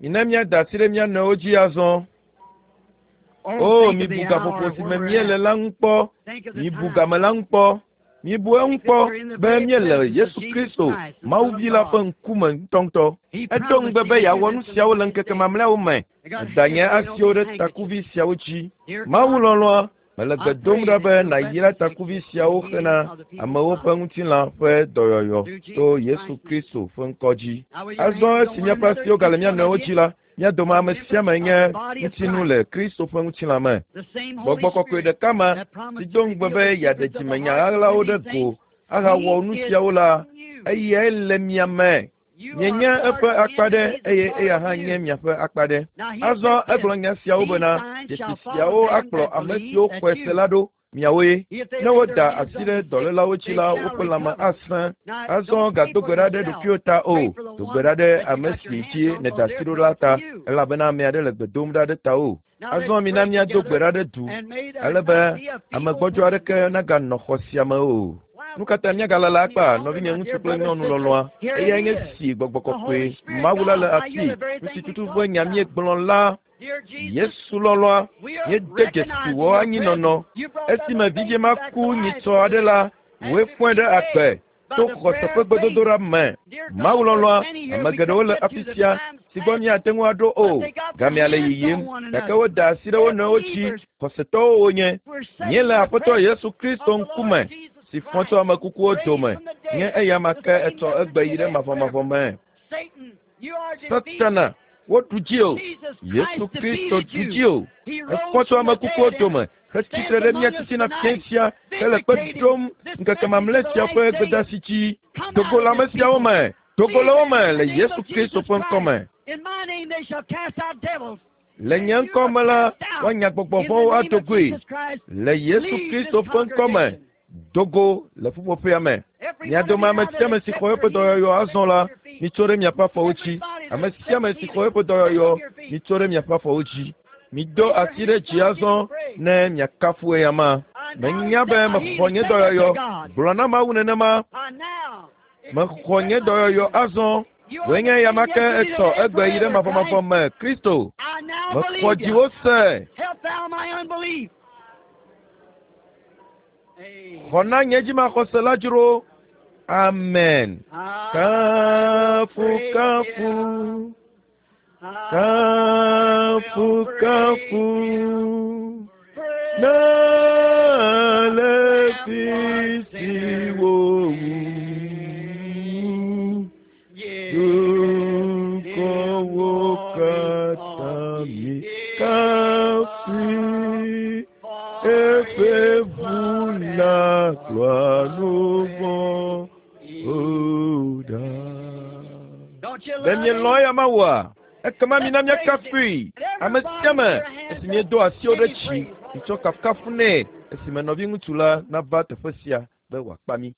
Mina míada asi ɖe mía nɔewo dzi azɔ. O, mibu gaƒoƒo si me míele la ŋu kpɔ. Mibu game la ŋu kpɔ. Mibu eŋu kpɔ be míele Yesu Kristo, Mawu vi la ƒe ŋkume ŋutɔŋutɔ. Edo ŋugbe be yeawɔ nu siawo le ŋkeke mamlɛawo me. Meda nye asiwo ɖe takuvi siawo dzi. Mawu lɔlɔ̃a, mele gbe dom ɖa be nàyra takuvi siawo hena amewo ƒe ŋutilã ƒe dɔyɔyɔ to Yesu Kristo ƒe ŋkɔ dzi. Azɔ esi míaƒe asiwo gale mía nɔewo dzi la, mía dome ame sia ame nye ŋutinu le Kristo ƒe ŋutilã me. Gbɔgbɔ kɔkɔe ɖeka ma si do ŋugbe be yeaɖe dzimenya ɣaɣlawo ɖe go ahawɔ nu siawo la, eyae le mia me. Mienye eƒe akpa ɖe eye eya hã nye miaƒe akpa ɖe. Azɔ egblɔ nya siawo bena dzesi siawo akplɔ ame siwo xɔe se la ɖo. Miawoe. Ne woda asi ɖe dɔlélawo dzi la, woƒe lãme asẽ. Azɔ gado gbe ɖa ɖe ɖokuiwò ta o. Do gbe ɖa ɖe ame si dzi nèda asi ɖo la ta, elabena ame aɖe le gbe dom ɖa ɖe tawò. Azɔ mina míado gbe ɖa ɖe du, ale be ame gbɔdzɔ aɖeke naganɔ xɔ sia me o. Nu ka ta míagalala akpa, nɔvinye ŋutsu kple nyɔnu lɔlɔ̃a? Eyae nye si gbɔgbɔ kɔkɔe Mawu la le afi. Nu si tutu ƒe nya míegblɔ la, Yesu lɔlɔ̃a, míede dzesi wò anyinɔnɔ. Esime vidzĩ ma ku nyitsɔ aɖe la, wòe fɔe ɖe agbe to xɔse ƒe gbedodoɖa me. Mawu lɔlɔ̃a, ame geɖewo le afi sia si gbɔ míate ŋu aɖo o. Gamea le yiyim, gake woda asi ɖe wo nɔewo dzi. Xɔsetɔwo wonye. Míele Aƒetɔ Yesu Kristo ŋkume si fɔ tso ame kukuwo dome. Nye eya ma ke etsɔ egbe yi ɖe mavɔmavɔ me. Satana, woɖu dzi o. Yesu Kristo ɖu dzi o. Efɔ tso ame kukuwo dome hetsitre ɖe mía titina fiẽ sia hele kpe ɖom ŋkeke mamlɛ sia ƒe gbedasi dzi. Dogo le ame siawo me. Dogo le wo me le Yesu Kristo ƒe ŋkɔme. Le nye ŋkɔ me la, woanya gbɔgbɔ vɔ̃wo ado goe. Le Yesu Kristo ƒe ŋkɔme, dogo le ƒuƒoƒea me. Mia dome ame sia ame si xɔ eƒe dɔyɔyɔ azɔ la, mitso ɖe miaƒe afɔwo dzi. Ame sia ame si xɔ eƒe dɔyɔyɔ, mitso ɖe miaƒe afɔwo dzi. Mido asi ɖe dzi azɔ ne miakafu eya ma. Menya be mexɔ nye dɔyɔyɔ. Gblɔ na Mawu nenema. Mexɔ nye dɔyɔyɔ azɔ. Wòe nye eya ma ke etsɔ egbe yi ɖe mavɔmavɔ me. Kristo, mexɔ dziwò se. Xɔ na nye dzimaxɔse la dzro. Amen. Kafu kafu. Kafu kafu. Na le fi si wo wu. Dukɔwo katã mi kafui. Eƒe ʋu la klɔa nu vɔ̃wo ɖa. Don't you Ɖe love mielɔ̃ him? eya Mawua? Ekema mina míakafui. Ame sia ame esi míedo asiwo ɖe dzi, mitsɔ kafukafu nɛ esime nɔviŋutsu la nava teƒe sia be wòakpa mí.